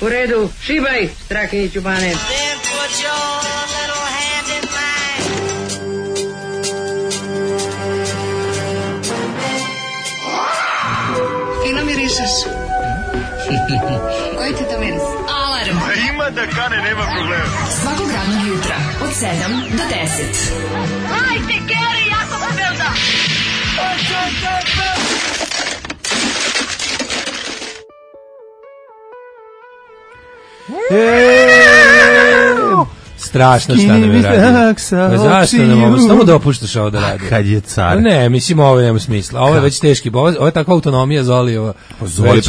U redu, šibaj, Strakiniću Bane. Fino mirišeš. Koji ti to miris? Alarm. Ima da kane, nema problema. Svakog radnog jutra, od 7 do 10. Hajde, Geri, jako se velda. Strašno šta nam je radio. Zašto ne mogu? Samo dopuštaš ovo da radi. Kad je car. Ne, mislim, ovo nema smisla. Ovo je već teški. Ovo je takva autonomija Zolijeva.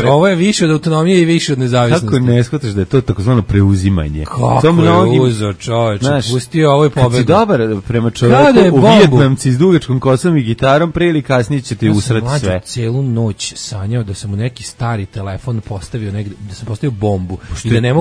Ovo je više od autonomije i više od nezavisnosti. Kako ne shvataš da je to takozvano preuzimanje? Kako je uzo, čoveče? Pustio, ovo je pobegao. Kad si dobar prema čoveku, u Vijetnamci s dugačkom kosom i gitarom, pre ili kasnije će ti usrati sve. Ja sam celu noć sanjao da sam u neki stari telefon postavio negde, da sam postavio bombu i da ne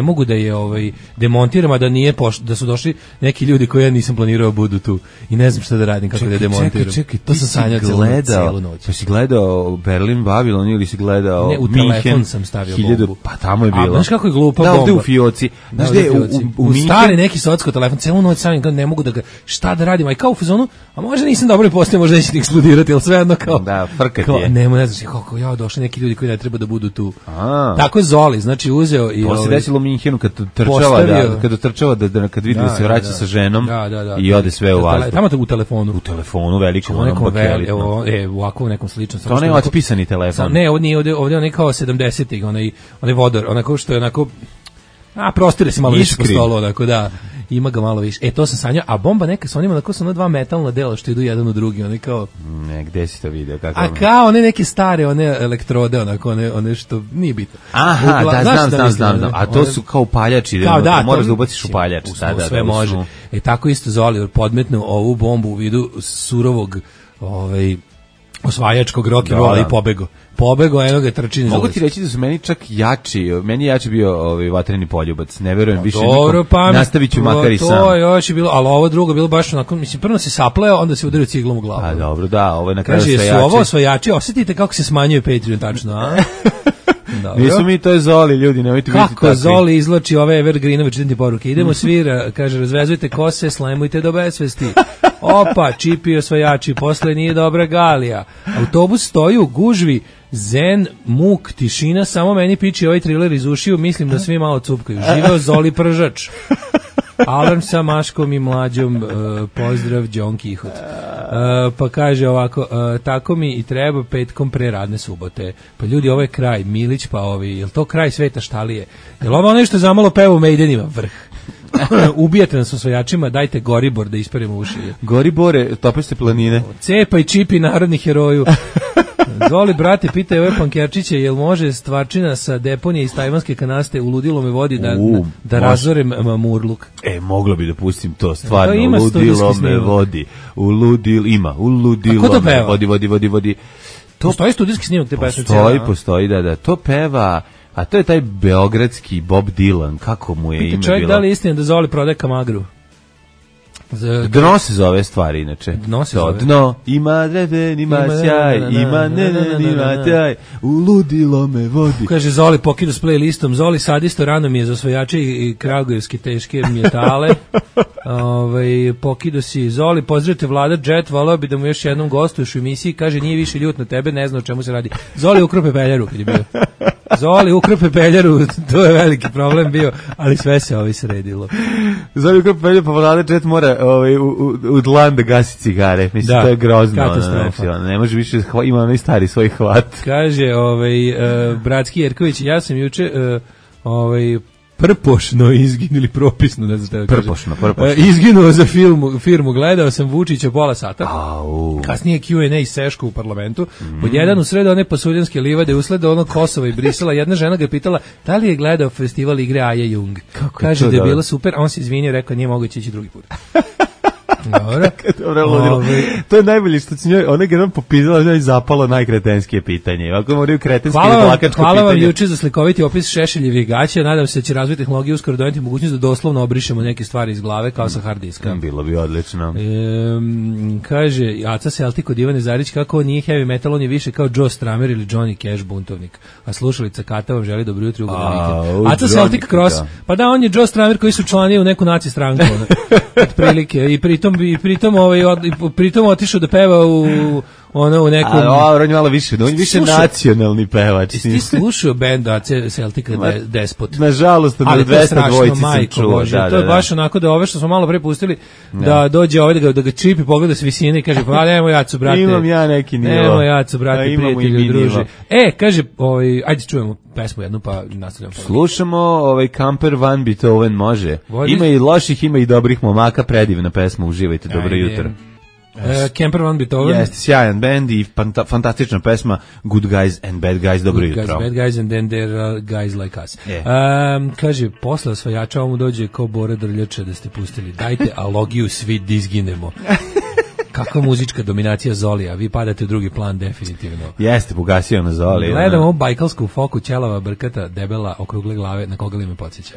mogu da je demontiram, a da nije da su došli neki ljudi koji ja nisam planirao budu tu i ne znam šta da radim, kako da je demontiram. Čekaj, to sam sanjao celu noć. Pa si gledao Berlin Babylon ili si gledao ne, u Minhen? Telefon sam stavio bombu. Pa tamo je bilo. A znaš kako je glupa bomba? Da, ovde u fioci. Znaš gde u stari neki socko telefon, celu noć sanjam, ne mogu da ga, šta da radim, a i kao u fazonu, a možda nisam dobro i postavio, možda neće eksplodirati, ali svejedno kao. Da, frkat je. Ne znaš kako ja došli neki ljudi koji ne treba da budu tu. Tako je Zoli, znači uzeo i to se desilo u Minhenu kad trčava kad vidi da se vraća sa ženom i ode sve u vazduh. Tamo u telefonu. U telefonu velikom, onom bakelitnom. Ovako u nekom sličnom. To ne otpisani telefon. Ne, ovdje onaj kao 70-ih, onaj vodor, onako što je onako, prostire se malo više po stolu, onako da, ima ga malo više. To sam sanjao, a bomba neka sa onima, onako su dva metalna dela što idu jedan u drugi, one kao... Ne, gde si to vidio? Kao one neke stare, one elektrode, onako, one što nije bitno. Aha, znam. A to su kao upaljači, moraš da ubaciš upaljač. Sve može. Tako isto Zoli podmetnu ovu bombu u vidu surovog, osvajačkog rock'n'rolla i pobego, eno ga trčini. Mogu ti reći da su meni čak meni je jači bio vatreni poljubac, ne verujem više nikom, nastavit ću makar i sam. To još je bilo, ali ovo drugo bilo baš onako, mislim, prvo se sapleo, onda se udario ciglom u glavu. A dobro, da, ovo je na kraju osvajači. Su ovo osvajači, osjetite kako se smanjuje Patreon, tačno, a? Nisu mi, to je Zoli, ljudi, nemojte biti takvi. Kako Zoli izlači ove Evergreenove čitanje poruke. Idemo svira, kaže, razvezujte kose, slemujte do besvesti. Opa, čipi osvajači, posle nije dobra Galija. Autobus stoji u gužvi, zen, muk, tišina, samo meni piči ovaj triler iz ušiju, mislim da svi malo cupkaju. Živeo Zoli Pržač. Alarm sa Maškom i Mlađom, pozdrav, John Kihot. Pa kaže ovako, tako mi i treba petkom pre radne subote. Pa ljudi, ovo je kraj, Milić pa jel to kraj sveta štalije? Jel ovo nešto zamalo peva u Maidenima? Vrh. Ubijate nas osvajačima, dajte Goribor da isperimo uši. Goribore, tope planine. Cepa i čipi narodni heroju. Zoli, brate, pitaj ove pankerčiće, jel može stvarčina sa deponije iz tajvanske kanaste u ludilo me vodi da razorem murluk? Moglo bi da pustim to, stvarno, ludilo me vodi. U ludilo me vodi. Postoji studijski snimak te pesme? Postoji, da. To peva... A to je taj beogradski Bob Dylan, kako mu je ime bilo? Čovjek, da li je istina da Zoli prodaje kamagru? Dno se zove stvari, inače. Dno, ima dreden, ima sjaj, ima ima taj, uludilo me vodi. Kaže Zoli, pokidu s playlistom, Zoli sadisto rano mi je za osvajače i kragujevske teške metale. Pokidu si, Zoli, pozdravite Vlada Jet, volao bi da mu još jednom gostuješ u emisiji, kaže nije više ljut na tebe, ne zna o čemu se radi. Zoli ukrope peljaru, kad je bio. Zoli ukrope peljaru, to je veliki problem bio, ali sve se sredilo. Zoli ukrope peljaru, pa Vlada Jet mora u dlan da gasi cigare. Mislim, to je grozno. Katastrofa. Ne može više, ima onaj stari svoj hvat. Kaže, bratski Jerković, ja sam juče, prpošno izginuli propisno, ne znam šta prpošno. Izginuo za firmu, gledao sam Vučića pola sata. Kasnije Q&A seško u parlamentu. Pod jedan u sredo one pasuljanske livade usleda ono Kosova i Brisela. Jedna žena ga je pitala da li je gledao festival igre Aja Jung. Kaže da je bila super, a on se izvinio, rekao nije moguće ići drugi put. Dobro. Ludilo. To je najbolje što će njoj, ona je jednom popizala, njoj zapalo najkretenskije pitanje. Ako moraju kretenske ili plakačko pitanje. Hvala vam juče za slikoviti opis Šešeljevih gaća. Nadam se da će razvoj tehnologije uskoro doneti mogućnost da doslovno obrišemo neke stvari iz glave kao sa hard diska. Bilo bi odlično. Kaže Aca Celtic od Ivane Zarić, kako nije heavy metal, on je više kao Joe Stramer ili Johnny Cash buntovnik. A slušalica Kata vam želi dobro jutro. Aca Celtic Cross. Pa da, on je Joe Stramer koji su člani u neku naci stranku. Otprilike. I pritom otišao da peva u nekom... on je malo više, on je više nacionalni pevač. Ti slušao band Celtica Despot? Nažalost, na 200 dvojici sam čuo. To je baš onako da ove što smo malo pre pustili, da dođe ovaj da ga čipi, pogleda s visine i kaže, pa nemo jacu, brate. Imam ja neki nivo. Nemo jacu, brate, prijatelju, druže. Kaže, ajde čujemo pesmu jednu pa nastavljamo. Slušamo Camper Van Beethoven, može. Ima i loših, ima i dobrih momaka, predivna pesma, uživajte, dobro jutro. Camper Van Beethoven. Jeste, sjajan band i fantastična pesma Good Guys and Bad Guys, dobro jutro. Good Guys, Bad Guys and then there are guys like us. Kaže, posle osvajača ovom dođe kao Bora Drljača da ste pustili. Dajte alogiju, svi dizginemo. Kakva muzička dominacija Zolija, vi padate u drugi plan definitivno. Jeste, pogasio na Zoli. Gledam ovu bajkalsku foku, ćelava, brkata, debela, okrugle glave, na koga li me podsjeća.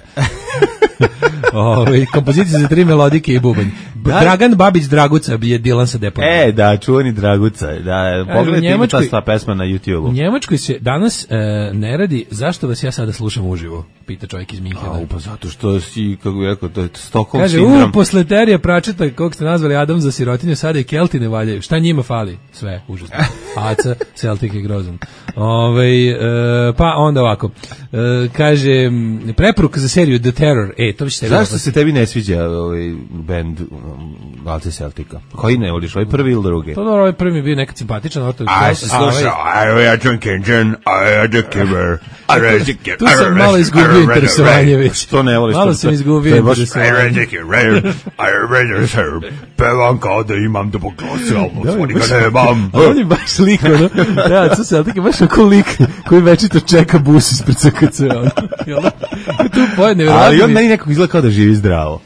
Kompozicija za 3 melodike i bubanj. Dragan Babić Draguca je Dilan sa Depom. Da, čuveni Draguca. Da, pogledajte, ima ta sva pesma na YouTube-u. U Njemačkoj se danas ne radi, zašto vas ja sada slušam uživo? Pita čovjek iz Minhena. Pa zato što si, kako bih rekao, to je Stockholm sindrom. Kaže, posle Terija Pračeta, kog ste nazvali Adam za sirotinju, sada i Kelti ne valjaju. Šta njima fali? Sve, užasno. Aca, Celtic je grozan. Pa onda ovako. Kaže, preporuka za seriju The Terror. To bi se tebi zašto se tebi ne sviđa band Aca Celtica? Koji ne voliš, ovaj prvi ili drugi? Pa dobro, ovaj prvi mi bio nekad simpatičan. Tu sam malo izgubio interesovanje već. To ne voliš. Malo sam izgubio interesovanje. Pevam kao da imam da poglasio, svoni ga nemam. On je baš lik, Aca Celtic je baš oko lik koji večito čeka bus ispred CKC. Ali on meni nekako izgleda kao da živi zdravo.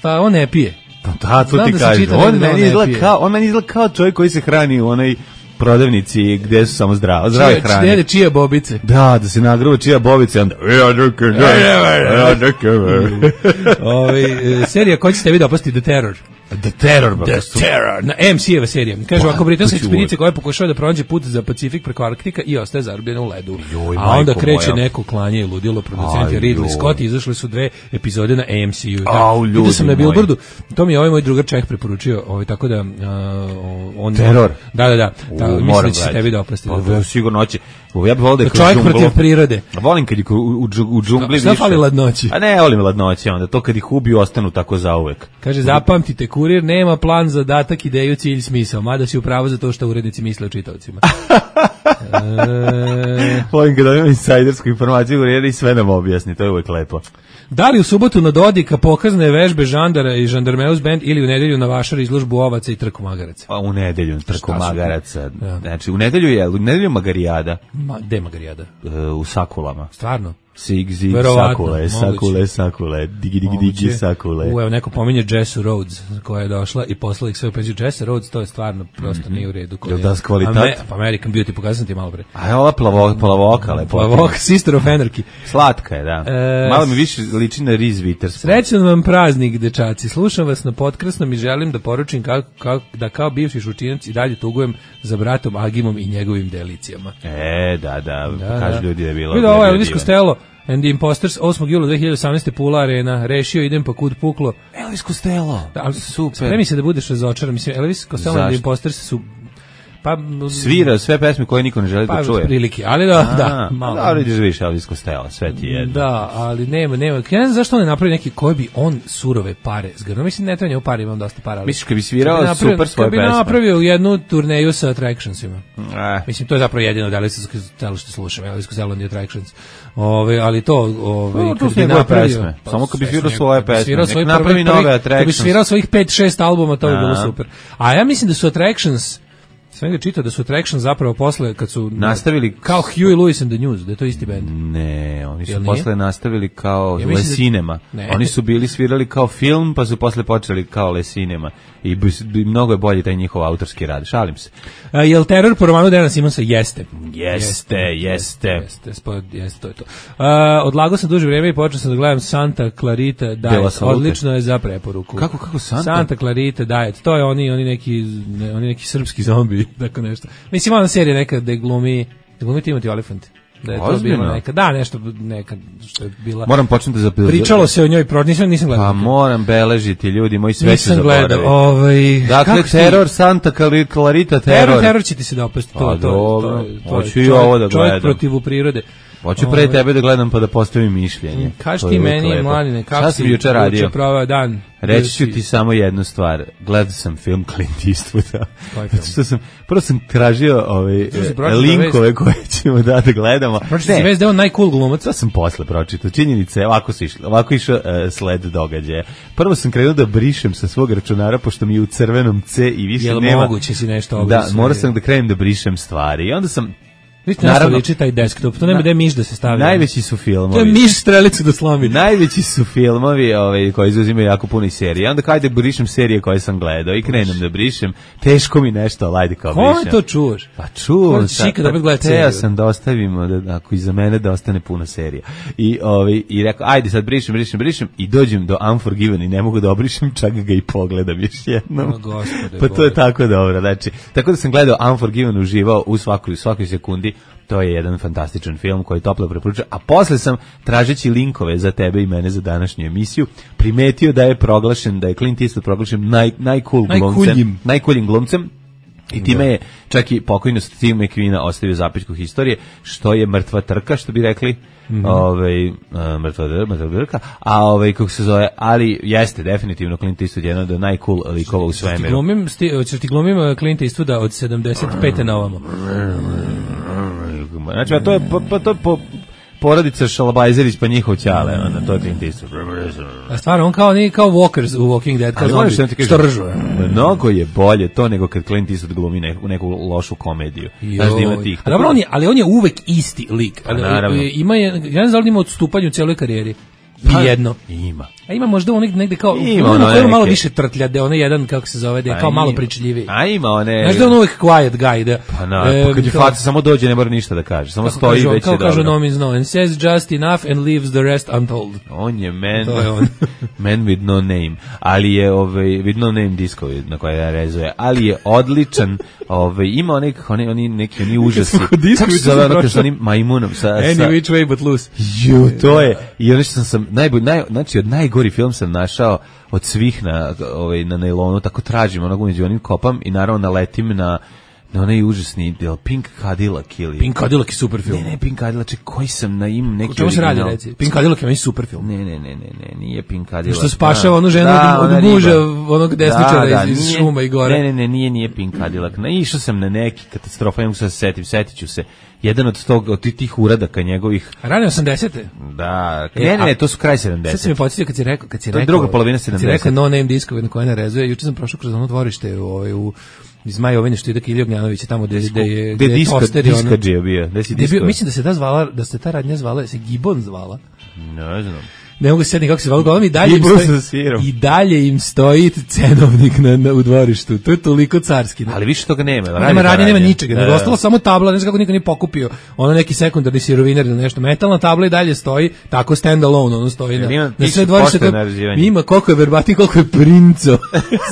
Pa on ne pije. Pa da, to ti kažem. On meni izgleda kao čovjek koji se hrani u onoj prodavnici gde su samo zdrave hrane. Jede čija bobice. Da se nagruva čija bobice, onda serija koja će tebi dopasti The Terror. The Terror. Na MC-eva serija. Kaže, ako britanska ekspedicija koja pokušava da pronađe put za Pacifik preko Arktika i ostaje zarobljena u ledu. A onda kreće neko klanje i ludilo, producent je Ridley Scott, izašle su 2 epizode na AMC-u. Vidio sam na Billboardu, to mi je moj drugar Čeh preporučio, tako da on... Teror. Da. Mislim da će se tebi dopasti. Sigurno hoće. Ja bih volio da je čovjek protiv prirode. Volim kad je u džungli više. Šta fali ladnoći? A ne, volim ladnoći, onda to kad ih ubiju ostanu tako zauvek. Kaže, zapamtite, kurir nema plan, zadatak, ideju, cilj, smisao, mada si upravo za to što urednici misle o čitaocima. Volim kada imam insajdersku informaciju kurir i sve nam objasni, to je uvek lepo. Da li u subotu na Dodika pokazne vežbe žandara i žandarmeus band ili u nedelju na Vašar izložbu ovaca i trku magaraca? Pa u nedelju trku magaraca. Znači, u nedelju magarijada. Gde magarijada? U Sakulama. Stvarno? Sig, sakule, digi, sakule. Evo, neko pominje Jesse Rhodes, koja je došla i poslala ih sve u penziju. Jesse Rhodes, to je stvarno prosto nije u redu. Je li da s kvalitet? American Beauty, pokazam ti malo pre. A je ova plavoka, lepo. Plavoka, Sister of Anarchy. Slatka je, da. Malo mi više liči na Reese Witherspoon. Srećan vam praznik, dečaci. Slušam vas na potkrasnom i želim da poručim da kao bivši šučinac i dalje tugujem za bratom Agimom i njegovim delicijama. Da. Kažu ljudi da je bilo. Vidio, ovo je Elvis Costello and the Imposters, 8. jula 2018. Pula Arena, rešio idem pa kud puklo. Elvis Costello, super. Spremi se da budeš razočaran, mislim, Elvis Costello and the Imposters su svira sve pesme koje niko ne želi da čuje. Prilike, ali da, malo. Da, vidiš više Elvis Costello, sve ti jedno. Da, ali nema. Ja ne znam zašto on ne napravi neki koji bi on surove pare zgrnuo. Mislim, ne treba njemu pare, imam dosta para. Misliš kad bi svirao super svoje pesme? Kad bi napravio jednu turneju sa Attractionsima. Mislim, to je zapravo jedino da Elvis Costello što slušam, Elvis Costello and the Attractions. Ali to kad bi napravio... Samo kad bi svirao svoje pesme, nek napravi nove Attractions. Kad bi svirao svojih 5-6 albuma, to bi bilo super. A ja mislim da su Attractions Sve ga čitao da su Traction zapravo posle kad su nastavili kao Huey Lewis and the News, da je to isti bend. Ne, oni su posle nastavili kao Le Cinema. Oni su bili svirali kao film, pa su posle počeli kao Le Cinema. I mnogo je bolji taj njihov autorski rad. Šalim se. Jel teror po romanu Dana Simonsa? Jeste, to je to. Odlagao sam duže vrijeme i počeo sam da gledam Santa Clarita Diet. Odlično je za preporuku. Kako Santa Clarita Diet. To je oni neki srpski zombi, tako nešto. Mislim, ona serija neka da glumi Timothy Olyphant. Da je to bilo neka, neka što je bila. Moram početi da pričalo se o njoj, nisam gledao. Pa moram beležiti, ljudi, moji sve će zaboraviti. Dakle, teror, Santa Clarita Teror će ti se dopasti. Hoću i ovo da gledam. Čovjek protiv prirode. Hoću pre tebe da gledam pa da postavim mišljenje. Kaži ti meni, mladine, kako si juče proveo dan? Reći ću ti samo jednu stvar. Gledao sam film Clint Eastwooda. Prvo sam tražio linkove koje ćemo da gledamo. Pročito si vez da je on najcool glumac. To sam posle pročitao. Činjenice, ovako išao sled događaja. Prvo sam krenuo da brišem sa svog računara, pošto mi je u crvenom C i više nema. Jel moguće si nešto obrisati? Da, morao sam da krenem da brišem stvari. I onda sam naravno liči taj desktop, to nema gde miš da se stavi. Najveći su filmovi. To je miš strelicu da slomi. Najveći su filmovi koji izuzimaju jako puno serije. Onda kada brišem serije koje sam gledao i krenem da brišem, teško mi nešto, ajde kao brišem. Kome to čuvaš? Pa čuvam. Ja sam da ostavimo, ako iza mene da ostane puno serija. I rekao, ajde sad brišem i dođem do Unforgiven i ne mogu da obrišem, čak ga i pogledam još jednom. Pa to je tako dobro. Znači, tako da sam gledao Unforgiven, uživao u svakoj sekundi. To je jedan fantastičan film koji toplo preporučujem. A posle sam, tražeći linkove za tebe i mene za današnju emisiju, primetio da je Clint Eastwood proglašen najcooljim glumcem. I time je čak i pokojno Steve McQueen ostavio zapisku historije, što je mrtva trka, što bi rekli. Mrtva trka, kako se zove, ali jeste definitivno Clint Eastwood jedan od najcool likova u svemiru. Ćeš ti glumim Clint Eastwooda od 75. na ovamo. Znači, to je porodica Šalabajzerić pa njihov ćale, to je Clint Eastwood. A stvarno, on kao Walkers u Walking Dead, kao zombi, što ržu. Mnogo je bolje to nego kad Clint Eastwood glumi neku lošu komediju. Ali on je uvek isti lik. Ja ne znam da ima odstupanje u cijeloj karijeri. Jedno. Ima. A ima možda onih negde kao ima malo više trtlja, da on je jedan, kako se zove, da je kao malo pričljiviji. A ima one. Znaš da on uvek quiet guy, da. Pa kad je faca samo dođe ne mora ništa da kaže, samo stoji već je dobro. Kao kaže no means no and says just enough and leaves the rest untold. On je man with no name, ali je with no name diskovi na koje ja rezuje, ali je odličan, ima neki užasi. Kako se zove ono što onim majmunom sa Any which way but loose. To je. I ono što sam znači od najgori film sam našao od svih na nailonu, tako tražim onog među onim kopam i naravno naletim na onaj užasni Pink Cadillac ili... Pink Cadillac je super film. Ne, Pink Cadillac, koji sam na im neki... O čemu se radi, reci? Pink Cadillac je meni super film. Ne, nije Pink Cadillac. Što spašava onu ženu od muža, onog desničara iz šuma i gore. Ne, nije Pink Cadillac. Išao sam na neki katastrofa, nemoj se setit ću se. Jedan od tih uradaka njegovih... Rane 80. Da, ne, to su kraj 70. Sad se mi podsjetio kad si rekao... To je druga polovina 70. Kad si rekao no name diskove na koje narezuje, juče sam prošao kroz ono dvorište iz Majovine što ide Kilija Ognjanovića tamo gde je toster i ono... Mislim da se ta radnja zvala, se Gibbon zvala. Ne znam. Ne mogu se sjetiti kako se zvala, uglavnom i dalje im stoji cenovnik u dvorištu. To je toliko carski. Ali više toga nema. Nema radnje, nema ničega. Nego ostala samo tabla, ne znam kako niko nije pokupio. Ono neki sekundarni siroviner ili nešto. Metalna tabla i dalje stoji, tako stand alone, ono stoji na sve dvorište. Ima koliko je verbatim, koliko je Princo.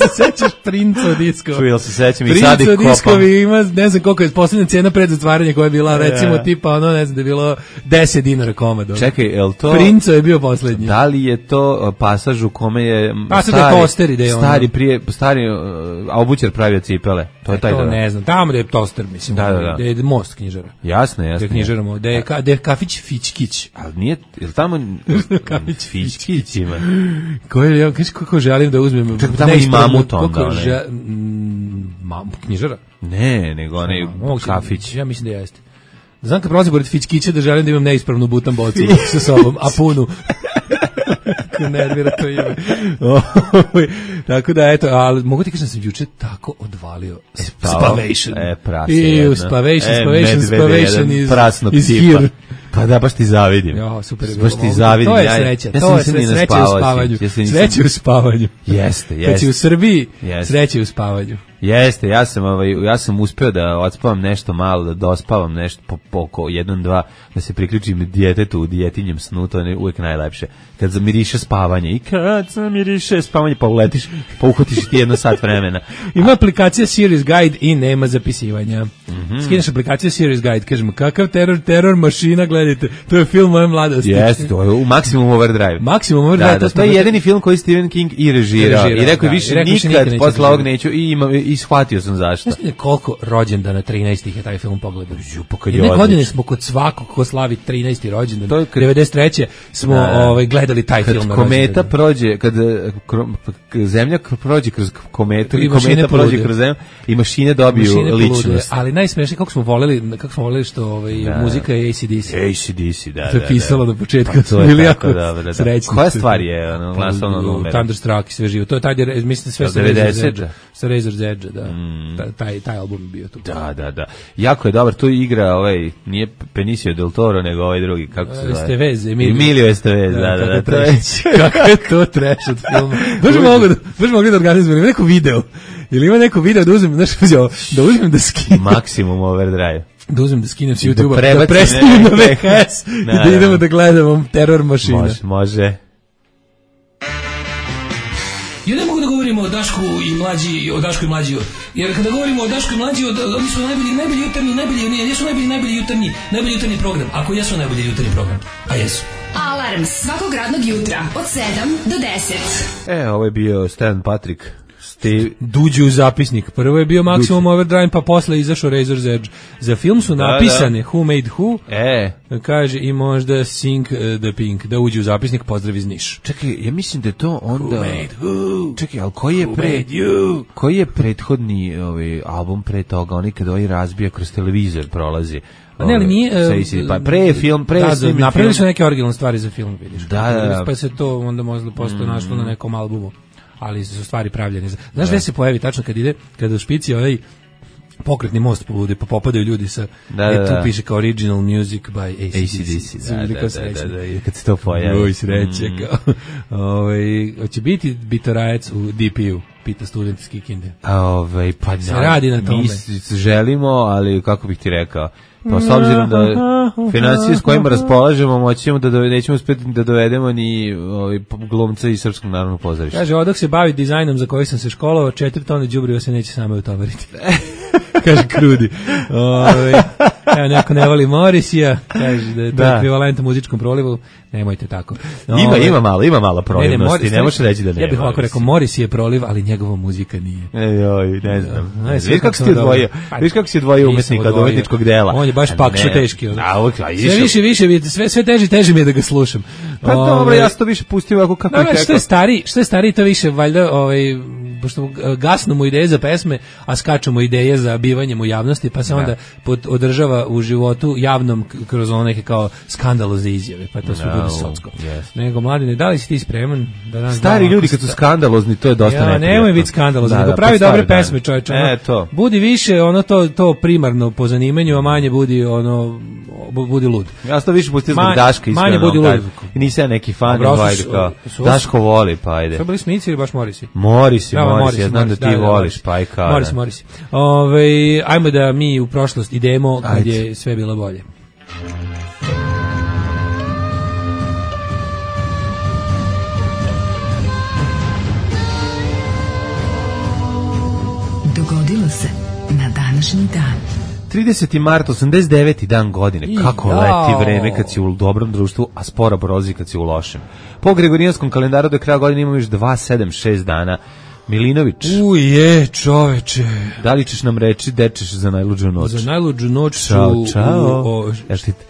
Se sećaš Princo diskova? Čuj, se sećam i sad ih kopam. Princo diskovi ima, ne znam koliko je poslednja cena pred zatvaranje koja je bila, recimo tipa, ono, ne znam, da je bilo 10 dinara komad. Čekaj, je to... Princo je bio poslednji. Da li je to pasaž u kome je stari obućar pravio cipele? To je taj da. Ne znam, tamo da je toster, mislim. Da je most knjižara. Jasno. Da je knjižaramo, da je kafić Fićkić. Ali nije, je li tamo kafić Fićkić ima? Kako želim da uzmem... Čekaj, tamo i mamut onda. Knjižara? Ne, nego onaj kafić. Ja mislim da jeste. Znam kad prolazim pored Fićkića da želim da imam neispravnu butan bocu sa sobom, a punu. Kako nervira to ime. Tako da, eto, ali mogu ti kažem da sam juče tako odvalio Spavation. Spavation is here. Pa da, baš ti zavidim. Jo, super. Baš ti zavidim. To je sreća. To je sreća u spavanju. Sreća u spavanju. Jeste. Kad si u Srbiji, sreća u spavanju. Jeste, ja sam uspeo da odspavam nešto malo, da dospavam nešto po 1-2, da se priključim djetetu u djetinjem snu, to je uvijek najlepše. Kad zamiriše spavanje i kad zamiriše spavanje, pa uletiš, pa uhvatiš ti 1 sat vremena. Ima aplikacija Serious Guide i nema zapisivanja. Skineš aplikaciju Serious Guide, kažemo kakav teror mašina, gledajte, to je film moje mladosti. Jeste, to je u Maximum Overdrive. Maximum Overdrive. Da, to je jedini film koji Stephen King i režirao. I rekao je više nikad posle ovog neću i shvatio sam zašto. Znaš koliko rođendana 13. je taj film pogledao? Jedne godine smo kod svakog ko slavi 13. rođendan. 93. smo gledali taj film. Kad kometa prođe, kad zemlja prođe kroz kometu i kometa prođe kroz zemlju i mašine dobiju ličnost. Ali najsmešnije kako smo voleli što muzika je AC/DC. AC/DC, da. To je pisalo na početku. To je tako dobro. Koja stvar je glasovno numero? Thunderstruck i sve živo. To je taj, mislim, sve sa Razor's Edge, da. Taj album je bio tu. Da. Jako je dobar, tu igra nije Benicio del Toro, nego ovaj drugi, kako se zove? Estevez, Emilio Estevez, da. Kako je to trash od filma. Baš mogli da organizujemo neko video. Ili ima neko video da uzmem, da uzmem da skinem. Maximum Overdrive. Da uzmem da skinem s YouTube-a, da predstavim na VHS i da idemo da gledamo teror mašina. Može. Ja ne mogu da govorimo o Dašku i mlađi, jer kada govorimo o Dašku i mlađi, oni su najbolji jutarnji program, ako jesu najbolji jutarnji program, a jesu. Alarm svakog radnog jutra od 7 do 10. Ovo je bio Stan Patrick. Duđu u zapisnik. Prvo je bio Maximum Overdrive, pa posle izašao Razor's Edge. Za film su napisane Who Made Who, kaže i možda Sing the Pink, da uđe u zapisnik, pozdrav iz Niš. Čekaj, ja mislim da je to onda... Who made who? Čekaj, ali koji je prethodni album pre toga, oni kada razbija kroz televizor prolazi? Ne, ali nije... Napravili su neke originalne stvari za film, vidiš. Da. Pa se to onda možda postoje našlo na nekom albumu. Ali su stvari pravljene. Znaš gde se pojavi tačno kada u špici pokretni most poludi, pa popadaju ljudi sa... Tu piše kao original music by AC/DC. Da. Kad se to pojavi. Sreće. Hoće biti bitorajac u DP-u, pita student iz Kikinde. Pa se radi na tome. Mi želimo, ali kako bih ti rekao, pa s obzirom da financije s kojima raspolažemo nećemo uspjeti da dovedemo ni glumca iz Srpskog narodnog pozorišta. Kaže, odak se bavi dizajnom za koji sam se školovao, 4 tone đubriva se neće sama utovariti. Kaže Krudi. Evo, neko ne voli Morisija, kaže da je to ekvivalent muzičkom prolivu. Nemojte tako. Ima malo prolivnosti, ne može reći da nema. Ja bih ovako rekao, Moris je proliv, ali njegova muzika nije. Ne znam. Viš kako si odvojio umetnika od umetničkog dela. On je baš pakšo teški. Sve teže mi je da ga slušam. Pa dobro, ja sam to više pustio ovako kako je rekao. Što je stariji, to više valjda, pošto gasnu mu ideje za pesme, a skaču mu ideje za bivanjem u javnosti, pa se onda održava u životu javnom kroz ono neke kao skandalozne izjave, pa to sve bude socko. Nego, Mladine, da li si ti spreman? Stari ljudi kad su skandalozni, to je dosta neprijatno. Nemoj biti skandalozan, nego pravi dobre pesme, čovječe. Budi više to primarno po zanimanju, a manje budi lud. Ja sam to više pustio zbog Daška, iskreno. Manje budi lud. Nisam ja neki fan, Daško voli, pa ajde. Sve bili Smici ili baš Morisi? Morisi, ja znam da ti voliš, pa i kao. Morisi. Ajmo da mi u prošlost idemo kad je sve bilo bolje. Dogodilo se na današnji dan. 30. mart, 89. dan godine. Kako leti vreme kad si u dobrom društvu, a sporo brozi kad si u lošem. Po Gregorijanskom kalendaru do kraja godine imamo još 276 dana. Milinović. Čoveče. Da li ćeš nam reći dečeš za najluđu noć? Za najluđu noć čao.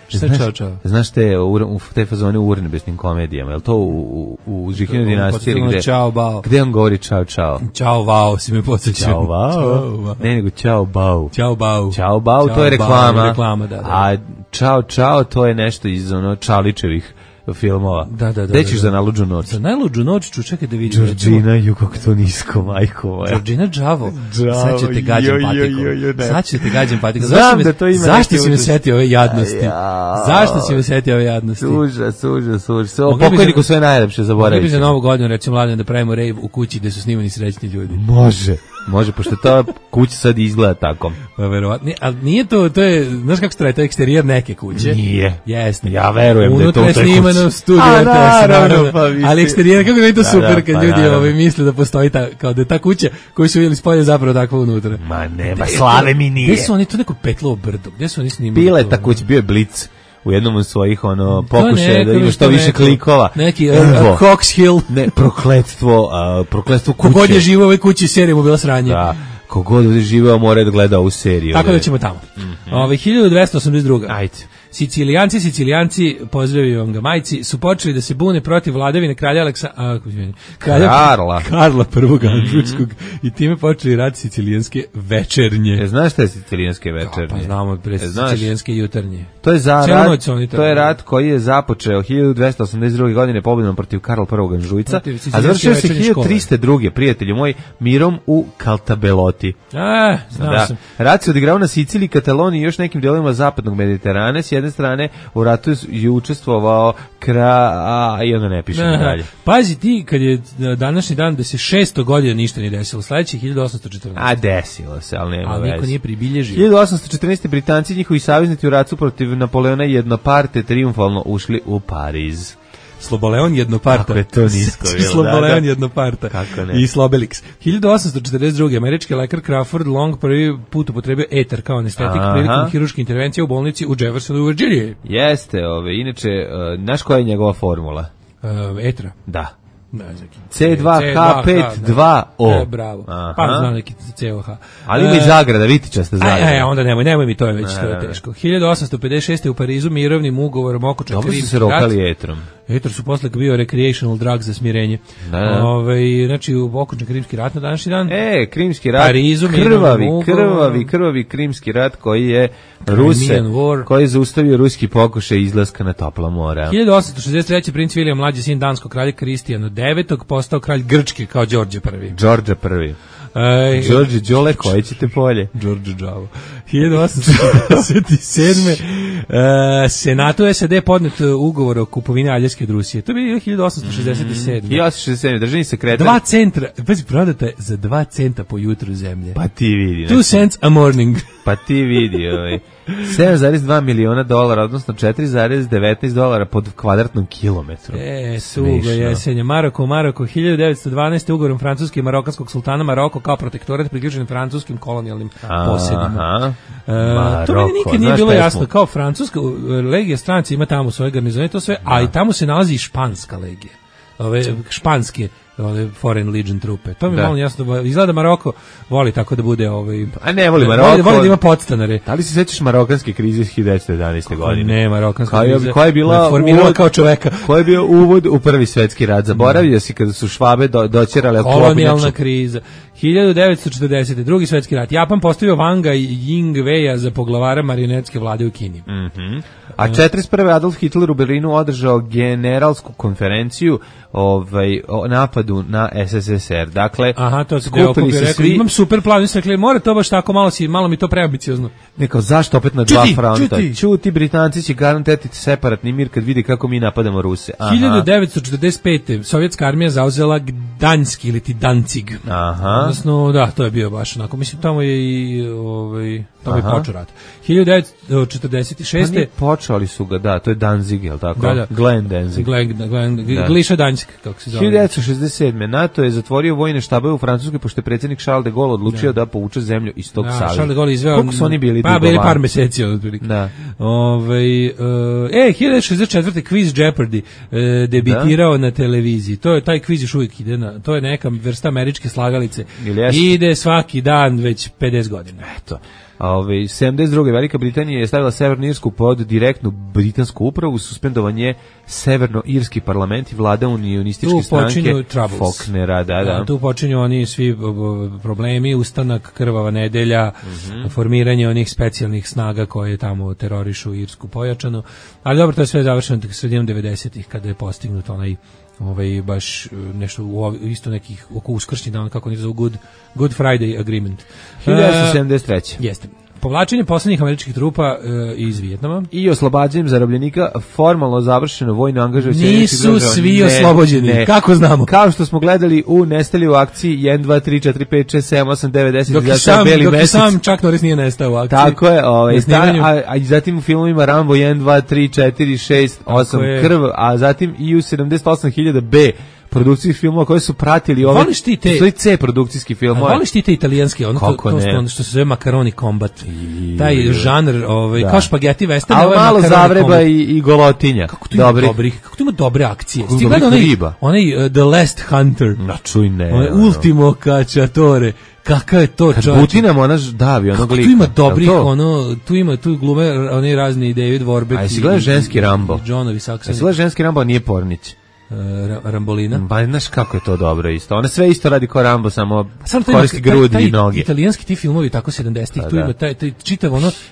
Šta čao? Znaš te fazone u urnebesnim komedijama, je li to u Žihinoj dinastiji gde on govori čao? Čao vao, si me podsjećao. Čao vao? Ne, nego čao bau. Čao bau, to je reklama. Da. A čao, to je nešto iz Čalićevih filmova. Gde ćeš za najluđu noć? Za najluđu noć ću čekaj da vidim. Georgina, ju kako to nisko, majko moja. Georgina Đavo. Sad ćete gađam patikom. Sad ćete gađam patikom. Znam da to ima. Zašto si me setio ove jadnosti? Zašto si me setio ove jadnosti? Užas. Pokojniku sve najlepše zaboraviti. Mogli bi za Novu godinu, recimo, Mladen, da pravimo rave u kući gde su snimani srećni ljudi. Može, pošto ta kuća sad izgleda tako. Pa verovatno, ali nije to je, znaš kako se traje, to je eksterijer neke kuće. Nije. Jeste. Ja verujem da je to unutra je snimano studio RTS, naravno. Ali eksterijer, kako je to super kad ljudi misle da postoji kao da je ta kuća koju su vidjeli spolje zapravo takva unutra. Ma nema, slave mi nije. Gde su oni to neko petlovo brdo? Gde su oni snimali? Bila je ta kuća, bio je Blic. U jednom od svojih pokušaja da ima što više klikova. Neki Cox Hill. Ne, prokletstvo kuće. Kogod je živao u ovoj kući, serija mu bila sranje. Da, kogod je živao mora da gleda ovu seriju. Tako da ćemo tamo. 1282. Ajde. Sicilijanci, pozdravim ga majci, su počeli da se bune protiv vladavine kralja Karla I. Anžujskog i time počeli rad sicilijanske večernje. Znaš šta je sicilijanske večernje? Pa znamo, sicilijanske jutarnje. To je rat koji je započeo 1282. godine pobjedom protiv Karla I. Anžujca, a završio se 1302. prijatelji moji, mirom u Caltabeloti. Znao sam. Rat se odigrao na Siciliji, Kataloniji i još nekim dijelovima zapadnog Mediterana. S jedne strane u ratu je učestvovao i onda ne pišem dalje. Pazi ti, kad je današnji dan da se 600 godina ništa nije desilo, sledećih 1814. Desilo se, ali nema veze. Niko nije pribilježio. 1814. Britanci i njihovi saveznici u ratu protiv Napoleona Jednoparte triumfalno ušli u Pariz. Sloboleon Jednoparta. Kako je to nisko bilo. Sloboleon Jednoparta. Kako ne. I Slobelix. 1842. američki lekar Crawford Long prvi put upotrebio eter kao anestetik prilikom hirurške intervencije u bolnici u Jeffersonu u Virginiji. Jeste, inače, znaš koja je njegova formula? Etera? Da. C2H52O. Bravo. Pa znam neki COH. Ali ima i zagrada, vitičasta zagrada. Onda nemoj mi, to je već to je teško. 1856. u Parizu mirovnim ugovorom okočan Krimski rat. Krimski su se rokali etrom. Eter su posle bio recreational drug za smirenje. Znači u okočan Krimski rat na današnji dan. Krimski rat. Parizu, krvavi Krimski rat koji je koji je zaustavio ruski pokušaj izlaska na topla mora. 1863. princ William, mlađi sin danskog kralja Kristijana IX, postao kralj Grčke kao Đorđe I. Đorđe Đole, koje ćete polje? Đorđe Đavo. 1867. Senatu SAD podnet ugovor o kupovini Aljaske od Rusije. To je bilo 1867. 1867. Državni sekretar. 2 centra, prodata je za 2 centa po jutru zemlje. Pa ti vidi. 2 cents a morning. Pa ti vidi, 7,2 miliona dolara, odnosno 4,19 dolara pod kvadratnom kilometru. Sugo jesenje. Maroko, 1912. ugovorom francuske i marokanskog sultana Maroko kao protektorat priključen francuskim kolonijalnim posjedima. To mi nikad nije bilo jasno. Kao francuska legija stranci ima tamo svoje garnizone, to sve, a i tamo se nalazi i španska legija. Španske Foreign Legion trupe. To mi je malo jasno. Izgleda Maroko voli tako da bude a ne voli Maroko. Voli da ima podstanare. Da li se sećaš marokanske krize iz 1911. godine? Ne, marokanska kriza. Koja je bila formirala kao čoveka. Koji je bio uvod u Prvi svetski rat? Zaboravio si kada su Švabe doćerale kolonijalna kriza. 1940. Drugi svetski rat. Japan postavio Wanga i Ying-Weia za poglavara marionetske vlade u Kini. A 41. Adolf Hitler u Berlinu održao generalsku konferenciju o napadu na SSSR. Dakle, skupili se svi. Imam super plan, mislim, rekli, mora to baš tako, malo mi to preambiciozno. Neko, zašto opet na dva fronta? Čuti, Britanci će garantirati separatni mir kad vidi kako mi napadamo Ruse. 1945. Sovjetska armija zauzela Gdanjski ili ti Danzig. Odnosno, da, to je bio baš onako, mislim, tamo je i tamo je počeo rat. 1946. Pa nije počeo, ali su ga, da, to je Danzig, je li tako? Da. Glen Danzig. Gliša Danjsk, kako se zove. 1967. NATO je zatvorio vojne štabove u Francuskoj pošto je predsjednik Charles de Gaulle odlučio da povuče zemlju iz tog saveza. Charles de Gaulle izveo... Koliko su oni bili bili par meseci otprilike. Da. 1964. Quiz Jeopardy debitirao na televiziji. To je taj kviz još uvijek ide to je neka vrsta američke slagalice. Ide svaki dan već 50 godina. Eto. 72. Velika Britanija je stavila Severnu Irsku pod direktnu britansku upravu, suspendovan je Severno-irski parlament i vlada unionističke stranke Faulknera. Da. Tu počinju oni svi problemi, ustanak, krvava nedelja, formiranje onih specijalnih snaga koje tamo terorišu Irsku pojačano. Ali dobro, to je sve završeno sredinom 90-ih kada je postignut onaj baš nešto isto nekih oko uskršnji dan, kako oni zovu Good Friday Agreement. 1973. Jeste. Povlačenje poslednjih američkih trupa iz Vijetnama i oslobađanjem zarobljenika, formalno završeno vojno angažovanje. Nisu svi oslobođeni, kako znamo? Kao što smo gledali u Nestali u akciji 1, 2, 3, 4, 5, 6, 7, 8, 9, 10, dok sam Chuck Norris nije nestao u akciji. Tako je, a zatim u filmovima Rambo 1, 2, 3, 4, 6, 8, Krv, a zatim i u 78.000 B produkcijskih filmova koje su pratili ove C produkcijski filmove. Voliš ti te italijanski, to što se zove Macaroni Combat. Taj žanr, kao špageti western, ali malo Zavreba i Golotinja. Kako tu ima dobre akcije. Ti gledaj onaj The Last Hunter. Ultimo Cacciatore. Kakav je to čovječ? Kad Butinam ona davi onog lika. Tu ima dobrih, tu glume oni razni David Warbeck. A jesi gledao ženski Rambo? Johnovi Saksoni. Jesi gledao ženski Rambo, a nije Pornić? Rambolina. Ba, znaš kako je to dobro isto. Ona sve isto radi kao Rambo, samo koristi grudi i noge. Italijanski ti filmovi tako 70-ih, tu ima taj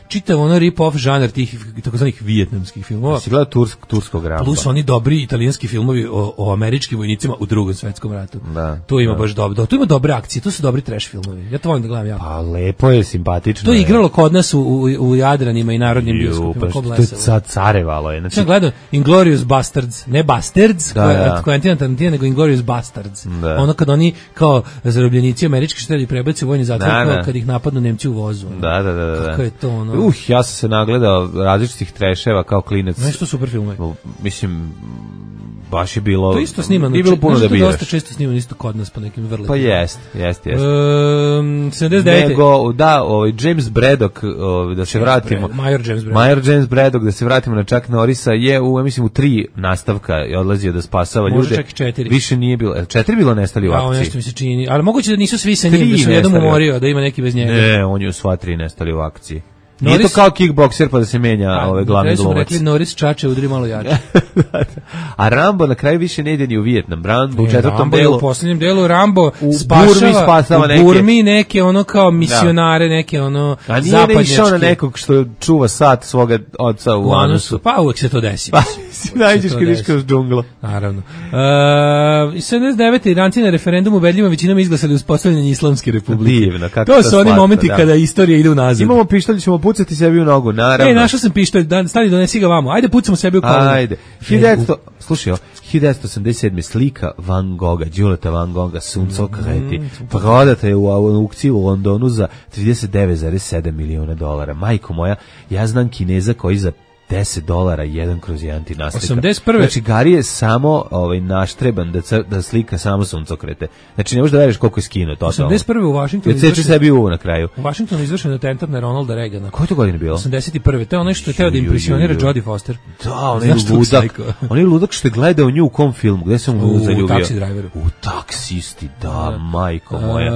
čitav ono rip-off žanar tih takozvanih vijetnamskih filmova. Si gledao turskog Rambo. Plus oni dobri italijanski filmovi o američkim vojnicima u Drugom svetskom ratu. Tu ima baš dobro. Tu ima dobre akcije, tu su dobri trash filmovi. Ja to volim da gledam jako. Pa lepo je, simpatično. To je igralo kod nas u Jadranima i narodnim bioskopima. To je sad carevalo je. Znači gledao Inglourious Bastards, ne Bastards, Quentin Tarantino, nego Inglourious Bastards. Ono kad oni kao zarobljenici američki što prebaci u vojni zatvor, kad ih napadnu Nemci u vozu. Da. Kako je to ono? Ja sam se nagledao različitih treševa kao klinac. Nešto super filmove. Mislim, baš je bilo... To isto snimano. Nije bilo puno da biraš. Dosta često snimano isto kod nas po nekim vrletima. Pa jest. 79. Nego, James Braddock, da se vratimo. Major James Braddock, da se vratimo na Chuck Norrisa, je u 3 nastavka je odlazio da spasava ljude. Može čak i 4. Više nije bilo. 4 bilo nestali u akciji. Nešto mi se čini. Ali moguće da nisu svi sa njim, da su jednom umorio, da ima neki bez njega. Ne, on je u sva 3 nestali u akciji. Nije to kao kickbokser pa da se menja glavni glumac. Rekli Norris čače, udri malo jače. A Rambo na kraju više ne ide ni u Vijetnam. Rambo u 4. delu. U posljednjem delu Rambo spasava u Burmi neke ono kao misionare, neke ono zapadnjačke. A nije ne išao na nekog što čuva sat svoga oca u anusu. Pa uvek se to desi. Pa najđeš kad iš kroz džungla. Naravno. 79. Iranci na referendumu ubedljivom većinom izglasali uspostavljanje Islamske republike. Divno, kako to su oni momenti kada istorija ide unazad. Imamo pištolj, ćemo pucati sebi u nogu, naravno. Našao sam pištolj, stani donesi ga vamo. Ajde pucamo sebi u kolonu. Ajde. 1987. slika Van Gogha, Đuleta Van Gogha, Suncokreti, prodata je u aukciji u Londonu za $39,7 miliona. Majko moja, ja znam Kineza koji za $10 1/1 ti naslika. 81. Znači, Gari je samo naštreban da slika samo suncokrete. Znači, ne možeš da veriš koliko je skinuo to. 81. u Vašingtonu izvršeno sebi uvo na kraju. U Vašingtonu izvršeno atentat na Ronalda Reagana. Koje to godine bilo? 81. To je ono što je teo da impresionira Jodie Foster. Da, on je ludak što je gledao nju u kom filmu, gde se on zaljubio? U Taxi Driveru. U Taksisti, da, majko moja.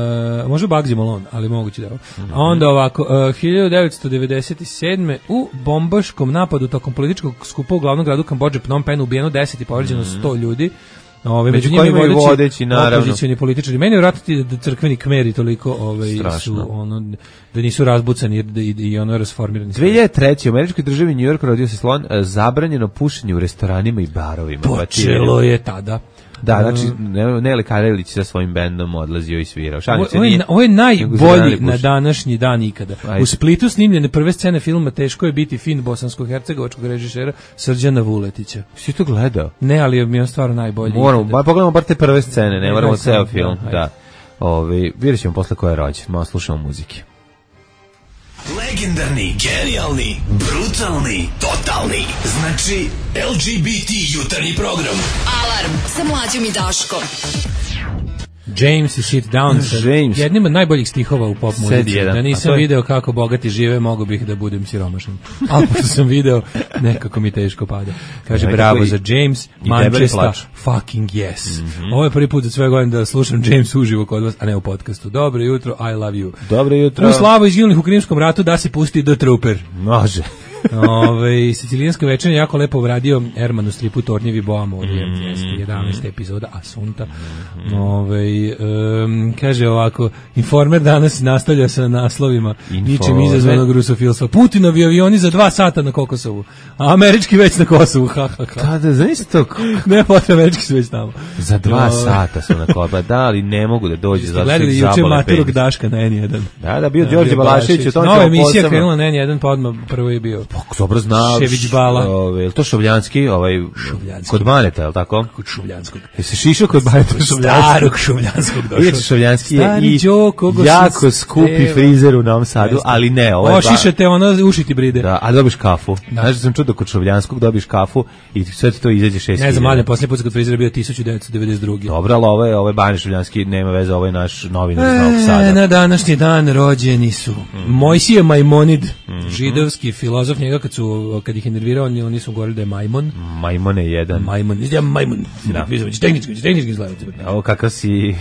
Može Bugsy Malone, ali moguće da. A onda ovako, 1997. u bombaškom napadu tokom političkog skupa u glavnom gradu Kambodže Phnom Penhu ubijeno 10 i povređeno 100 ljudi. Među njima i vodeći opozicioni političari. Meni je vratiti da crkveni kmeri toliko su da nisu razbucani i rasformirani. 2003. u američkoj državi New York rodio se slon zabranjeno pušenje u restoranima i barovima. Počelo je tada. Da, znači Nele Karelić sa svojim bendom odlazio i svirao. Ovo je najbolji na današnji dan ikada. U Splitu snimljene prve scene filma Teško je biti fin bosansko-hercegovačkog režisera Srđana Vuletića. Si to gledao? Ne, ali mi je on stvarno najbolji. Pogledamo bar te prve scene, ne moramo ceo film. Vidjet ćemo posle ko je rođen, malo slušamo muzike. Legendarni, genijalni, brutalni, totalni. Znači, LGBT jutarnji program. Alarm sa Mlađom i Daškom. James i Sit Down sa jednim od najboljih stihova u pop muzici. Da nisam video kako bogati žive, mogu bih da budem siromašan. Ali pošto sam video, nekako mi teško pada. Kaže, bravo za James, Manchester, fucking yes. Ovo je prvi put za sve godine da slušam James uživo kod vas, a ne u podcastu. Dobro jutro, I love you. Dobro jutro. U slavu izginulih u Krimskom ratu da se pusti The Trooper. Može. Sicilijanska večernja jako lepo uradio Erman u stripu Tornjevi Boama od 11. epizoda Asunta. Kaže ovako, Informer danas nastavlja sa naslovima ničim izazvanog rusofilstva. Putinovi avioni za 2 sata na Kokosovu, a američki već na Kosovu. Da, znaš to? Ne, potrebno, američki su već tamo. Za 2 sata su na Kosovu, da, ali ne mogu da dođe. Gledali juče Maturog Daška na N1. Da, bio Đorđe Balašević. Nova emisija krenula na N1, pa odmah prvo je bio dobro znaš. Šević Bala. Je li to Šovljanski? Kod Baneta, je li tako? Kod Šovljanskog. Je se šišao kod Baneta? Starog Šovljanskog došao. Iječe Šovljanski je i jako skupi frizer u Novom Sadu, ali ne. Šišate ono, ušiti bride. Da, a dobiš kafu. Znaš da sam čuo kod Šovljanskog dobiš kafu i sve ti to izađe 6.000. Ne znam, mladen, posljednji put kod frizera bio 1992. Dobro, ali ovo je Bane Šovljanski, nema veze, ovo je naš novinar iz Novog Sada. Na današnji dan rođeni su Mojsije Majmonid, židovski filozof, njega kad ih je nervirao, oni su govorili da je majmon. Majmon je jedan. Majmon. Da. Tehnički zlaviti. Ovo kakav si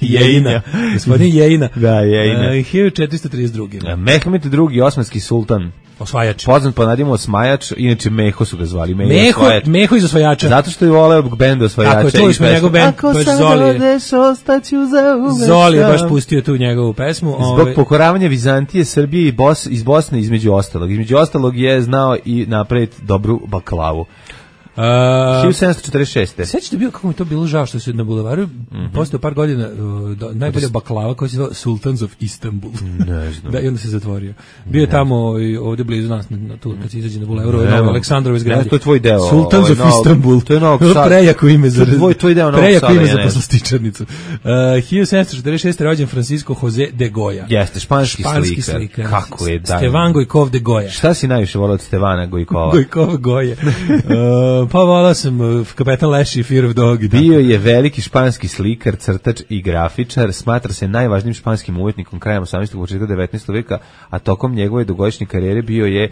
Jejna. Gospodin Jejna. Da, Jejna. 1432. Mehmed II, osmanski sultan. Osvajač. Poznat po nadimu Osmajač, inače Meho su ga zvali. Meho iz Osvajača. Zato što je voleo bend Osvajača. Tako je, čuli smo njegov bend. Ako sad odeš, ostaću za uvek. Zoli je baš pustio tu njegovu pesmu. Zbog pokoravanja Vizantije, Srbije i iz Bosne između ostalog. Između ostalog je znao i napraviti dobru baklavu. 1746. Sećate bio kako mi to bilo žao što se na bulevaru posle par godina najbolja baklava koja se zvala Sultans of Istanbul. Ne znam. Da, i onda se zatvorio. Bio je tamo ovdje blizu nas tu kad se izađe na bulevaru Aleksandrove zgrade. To je tvoj deo. Sultans of Istanbul. To je Novog Sada. Prejako ime za tvoj deo Novog Sada. Prejako ime za poslastičarnicu. 1746 rođen Francisco Jose de Goya. Jeste, španski slikar. Kako je da. Stevan Gojkov de Goya. Šta si najviše volao od Stevana Gojkova? Gojkova Goje. Pa volao sam Kapetan Leš i Fear of Dog. Bio je veliki španski slikar, crtač i grafičar, smatra se najvažnijim španskim umetnikom krajem 18. početka 19. veka, a tokom njegove dugogodišnje karijere bio je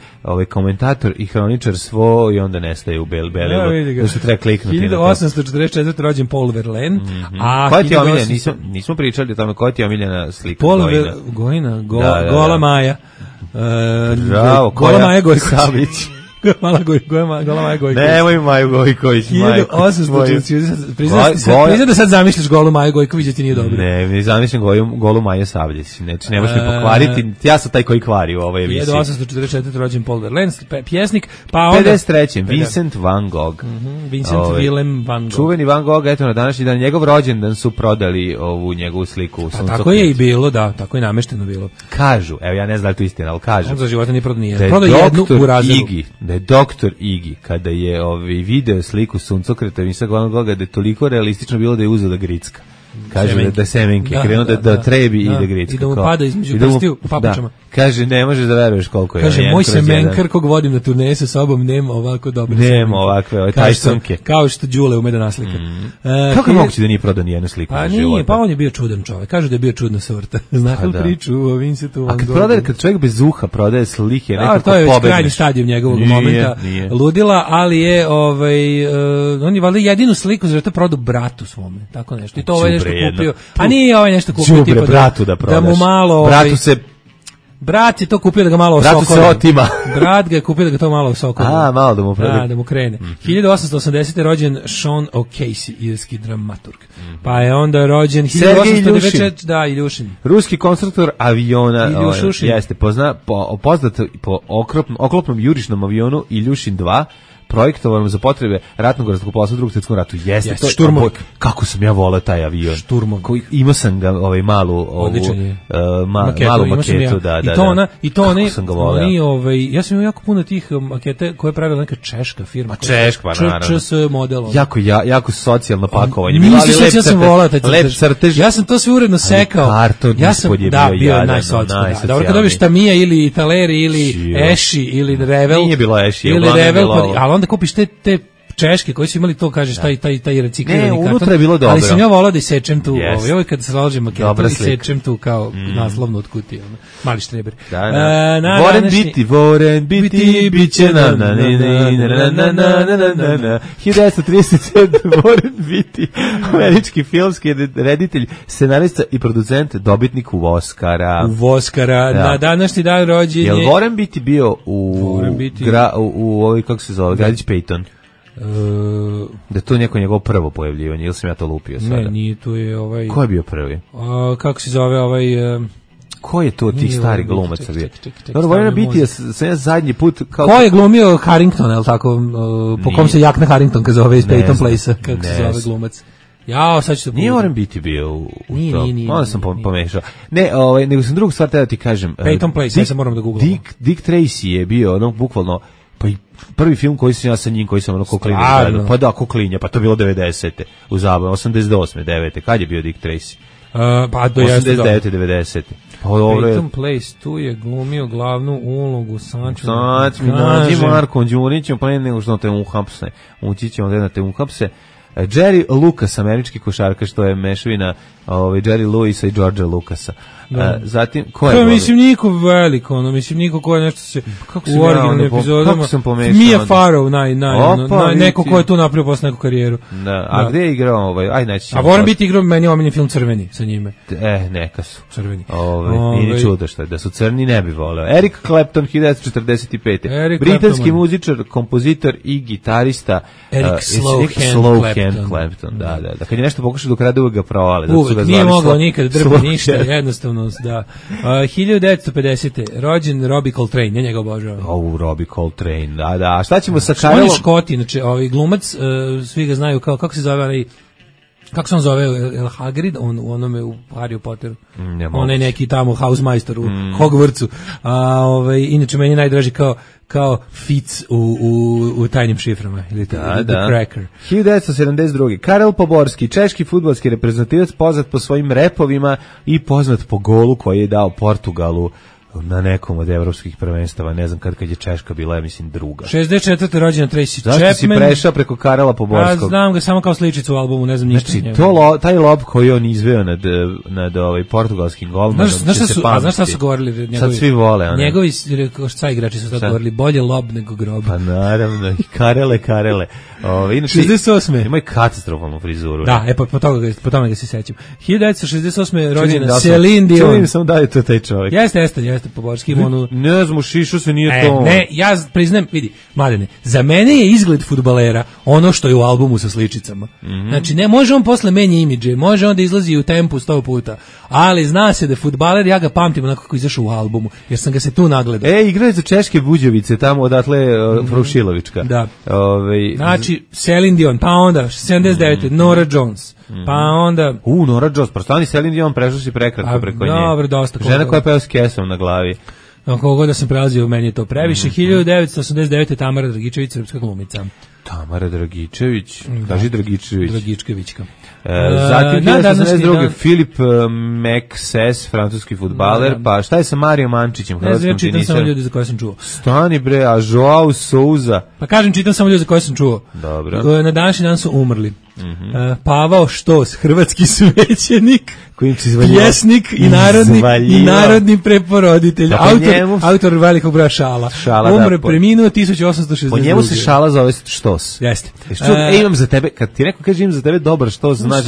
komentator i hroničar svo i onda nestaje u Belelu. Da se treba kliknuti. 1844. rođen Paul Verlaine. Koja ti je omiljena? Nismo pričali o tome, koja ti je omiljena slika? Paul Gojina, Gola Maja. Bravo, Gola Maja Gojković. Gola Maja Gojković. Nemoj Maju Gojković. 1840. Priznaj da sad zamišljaš Golu Maju Gojković, da ti nije dobro. Ne zamišljam Golu Maja Savljić. Znači, ne možeš mi pokvariti. Ja sam taj koji kvari u ovoj emisiji. 1844. rođen Paul Verlaine, pjesnik. Pa onda 53. Vincent van Gogh. Vincent Willem van Gogh. Čuveni Van Gogh, eto na današnji dan. Njegov rođendan su prodali ovu njegovu sliku u Suncokretu. Tako je i bilo, da. Tako je namešteno bilo. Kažu, evo ja ne znam da li to istina, ali kažu. On za života nije prodao nijedan. Prodao jednu u razredu. Da je doktor Igi, kada je video sliku Suncokreta Vincenta van Gogha, da je toliko realistično bilo da je uzela gricka. Kaže da semenke, krenuo da trebi i da gricka. I da mu pada između prstiju u papučama. Kaže, ne možeš da veruješ koliko je. Kaže, moj semenkar kog vodim na turneje sa sobom nema ovako dobre semenke. Nema ovakve, tajsonke. Kao što Đule ume da naslika. Kako je moguće da nije prodao nijednu sliku na života? Pa on je bio čudan čovjek. Kažu da je bio čudna sorta. Znate li priču o Vincentu van Goghu? A kad čovjek bez uha prodaje slike, nekako to je već krajnji stadijum njegovog momenta ludila, ali je on je valjda jedinu sliku zato prodao bratu svome, tako nešto. I to ovaj nešto kupio. A nije ovaj nešto kupio tipa bratu da prodaš. Da mu malo bratu se brat je to kupio da ga malo osokoli. Bratu se otima. Brat ga je kupio da ga to malo osokoli. Malo da mu prede. Da mu krene. 1880. rođen Sean O'Casey, irski dramaturg. Pa je onda rođen 1894. Da, Iljušin. Ruski konstruktor aviona. Jeste, poznat po oklopnom jurišnom avionu Iljušin 2. projektovan za potrebe ratnog zrakoplovstva u Drugom svjetskom ratu. Jeste to šturmovik. Kako sam ja voleo taj avion. Šturmovik. Imao sam ga malu maketu, da. I to ja sam imao jako puno tih makete koje je pravila neka češka firma. Češka, naravno. ČS model. Jako socijalno pakovanje. Ja sam voleo taj crtež. Ja sam to sve uredno sekao. Ja sam bio najsocijalniji. Dobro, kad dobiš Tamiya ili Italeri ili Eši ili Revel. Nije bilo Eši. Ili Revel, onda kupiš te češke koji su imali to, kažeš, taj reciklirani karton. Unutra je bilo dobro. Ali sam ja volao da isečem tu, ovo kad se slažem maketu, isečem tu kao naslovno od kutije. Mali štreber. Voren biti, bit će nam 1937 Voren biti, američki filmski reditelj, scenarista i producent, dobitnik Oscara. Na današnji dan rođenje. Jel Voren biti bio u ovoj, kako se zove, Gradić Peyton? Da je to neko njegovo prvo pojavljivanje, ili sam ja to lupio sada? Ne, nije, tu je ovaj... Ko je bio prvi? Kako se zove ovaj... Ko je to tih stari glumaca bio? Dobro, Voren biti sam ja zadnji put... Ko je glumio Harrington, je li tako? Po kom se Jakna Harrington kad zove iz Peyton Place-a, kako se zove glumac? Ja, sad ću to... Nije Voren biti bio u to. Nije. Onda sam pomešao. Ne, nego sam drugu stvar da ti kažem. Peyton Place, ja sam moram da googlam. Dick Tracy je bio, ono, bukvalno, pa i prvi film koji sam ja sa njim, koji sam ono koklinja gledao. Pa da, koklinja, pa to je bilo 90. u zabavu, 88. 9. Kad je bio Dick Tracy? Pa do 89. 90. Pa Peyton Place, tu je glumio glavnu ulogu Sanču. Nađi Marko Đurićem, pa nego što te uhapse. Ući će onda da te uhapse. Jerry Lucas, američki košarkaš, što je mešavina Jerry Lewisa i Georgea Lucasa. Zatim, ko je? Mislim, niko veliko, niko ko je nešto se u originalnim epizodama. Kako sam pomešao? Mia Farrow, neko ko je tu napravio posle neku karijeru. A gde je igrao A Voren biti igrao, meni je omiljen film Crveni sa njime. Neka su. Crveni. Nije čudo što je, da su crni ne bi voleo. Eric Clapton, 1945. Britanski muzičar, kompozitor i gitarista. Eric Slowhand Clapton. Da. Kad je nešto pokušao dok rade, uvek ga provale. Uvek, nije mogao nikad drba ništa, jednostavno, da. 1950. rođen Robbie Coltrane, ja njega obožavam. Robbie Coltrane, da. A šta ćemo sa Karelom? On je Škoti, znači, glumac, svi ga znaju kao, kako se zove, kako se on zove, El Hagrid, u onome u Harry Potteru. On je neki tamo Hausmeister u Hogwartsu. Inače, meni je najdraži kao Fitz u tajnim šiframa, ili The Cracker. 1972. Karel Poborski, češki fudbalski reprezentativac, poznat po svojim repovima i poznat po golu koji je dao Portugalu na nekom od evropskih prvenstava, ne znam kad je Češka bila, ja mislim druga. 64. rođena Tracy Chapman. Zašto si prešao preko Karela Poborskog? Ja znam ga samo kao sličicu u albumu, ne znam ništa. Znači, taj lob koji on izveo nad portugalskim golmanom, znaš šta su govorili njegovi? Sad svi vole. Njegovi šta igrači su sad govorili, bolje lob nego grob. Pa naravno, Karele. Inače, 68. Ima i katastrofalnu frizuru. Da, po tome ga se sećam. 1968. rođena Celine Dion. Čujem sam da je to taj čovjek. Jeste Poborski. Ne znam, šišu se nije to. Ne, ja priznam, vidi, Mladene, za mene je izgled fudbalera ono što je u albumu sa sličicama. Znači, ne može on posle menja imidže, može on da izlazi u tempu 100 puta, ali zna se da je fudbaler, ja ga pamtim onako kako izašao u albumu, jer sam ga se tu nagledao. Igrao je za Češke Buđevice, tamo odatle Frušilovička. Da. Znači, Celine Dion, pa onda 79. Nora Jones, pa onda... Nora Jones, prostani Celine Dion, prešao si prekratko preko nje. Dobro, dosta. Žena koja peva s kesom na glavi. Kogo da sam prelazio, meni je to previše. 1989. Tamara Dragičević, srpska glumica. Tamara Dragičević, kaži Dragičević. Dragičkevićka. Zatim 1982. Filip Mexes, francuski fudbaler, pa šta je sa Mario Mančićem, hrvatskom tenisarom? Čitam samo ljudi za koje sam čuo. Stani bre, a Joao Souza? Pa kažem, čitam samo ljudi za koje sam čuo. Dobro. Na današnji dan su umrli. Pavao Štos, hrvatski svećenik, pjesnik i narodni preporoditelj, autor velikog broja šala. Umre, preminuo 1862. Po njemu se šala zove Štos. Jeste. Imam za tebe, kad ti neko kaže imam za tebe dobar Štos, znaš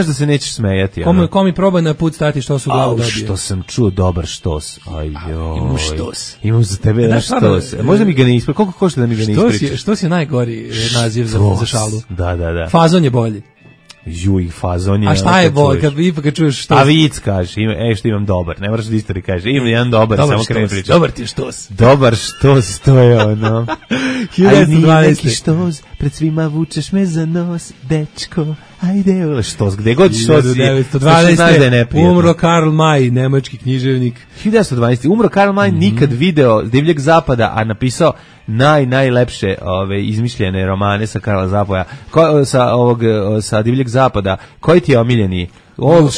da se nećeš smejati. Ko mi proba na put stati što su glavu dobije. Što sam čuo dobar Štos. Imam Štos. Imam za tebe jedan Štos. Možda mi ga ne ispričaš. Koliko košta da mi ga ne ispričaš? Štos je najgori naziv za šalu. Da. Fazon je bolji. Fazon je. A šta je bolje kad čuješ Štos? A vic kažeš, što imam dobar. Ne moraš da istori kažeš. Imam jedan dobar, samo kad ne pričaš. Dobar ti je Štos. Dobar Štos, to je ono. 1912. Štos, pred svima vučeš me za nos, dečko. Ajde, Štos, gde god Štos je. 1912. Umro Karl May, nemački književnik. 1912. Umro Karl May, nikad video Divljeg zapada, a napisao najlepše izmišljene romane sa Karla Zapoja, sa Divljeg zapada. Koji ti je omiljeni? Old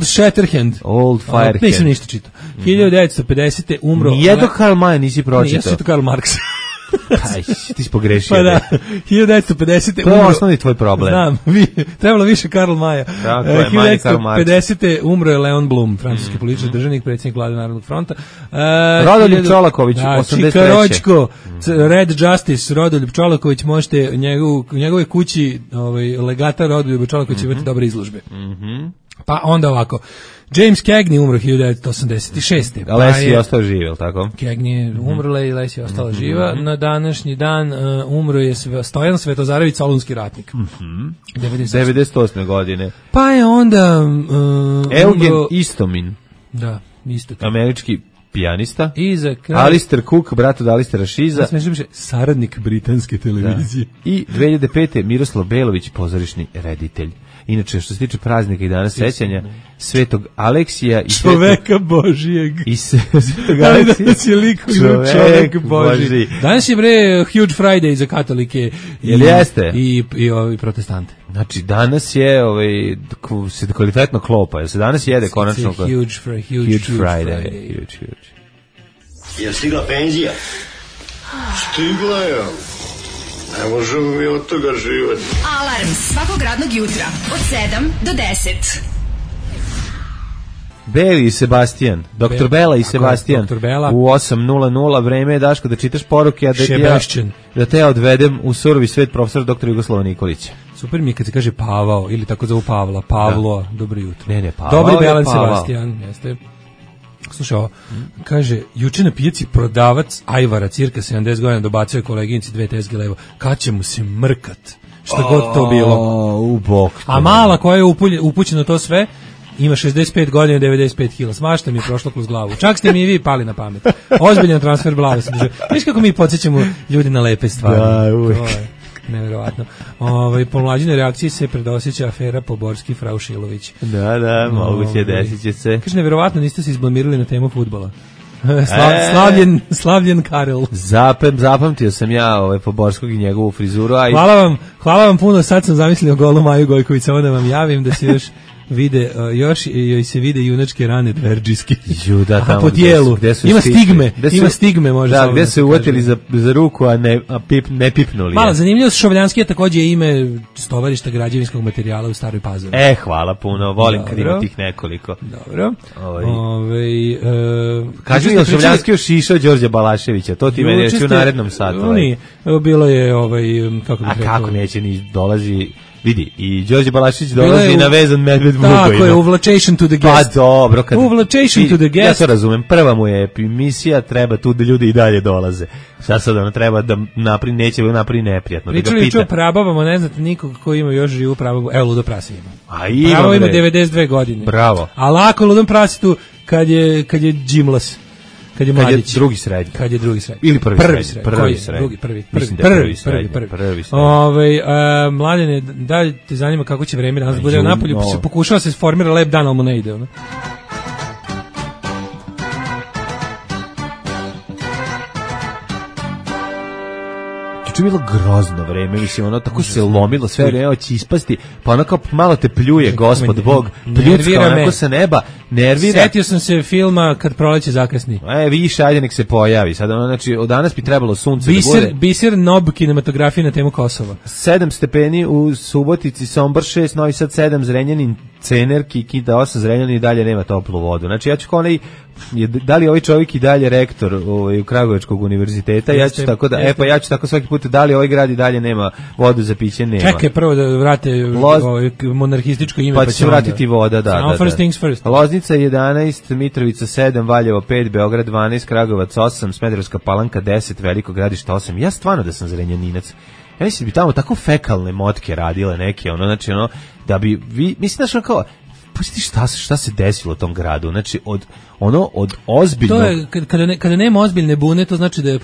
Shatterhand. Old Firehand. Nisam ništa čitao. 1950. umro... Nijedno Karl May nisi pročitao. Nijesu to Karl Marx. Aj, ti si pogrešio. Pa da, 1950. To je osnovni tvoj problem. Znam, trebalo više Karl Maja. Tako je, manje Karl Marx. 1950. umro je Leon Blum, francuski političar, državnik, predsjednik vlade Narodnog fronta. Rodoljub Čolaković, 83. Čikaročko, Red Justice, Rodoljub Čolaković, možete u njegovoj kući legata Rodoljuba Čolakovića imati dobre izložbe. Pa onda ovako, James Cagney umro 1986. Leslie je ostao živ, je li tako? Cagney je umrla i Leslie je ostala živa. Na današnji dan umro je Stojan Svetozarević, solunski ratnik. 98. godine. Pa je onda... Eugen Istomin. Da, isto. Američki pijanista. I za kraj... Alistair Cook, brat od Alistera Šiza. Saradnik britanske televizije. Da. I 2005. Miroslav Belović, pozorišni reditelj. Inače, što se tiče praznika i dana sećanja, Svetog Aleksija i čoveka Božijeg. I Svetog Aleksija, čovek Božiji. Danas je Huge Friday za katolike i ovi protestante. Znači, danas je se kvalitetno klopa. Jel se danas jede konačno? Huge Friday. Huge. Je stigla penzija? Stigla je. Ne možemo mi od toga živati. Alarm svakog radnog jutra od 7 do 10. Beli i Sebastian, Dr. Bela i Sebastian u 8:00 vreme je, Daško, da čitaš poruke, a da te odvedem u surovi svet profesora dr. Jugoslava Nikolića. Super mi je kad se kaže Pavao, ili tako zovu Pavla, Pavlo, dobro jutro. Ne, Pavao Dobri Bela i Sebastian, jeste. Slušaj ovo, kaže, juče na pijaci prodavac ajvara, cirka 70 godina, dobacuje koleginici 2 tezge levo, kad će mu se mrkat, šta god to bilo. U bok. A mala koja je upućena to sve, ima 65 godina, 95 kila. Smašta mi je prošlo kroz glavu. Čak ste mi i vi pali na pamet. Ozbiljan transfer glave sam držao. Viš kako mi podsjećamo ljudi na lepe stvari. Da, uvijek. Neverovatno. Po mlađinoj reakciji se predosjeća afera Poborski Frau Šilović. Da, moguće desit će se. Kaže, neverovatno, niste se izblamirali na temu fudbala. Slavljen Karel. Zapamtio sam ja Poborskog i njegovu frizuru. Hvala vam puno, sad sam zamislio golu Maju Gojković, samo da vam javim da se još vide, još joj se vide junačke rane dverđiske. A po tijelu. Ima stigme, može. Da, gde se uvatili za ruku, a ne pipnuli. Malo zanimljivo, Šovljanski je takođe ime stovarišta građevinskog materijala u Staroj Pazovi. Hvala puno, volim kad ima tih nekoliko. Dobro. Kaži mi, Šovljanski još išao Đorđa Balaševića, to ti meni reći u narednom satu. Bilo je, kako bih rekao. A kako neće, ni dolazi... Vidi, i Đorđe Balašić dolazi na vezan medved Vukojno. Tako je, uvlačation to the guest. Pa dobro. Uvlačation to the guest. Ja to razumem, prva mu je emisija, treba tu da ljudi i dalje dolaze. Šta sad ono treba da neće napravi neprijatno. Pričali o prabavama, ne znate nikog ko ima još živu prabavu. Evo, Ludo Prase ima. Pravo ima 92 godine. Bravo. A lako Ludom Prasetu kad je džimlas. Kad je mladić. Kad je drugi srednji. Ili prvi srednji. Prvi srednji. Mladene, da te zanima kako će vreme danas bude napolju, pokušava se formira lep dan, ali mu ne ide. Juče je bilo grozno vreme, mislim, ono tako se lomilo, sve vreme će ispasti, pa ono kao malo te pljuje, gospod Bog, pljucka onako sa neba, nervira. Setio sam se filma Kad proleće zakasni. Više, ajde nek se pojavi. Sad, ono, znači, od danas bi trebalo sunce da bude. Biser Nob kinematografije na temu Kosova. 7 stepeni u Subotici, Sombor 6, Novi Sad 7, Zrenjanin, Cener, Kikida 8, Zrenjanin i dalje nema toplu vodu. Znači, ja ću kao da li ovaj čovjek i dalje rektor u Kragujevačkog univerziteta, ja ću tako da, ja ću tako svaki put, da li ovaj grad i dalje nema vodu za piće, nema. Čekaj prvo da vrate monarhističko ime, pa će vratiti voda, da. First things first. Loznica 11, Mitrovica 7, Valjevo 5, Beograd 12, Kragujevac 8, Smederevska Palanka 10, Veliko Gradište 8. Ja stvarno da sam Zrenjaninac. Ja mislim da bi tamo tako fekalne motke radile neke, znači da bi mislim da kao pusti šta se desilo u tom gradu, znači od ozbiljno. To je kada nema ozbiljne bune, to znači da je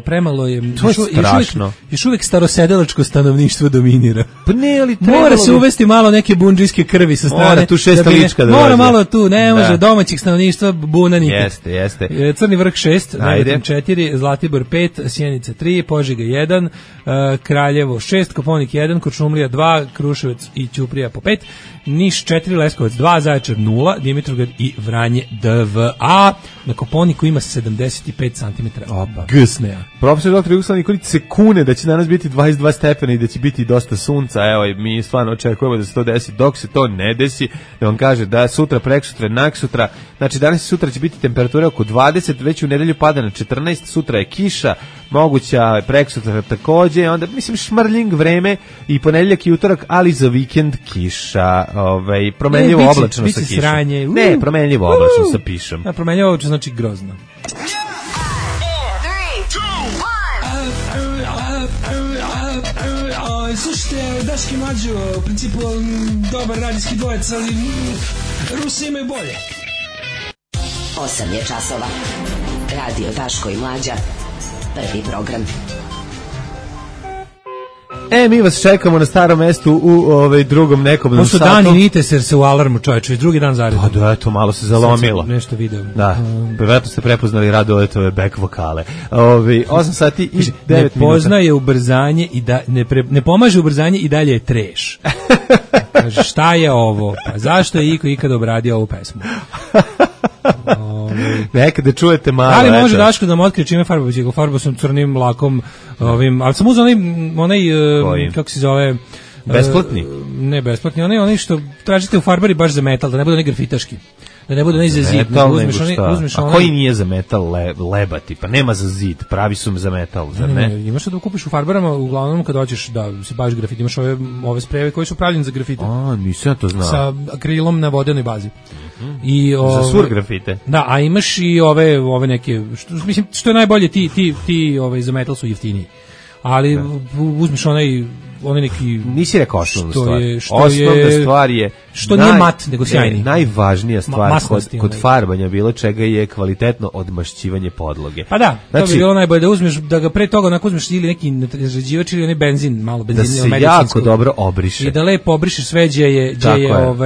premalo je. To je strašno. Još uvijek starosedelačko stanovništvo dominira. Pa ne, ali mora se uvesti malo neke bundžijske krvi sa strane. Mora tu šesta lička da mora malo tu, ne može domaćih stanovništva buna nikad. Jeste. Crni vrh 6, Negotin 4, Zlatibor 5, Sjenica 3, Požega 1, Kraljevo 6, Koponik 1, Kuršumlija 2, Kruševac i Ćuprija po 5, Niš 4, Leskovac 2, Zaječar 0, Dimitrovgrad i Vranje 2. Na Koponiku ima 75 cm. Gsneja. Profesor dr. Jugoslav Nikolić se kune da će danas biti 22 stepena i da će biti dosta sunca. Evo, mi stvarno očekujemo da se to desi. Dok se to ne desi, da vam kaže da sutra, preksutra, naksutra, znači danas i sutra će biti temperatura oko 20, već u nedelju pada na 14, sutra je kiša, moguća preksutra takođe, onda mislim šmrljing vreme i ponedeljak i utorak, ali za vikend kiša, promenljivo oblačno sa kišom. Sranje. Ne, promenljivo oblačno sa pišom. Promenljivo oblačno znači grozno. Slušajte, Daški Mlađo, u principu dobar radijski dvojec, ali Rusi imaju bolje. 8 je časova. Radio Daško i Mlađa. Prvi program. Mi vas čekamo na starom mestu u drugom nekobnom satu. To su dani Nites jer se u alarmu, čovječe, već drugi dan zaredom. Pa da, eto, malo se zalomilo. Nešto video. Da, privatno ste prepoznali Radoletove back vokale. 8 sati i 9 minuta. Ne poznaje ubrzanje i ne pomaže ubrzanje i dalje je treš. Kaže, šta je ovo? Pa zašto je Iko ikada obradio ovu pesmu? Nekada čujete malo. Ali može Daško da mu otkrije čime farba bicikl. Farba sam crnim lakom, ali sam uzao onaj kako se zove... Besplatni? Ne besplatni, onaj što tražite u farbari baš za metal, da ne bude onaj grafitaški. Da ne bude onaj za zid. Uzmeš a koji nije za metal lebati? Pa nema za zid, pravi su za metal, zar ne? Imaš da kupiš u farbarama, uglavnom kad hoćeš da se baviš grafiti, imaš ove sprejeve koji su pravljeni za grafite. Nisam ja to znao. Sa akrilom na vodenoj bazi. I za sur grafite. Da, a imaš i ove neke, mislim, što je najbolje, ti za metal su jeftiniji. Ali uzmeš onaj neki... Nisi rekao osnovnu stvar. Osnovna stvar je... Što nije mat, nego sjajni. Najvažnija stvar kod farbanja bilo čega je kvalitetno odmašćivanje podloge. Pa da, to bi bilo najbolje da uzmeš, da ga pre toga onako uzmeš ili neki razređivač ili onaj benzin, malo benzina da se jako dobro obriše. I da lepo obrišeš sve gdje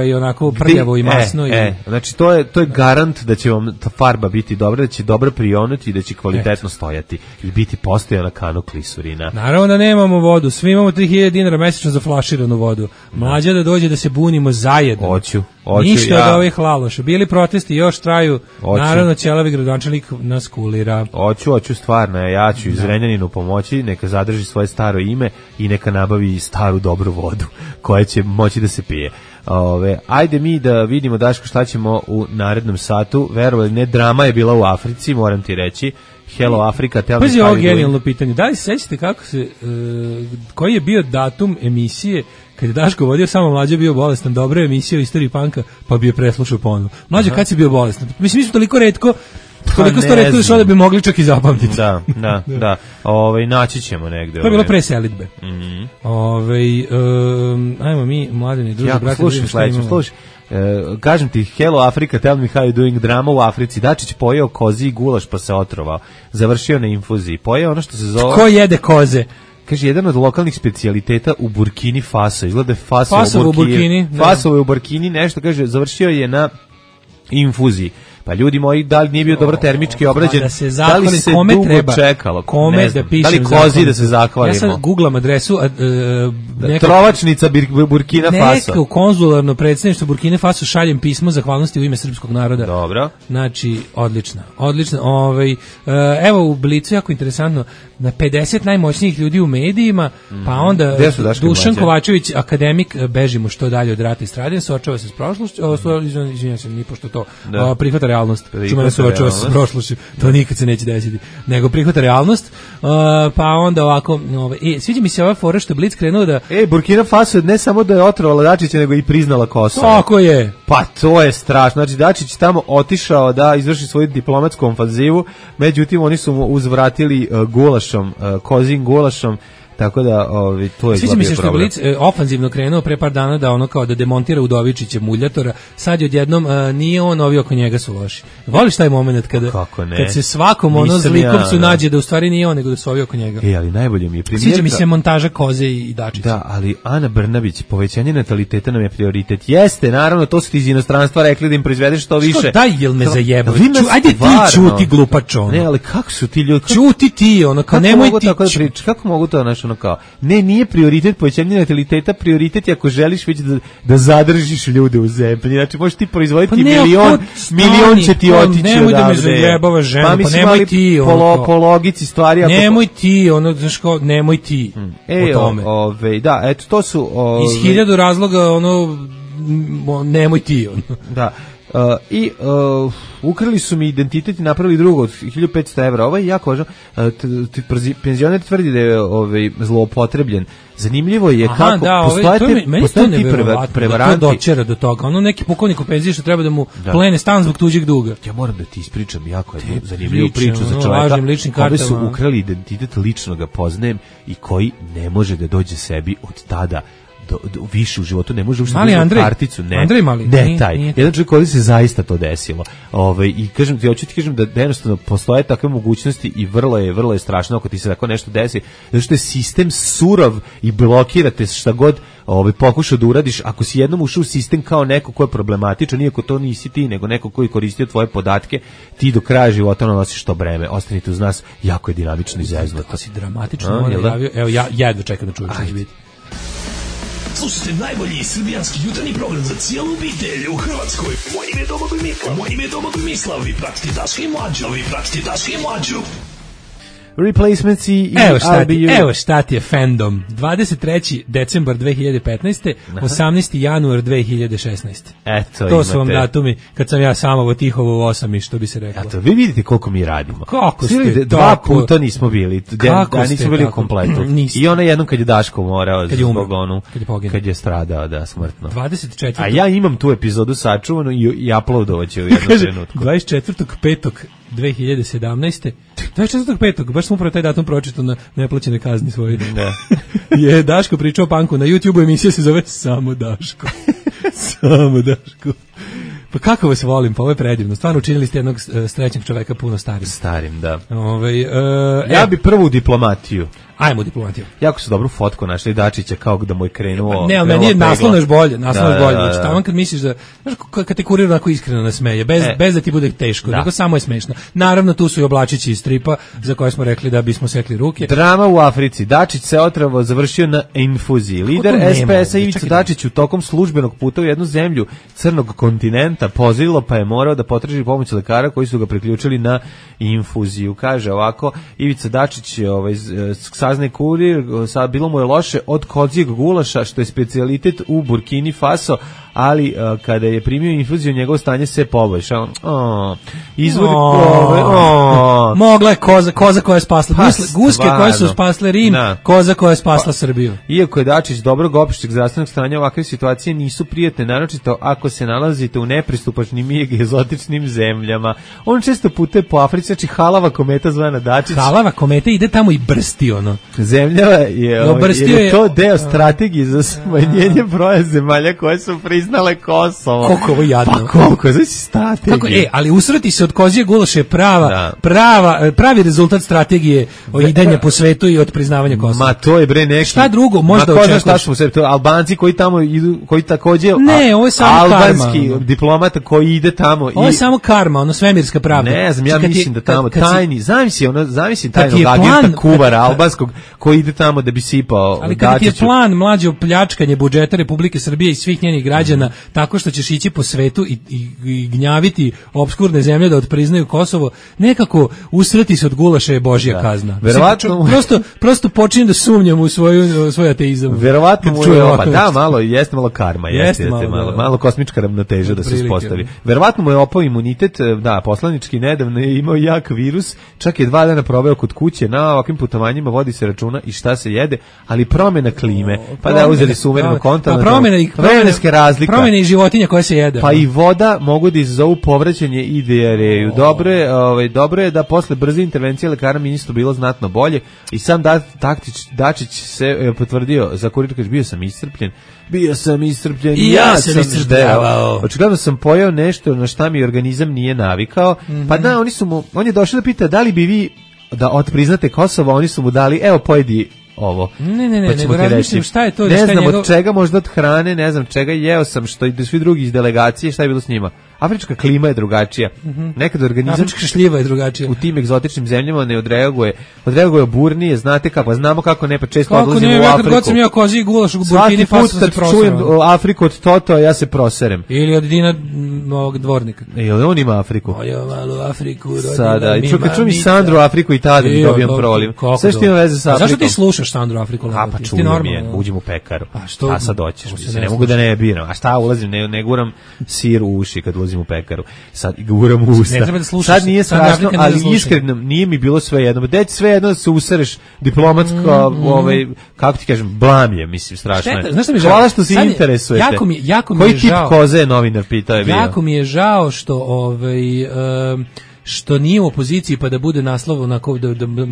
je onako prljavo i masno. Znači to je garant da će vam ta farba biti dobra, da će dobro prionuti i da će kvalitetno stojati i biti postojana kanu klisurina. Naravno da nemamo vodu, svi imamo 3000 dinara mesečno za flaširanu vodu. Mlađa da dođe da se bunimo zajedno. Hoću. Ništa od ovih laloša. Bili protesti, još traju. Naravno, ćelavi gradonačelnik nas kulira. Hoću stvarno. Ja ću iz Renjaninu pomoći, neka zadrži svoje staro ime i neka nabavi staru dobru vodu koja će moći da se pije. Ajde mi da vidimo, Daško, šta ćemo u narednom satu. Verovali, ne, drama je bila u Africi, moram ti reći. Hello Afrika, tell me how you doing. Ovo genijalno pitanje. Da li se sećate kako koji je bio datum emisije kad je Daško vodio Samo Mlađa bio bolestan, dobra emisija u istoriji panka, pa bi je preslušao ponovo. Mlađa, kad si bio bolestan? Mislim, mi smo toliko redko da bi mogli čak i zapamtiti. Da. Naći ćemo negde. To je bilo pre selidbe. Ajmo mi, mladeni druži, brate. Slušaj. Kažem ti, Hello Afrika, tell me how you doing, drama u Africi. Dačić pojeo kozi i gulaš pa se otrovao. Završio na infuziji. Pojeo ono što se zove... Ko jede koze? Kaže, jedan od lokalnih specijaliteta u Burkini Faso. Izgleda je Fasovo u Burkini. Fasovo je u Burkini, nešto, kaže, završio je na infuziji. Pa ljudi moji, da li nije bio dobro termički obrađen, da li se dugo čekalo, kome da pišem, da li kozi da se zahvalimo. Ja sad googlam adresu, Trovačnica Burkina Faso. Neko konzularno predstavništvo Burkina Faso, šaljem pismo zahvalnosti u ime srpskog naroda. Dobro. Znači, odlično. Evo u Blicu, jako interesantno, na 50 najmoćnijih ljudi u medijima, pa onda Dušan Kovačević, akademik, bežimo što dalje od rata i stradanja, suočava se s prošlošću, izvinjam se, ni pošto to prihvata realnost, čuma ne suočava se s prošlošću, to nikad se neće desiti, nego prihvata realnost, pa onda ovako, sviđa mi se ova fora što je Blic krenuo da... Burkina Faso ne samo da je otrovala Dačića, nego i priznala Kosovo. Tako je. Pa to je strašno, znači Dačić tamo otišao da izvrši svoju diplomatsku ofanzivu, međutim oni su mu uzvratili gulašom, kozim gulašom, tako da to je sviđa mi se što je Blic ofanzivno krenuo pre par dana da ono kao da demontira Udovičića muljatora, sad odjednom nije on, ovi oko njega su loši. Voliš taj moment kad se svakom zlikom su nađe da u stvari nije on, nego da su ovi oko njega. Ali najbolje mi je primjer. Sviđa mi se montaža Koze i Dačića. Da, ali Ana Brnabić, povećanje nataliteta nam je prioritet. Jeste, naravno, to su ti iz inostranstva rekli da im proizvedeš što više. Što daj, jel me zajebao? Ajde ti čuti glupačo. Ne, ali kako su ti ljudi? Čuti ti, ono, kao nemoj ti. Kako mogu to, znaš, ono kao, ne, nije prioritet povećanje nataliteta, prioritet je ako želiš već da zadržiš ljude u zemlji. Znači, možeš ti proizvoditi milion će ti otići odavde. Nemoj da me zajebava žena, pa nemoj ti. Po logici stvari. Nemoj ti, nemoj ti o tome. Da, eto, to su... Iz 1000 razloga, nemoj ti. Da. Ukrali su mi identitet i napravili drugo od 1500 evra. Ovo je jako važno. Penzioner tvrdi da je zloupotrebljen. Zanimljivo je kako postoje ti prevaranti. To dočera do toga. Neki pukovnik u penziji što treba da mu plene stan zbog tuđeg duga. Ja moram da ti ispričam jako zanimljivu priču za čovjeka. Ove su ukrali identitet, lično ga poznajem i koji ne može da dođe sebi od tada više u životu, ne može uopšte da karticu, ne taj. Jedan čovjek koji se zaista to desilo. I kažem ti, hoću ti kažem da jednostavno postoje takve mogućnosti i vrlo je strašno ako ti se tako nešto desi, zato što je sistem surov i blokirate šta god pokušao da uradiš. Ako si jednom ušao u sistem kao neko ko je problematičan, iako to nisi ti, nego neko koji je koristio tvoje podatke, ti do kraja života nosiš to breme. Ostanite uz nas, jako je dinamično i zeznuto. Kako si dramatično najavio, evo ja jedva čekam da čujem što će biti. Slušajte najbolji srbijanski jutarnji program za cijelu obitelj u Hrvatskoj. Moje ime je Domagoj Mislav. Vi pratite Daška i Mlađu. Replacements i evo šta ti je fandom. 23. decembar 2015. 18. januar 2016. To su vam datumi kad sam ja samovo tihovo u 8 i što bi se reklo. Eto, vi vidite koliko mi radimo. Kako ste dva puta nismo bili. Nismo bili u kompletu. I ona jednom kad je Daško morao zbog kad je stradao smrtno. 24. A ja imam tu epizodu sačuvanu i uploadovaću u jednom trenutku. 24.5.2017. 24.5. baš smo upravo taj datum pročitao na neplaćene kazni svoje. Je Daško pričao o panku na YouTube-u, emisija se zove Samo Daško. Samo Daško. Pa kako vas volim, pa ovo je predivno. Stvarno učinili ste jednog srećnog čoveka puno starim. Da. Ja bi prvu diplomatiju. Ajmo diplomatiju. Jako su dobru fotku našli Dačića kao da mu je krenuo. Ne, meni je naslovno još bolje. Znači, tamo kad misliš da, znaš, kad te kurir onako iskreno nasmeje, bez da ti bude teško, nego samo je smešno. Naravno, tu su i oblačići iz stripa, za koje smo rekli da bismo sekli ruke. Drama u Africi. Dačić se otravo završio na infuziji. Lider SPS-a Ivica Dačić u tokom službenog puta u jednu zemlju crnog kontinenta pozivilo, pa je morao da potraži pomoć lekara koji su ga priključili na infuziju. Kaže ovako, Ivica Dačić saznaje kurir, bilo mu je loše od kozijeg gulaša, što je specijalitet u Burkini Faso, ali kada je primio infuziju, njegovo stanje se poboljšao. Mogla je koza koja je spasla. Guske koje su spasle Rim, koza koja je spasla Srbiju. Iako je Dačić dobrog opšteg zdravstvenog stanja, ovakve situacije nisu prijatne, naročito ako se nalazite u nepristupačnim i egzotičnim zemljama. On često putuje po Africi, znači halava kometa zvana Dačić. Halava kometa ide tamo i brsti ono. Zemlja je to deo strategije za smanjenje broja zemalja koje su priznale Kosovo. Koliko ovo jadno. Pa koliko, znači strategija. Ali usrati se od kozije gulaše pravi rezultat strategije idenja po svetu i od priznavanja Kosova. Ma to je bre neki. Šta drugo možda očekuješ? Albanci koji tamo idu, koji takođe ovo je samo albanski karma, diplomata koji ide tamo. Ovo je samo karma, ono svemirska pravda. Ne znam, ja mislim da tamo tajni, zamisli tajnog agenta kuvara albanskog koji ide tamo da bi sipao Dačiću. Ali kad ti je plan mlađe pljačkanje budžeta Republike Srbije i svih njenih građana tako što ćeš ići po svetu i gnjaviti opskurne zemlje da odpriznaju Kosovo, nekako usrati se od gulaša je Božja kazna. Verovatno prosto počinjem da sumnjam u svoj ateizam. Verovatno mu je jeste malo karma, jeste malo kosmička ravnoteža da se uspostavi. Verovatno mu je opao imunitet, poslanički nedavno je imao jak virus, čak je 2 dana proveo kod kuće, na ovakvim putovanjima vodi se računa i šta se jede, ali promjena klime, pa da uzeli su umereno kontinent. Vremenske razlike. Promjene i životinja koje se jede. Pa i voda mogu da izazovu povraćanje i dijareju. Dobro je da posle brze intervencije lekara ministru bilo znatno bolje i sam Dačić se potvrdio za kurir, kaže bio sam iscrpljen i ja sam iscrpljavao. Očigledno sam pojeo nešto na šta mi organizam nije navikao. Pa da, on je došao da pita da li bi vi da otpriznate Kosovo, oni su mu dali, evo pojedi ovo. Ne, nego razmišljam šta je to. Ne znam od čega, možda od hrane, ne znam čega, jeo sam što i svi drugi iz delegacije, šta je bilo s njima. Afrička klima je drugačija. Nekad organizam afrička šljiva je drugačija. U tim egzotičnim zemljama ne odreaguje burnije, znate kako, znamo kako ne, pa često odlazimo u Afriku. Kako god sam ja kozi gulaš u Burkini Faso se proserem. Svaki put kad čujem Afriku od Toto, ja se proserem. Ili od Dina mog dvornika. Ili on ima Afriku. Moja malo Afriku. Sada, i čujem mi Sandru Afriku i tada mi dobijam proliv. Sve što ima veze sa Afrikom. Zašto ti slušaš Sandru Afriku? Pa čujem je, uđem u pekaru. A sad doćeš, ne mogu da ne biram. A šta ulazim, ne guram sir u uši kad ulazim u pekaru. Sad guram u usta. Sad nije strašno, ali iskreno nije mi bilo sve jedno. Deć sve jedno da se usereš diplomatsko, kako ti kažem, blam je, mislim, strašno je. Hvala što se interesujete. Koji tip koze je novinar pitao je bio? Jako mi je žao što nije u opoziciji pa da bude naslov onako,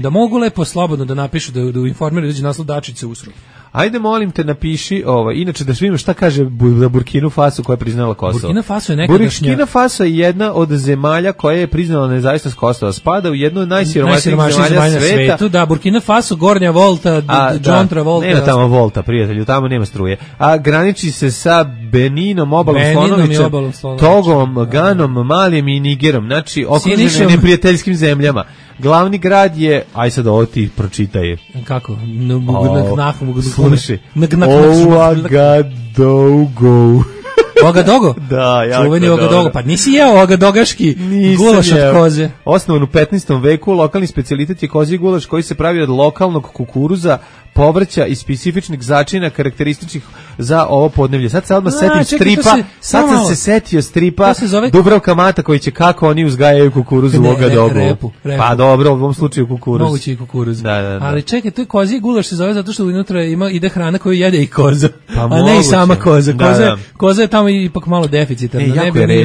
da mogu lepo slobodno da napišu, da informiraju, da naslov Dačić se usro. Ajde, molim te, napiši inače da svima šta kaže za Burkinu Faso koja je priznala Kosovo. Burkina Faso je nekadašnja... Burkina Faso je jedna od zemalja koja je priznala nezavisnost Kosova. Spada u jednu od najsiromašnijih zemalja na svetu. Da, Burkina Faso, Gornja Volta, John Travolta. Nema tamo Volta, prijatelju, tamo nema struje. A graniči se sa Beninom, obalom Slonovića, Togom, Ganom, Malijem i Nigerom. Znači, okružene neprijateljskim zemljama. Glavni grad je, aj sad ovo ti pročitaj. Kako? Slušaj. Ouagadougou. Ouagadougou? Da, jako čuveni Ouagadougou. Pa nisi jeo ouagadogaški gulaš od koze. Osnovan u 15. veku, lokalni specijalitet je kozji gulaš koji se pravi od lokalnog kukuruza, povrća i specifičnih začina karakterističnih za ovo podneblje. Sad se odmah setim stripa, sad sam se setio stripa Dubravka Mata koji će kako oni uzgajaju kukuruzu u Ouagadougou. Pa dobro, u ovom slučaju kukuruz. Moguće i kukuruz. Da. Ali čekaj, to je kozji gulaš se zove zato što unutra ide hrana koju jede i koza. Pa a ne i sama koza. Koza je tamo ipak malo deficitarna.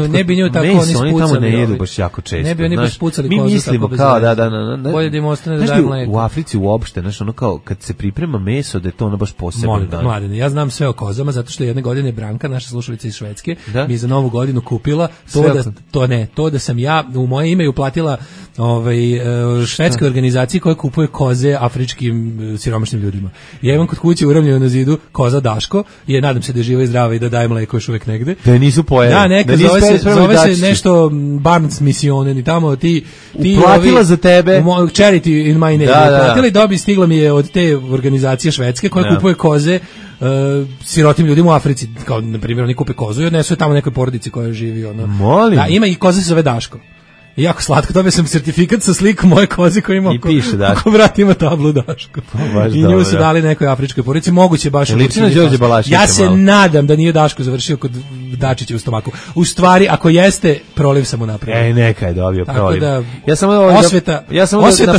Ne bi nju tako oni spucali. Oni tamo ne jedu baš jako često. Ne bi oni baš spucali kozu. Mi mislimo kao da. Bolje da im ostane da daje mleko. U Africi uopšte, znaš, ono kao kad se priprema meso, da je to ono baš posebno. Mladine, ja znam sve o kozama zato što jedne godine Branka, naša slušalica iz Švedske, mi za Novu godinu kupila to da sam ja u moje ime uplatila švedskoj organizaciji koja kupuje koze afričkim siromašnim ljudima. Ja imam kod kuće uramljeno na zidu koza Daško i nadam se da je živa i zdrava i da daje mleko još uvek negde. Da nisu pojeli. Da, neka zove se nešto Barnes Missionen i tamo ti uplatila za tebe charity in my name. Uplatila i stigla mi je od te organizacije švedske koja kupuje koze sirotim ljudima u Africi, kao na primjer oni kupe kozu i odnesu je tamo nekoj porodici koja živi Molim. Da, ima i koza se zove Daško. Jako slatko, dobio sam sertifikat sa slikom moje koze koja ima oko vrata ima tablu Daško. I nju su dali nekoj afričkoj porodici, moguće baš u Ja se nadam da nije Daško završio kod Dačića u stomaku. U stvari, ako jeste, proliv sam mu napravio. Neka je dobio proliv. Tako da, osveta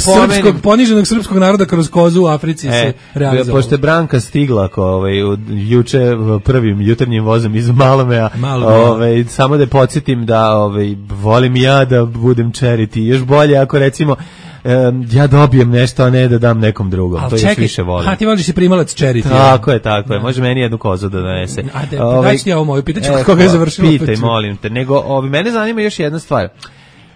poniženog srpskog naroda kroz kozu u Africi se realizovala. Pošto je Branka stigla juče prvim jutarnjim vozom iz Malomea, samo da podsjetim da volim ja da budem charity, još bolje ako recimo ja dobijem nešto, a ne da dam nekom drugom. To još više volim. Ti voliš i primalac charity. Tako je. Može meni jednu kozu da donese. Daći ti ja ovo moju, pitaću koga je završilo. Pitaj, molim te. Nego, mene zanima još jedna stvar.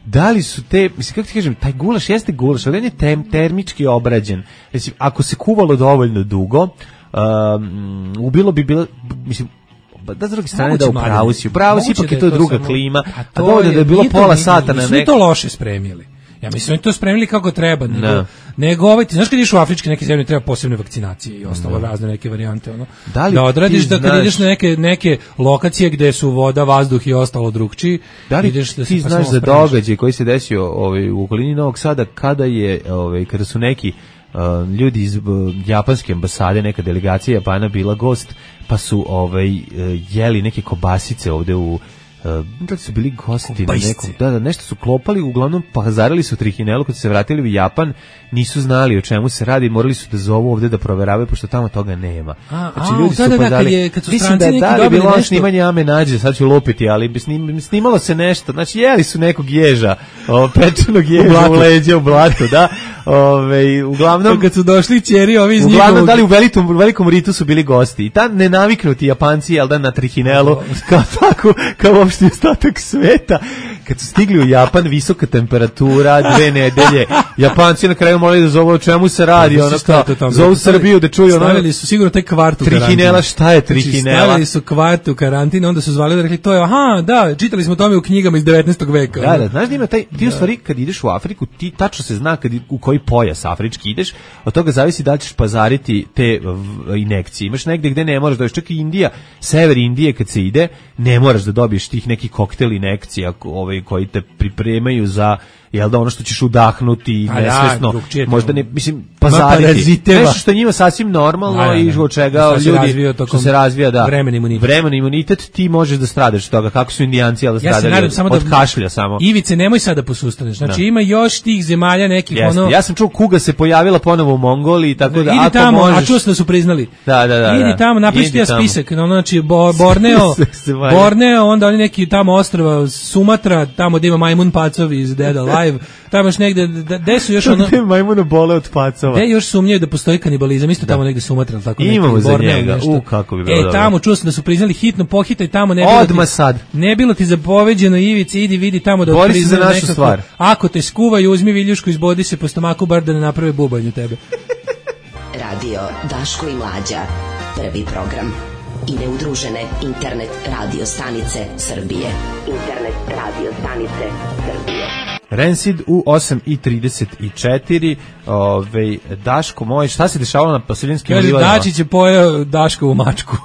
Da li su te, mislim, kako ti kažem, taj gulaš jeste gulaš, ali on je termički obrađen. Mislim, ako se kuvalo dovoljno dugo, ubilo bi bilo, mislim, da s druge strane da upravo si ipak je to druga klima, a dovoljno da je bilo pola sata na nisu to loše spremili. Ja mislim da to spremili kako treba, nego ti znaš kad ideš u afričke neke zemlje treba posebne vakcinacije i ostalo razne neke varijante da odradiš da kad ideš na neke lokacije gde su voda, vazduh i ostalo drugčiji, ideš da ti znaš za događaj koji se desio u okolini Novog Sada kada su neki ljudi iz japanske ambasade, neka delegacija Japana bila gost, pa su jeli neke kobasice ovde u da su bili gosti na nekom, nešto su klopali, uglavnom pazarili su trihinelu, kad su se vratili u Japan, nisu znali o čemu se radi, morali su da zovu ovde da proveravaju, pošto tamo toga nema. Znači ljudi su pazarili, mislim da je bilo snimanje Ame Nađe, sad ću lupiti, ali snimalo se nešto, znači jeli su nekog ježa, pečenog ježa u leđa u blatu, da. Uglavnom kad su došli ćeri ovi iz uglavnom da li u velikom ritu su bili gosti i ta nenaviknuti Japanci na trihinelu kao uopšte ostatak sveta kad su stigli u Japan, visoka temperatura, 2 nedelje, Japanci na kraju morali da zovu o čemu se radi, ono kao, zovu Srbiju da čuju ono. Stavili su sigurno taj kvart u karantin. Trihinela, šta je trihinela? Stavili su kvart u karantin, onda su zvali da rekli, to je, aha, da, čitali smo o tome u knjigama iz 19. veka. Da, znaš da ima taj, ti u stvari kad ideš u Afriku, ti tačno se zna u koji pojas afrički ideš, od toga zavisi da li ćeš pazariti te injekcije. Imaš negde gde ne moraš, čak i Indija, sever Indije kad se ide, ne moraš da dobiješ tih nekih koktel injekcija koji te pripremaju za jel da ono što ćeš udahnuti nesvesno, možda ne, mislim, pazariti. Nešto što je njima sasvim normalno i od čega ljudi, što se razvija, da, vremen imunitet, ti možeš da stradaš od toga, kako su Indijanci, ali stradali od kašlja samo. Ivice, nemoj sada posustaneš, znači ima još tih zemalja nekih, ono... Ja sam čuo kuga se pojavila ponovo u Mongoliji, tako da, idi tamo, a čuo sam da su priznali. Da. Idi tamo, napišite ja spisak, znači Borneo, onda oni neki tamo ostrva, Sumatra, tamo gde ima majmun pacov iz Dead Alive, tamo još negde, gde su još ono... Majmuna bole od pacova. Gde još sumnjaju da postoji kanibalizam, isto tamo negde Sumatra, tako neki imamo za Borneo, njega, kako bi bilo dobro. Tamo čuo sam da su priznali hitno, pohitaj tamo, ne bilo ti zapoveđeno, Ivici, idi vidi tamo da bori se za našu stvar. Ako te skuvaju, uzmi viljušku, izbodi se po stomaku, bar da ne naprave bubanj u tebe. Radio Daško i Mlađa, prvi program. I neudružene internet radio stanice Srbije. Internet radio stanice Srbije. Rancid u 8:34. Daško moj, šta se dešavalo na Paseljinskim livadama? Kaže, Dačić je pojeo Daškovu mačku.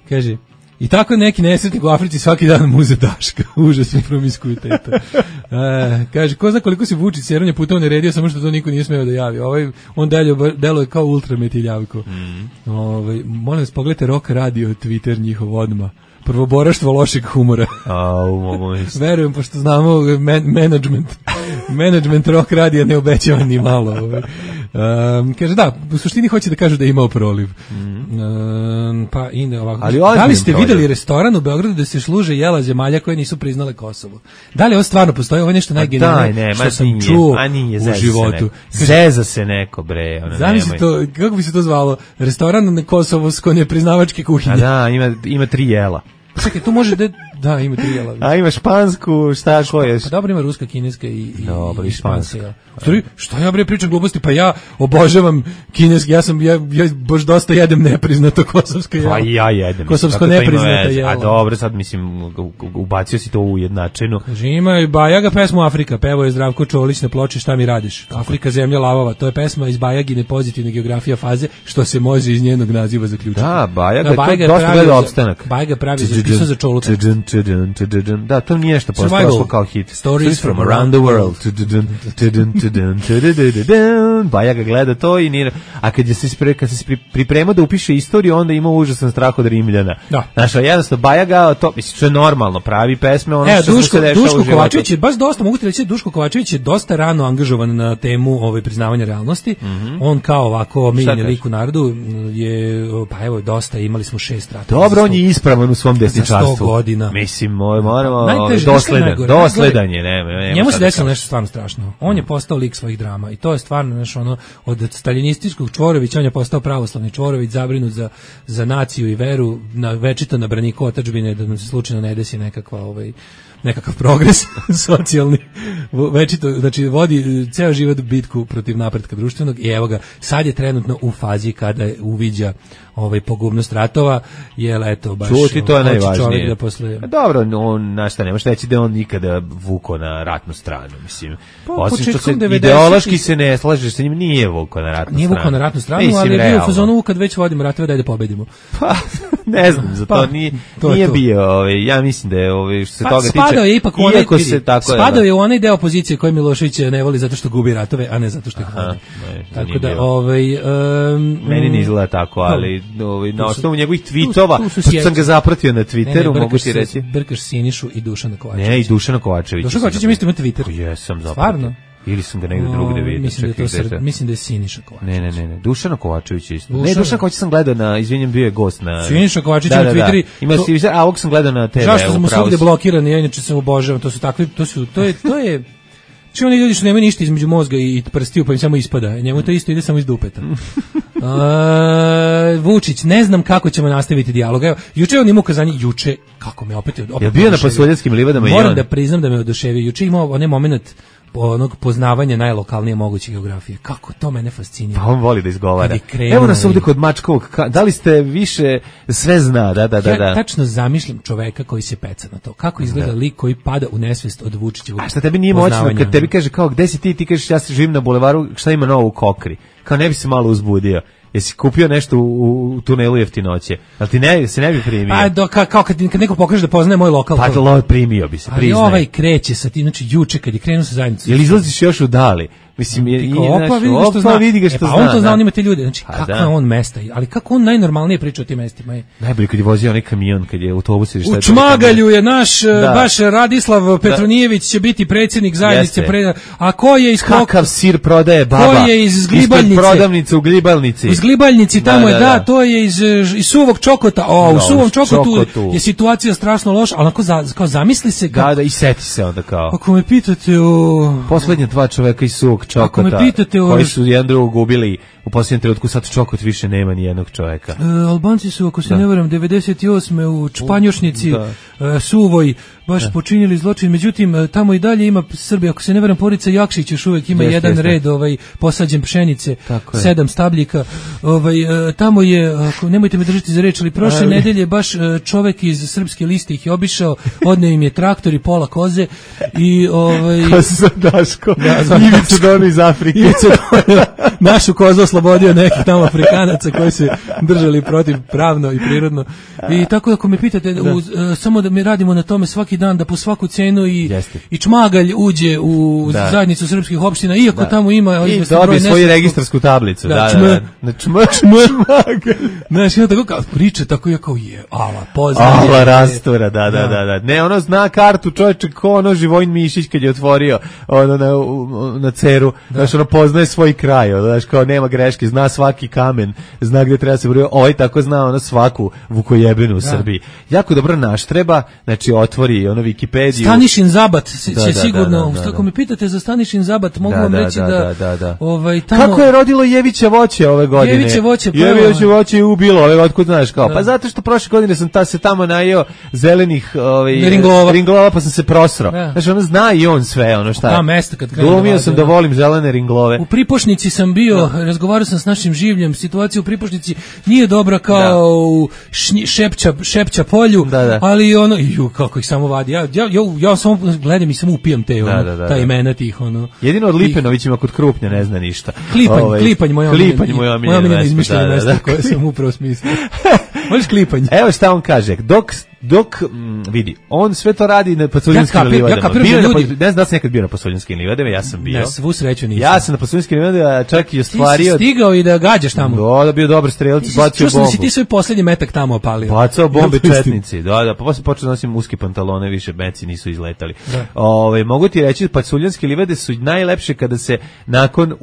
Kaže, i tako neki nesretnik u Africi svaki dan muze Daška. Užasno promiskuiteta. Kaže, ko zna koliko se Vučić seranja puta naredio, samo što to niko nije smeo da javi. On deluje kao ultrametiljavko. Molim vas, pogledajte Rock Radio, Twitter njihov odmah. Prvoboraštvo lošeg humora. Verujem, pošto znamo management Rock Radija ne obećava ni malo. Kaže, da, u suštini hoće da kažu da je imao proliv. Pa ide ovako. Da li ste videli restoran u Beogradu da se služe jela zemalja koje nisu priznale Kosovo? Da li ovo stvarno postoji? Ovo je nešto najgenijalnije što sam čuo u životu. Zeza se neko, bre. Zamisli to, kako bi se to zvalo? Restoran na kosovsko nepriznavačke kuhinje. Da, ima 3 jela. Čekaj, tu može da ima 3 jela. A ima špansku, šta koješ? Pa dobro, ima ruska, kineska i španska. Što ja bre pričam gluposti, pa ja obožavam kineski, ja baš dosta jedem nepriznato kosovsko jelo. Pa ja jedem. Kosovsko nepriznato jelo. A dobro, sad mislim, ubacio si to u jednačinu. Kaže, ima i Bajaga pesmu Afrika, pevo je Zdravko Čolić na ploči Šta mi radiš? Afrika, zemlja lavova, to je pesma iz Bajagine pozitivne geografija faze, što se može iz njenog naziva zaključiti. Da, Bajaga to dosta gleda opstanak. Bajaga pravi pisao za Čoluka. Da, to nije nešto postalo kao hit. Stories from around the world. Bajaga gleda to i nije... A kad se pripremao da upiše istoriju, onda ima užasan strah od Rimljana. Znaš, jednostavno, Bajaga, to je normalno, pravi pesme, ono što se dešava u životu. Kovačević je baš dosta, mogu ti reći, Duško Kovačević je dosta rano angažovan na temu priznavanja realnosti. On kao ovako omiljeni lik u narodu je, pa evo, dosta, imali smo 6 ratova. Dobro, on je ispravan u svom desničarstvu. 100 godina. Mislim, moramo dosledan je, nema. Njemu se desilo nešto stvarno strašno. On je postao lik svojih drama i to je stvarno nešto ono, od staljinističkog Čvorovića on je postao pravoslavni Čvorović, zabrinut za naciju i veru, večito na braniku otadžbine, da nam se slučajno ne desi nekakav progres socijalni, večito, znači vodi ceo život bitku protiv napretka društvenog i evo ga, sad je trenutno u fazi kada uviđa pogubnost ratova, jer eto, baš čuti, to je najvažnije. Da posle... Dobro, on, na šta, nemaš reći da on nikada vuko na ratnu stranu, mislim. Osim što se ideološki se ne slažeš sa njim, nije vuko na ratnu stranu. Nije vuko na ratnu stranu, mislim, ali je bio u fazonu kad već vodimo ratove, daj da pobedimo. Pa, ne znam, za to nije bio, ja mislim da je, što se toga tiče, spadao je ipak spadao je u onaj deo opozicije koji Milošević ne voli zato što gubi ratove, a ne zato što ih vodi. Tako da, meni ne izgleda tako, ali na osnovu njegovih tweetova, pošto sam ga zapratio na Twitteru, mogu ti reći. Brkaš Sinišu i Dušana Kovačevića. Ne, i Dušana Kovačevića. Dušana Kovačevića isto ima Twitter. Jesam zapratio. Stvarno? Ili sam ga negdje drugde vidio. Mislim da je Siniša Kovačević. Ne, Dušana Kovačević isto. Ne, Dušana Kovačević sam gledao na, izvinjam, bio je gost na... Siniša Kovačić na Twitteri. Ima a ovog sam gledao na TV. Zašto sam svugde blokiran, ja inače sam obožavam, to su takvi, to je Či oni ljudi što nemaju ništa između mozga i prstiju, pa im samo ispada. Njemu to isto ide samo iz dupeta. Vučić, ne znam kako ćemo nastaviti dijalog. Evo, juče on ima ukazanje, kako me opet je bio na Pasuljanskim livadama. Moram da priznam da me oduševio. Juče imao onaj moment onog poznavanja najlokalnije moguće geografije. Kako to mene fascinira. Pa on voli da izgovara. Evo nas ovdje kod Mačkovog. Da li ste više sve zna? Da. Ja tačno zamišljam čoveka koji se peca na to. Kako izgleda lik koji pada u nesvest od Vučićevog poznavanja. A šta tebi nije moćno kad tebi kaže kao gde si ti kažeš ja se živim na bulevaru, šta ima novo u Kokri? Kao ne bi se malo uzbudio. Jesi kupio nešto u tunelu jeftinoće? Ali ti se ne bi primio? Kao kad neko pokaže da poznaje moj lokal. Pa primio bi se, priznaj. Ali ovaj kreće sa tim, znači juče kad je krenuo sa zajednicom. Jel izlaziš još u dali? Mislim, vidi ga što zna. On to zna, on ima te ljude. Znači, kako je on mesta, ali kako on najnormalnije priča o tim mestima. Najbolje kad je vozio onaj kamion, kad je autobus ili šta je. U Čmagalju je naš, baš Radislav Petronijević će biti predsjednik zajednice. A ko je iz kakav sir prodaje baba? Ko je iz Glibaljnice? Prodavnice u Glibaljnici. Iz Glibaljnici, tamo je, to je iz Suvog Čokota. U Suvom Čokotu je situacija strašno loša, ali kao zamisli se. Da, i seti se onda kao. Ako me pitate o... Poslednja dva čoveka iz Suvog Čokota, koji su jedan drugog ubili u posljednjem trenutku, sad Čokot više nema ni jednog čoveka. Albanci su, ako se ne varam, 98. u Čpanjošnici Suvoj baš počinili zločin, međutim tamo i dalje ima Srbija, ako se ne varam, porodica Jakšić još uvijek ima jedan red posađen pšenice, 7 stabljika. Tamo je, nemojte me držati za reč, ali prošle nedelje baš čovek iz Srpske liste ih je obišao, odneo im je traktor i pola koze i Koza Daško, Ivica Dono iz Afrike. Našu kozu oslobodio nekih tamo Afrikanaca koji se držali protiv pravno i prirodno. I tako ako me pitate, samo da mi radimo na tome svaki dan, da po svaku cenu i Čmagalj uđe u zajednicu srpskih opština, iako tamo ima i dobije svoju registarsku tablicu. Čmagalj. Znaš, ono tako kao priča, tako je kao poznaje. Ala rastura, da. Ne, ono zna kartu, čovječe, ko ono Živojin Mišić kad je otvorio na Ceru, znaš, ono poznaje svoj kraj, znaš, kao nema greške, zna svaki kamen, zna gde treba se brojiti, tako zna ono svaku vukojebinu u Srbiji. Jako dobro naštreba, znači otvori ono Wikipediju. Stanišin Zabat će sigurno, ako me pitate za Stanišin Zabat, mogu vam reći da tamo... Kako je rodilo Jevića voće ove godine? Jeviće voće je ubilo, otkud znaš kao? Pa zato što prošle godine sam se tamo najeo zelenih ringlova, pa sam se prosro. Znači ono zna i on sve, ono šta. Ta mesta kad krenu. Glumio sam da volim zelene ringlove. U Pripošnici sam bio, razgovarao sam s našim življem, situacija u Pripošnici nije dobra kao u Šepća polju, ali ono, kako ih samo vadi. Ja samo gledam i samo upijam te ta imena tih ono. Jedino od Lipenovićima kod Krupnja ne zna ništa. Klipanj moja omiljena izmišljena mesta koje sam upravo smislio. Voliš Klipanj? Evo šta on kaže, dok vidi, on sve to radi na Pasuljanskim livadama. Ne znam da sam nekad bio na Pasuljanskim livadama, ja sam bio. Na svu sreću nisam. Ja sam na Pasuljanskim livadama čak i ostvario... Ti si stigao i da gađaš tamo. Da, bio dobar strelac, bacio bombu. Čuo sam da si ti svoj posljednji metak tamo opalio. Bacao bombe četnici, da, pa posle počeo da nosim uske pantalone, više meci nisu izletali. Mogu ti reći, Pasuljanske livade su najlepše kada se nakon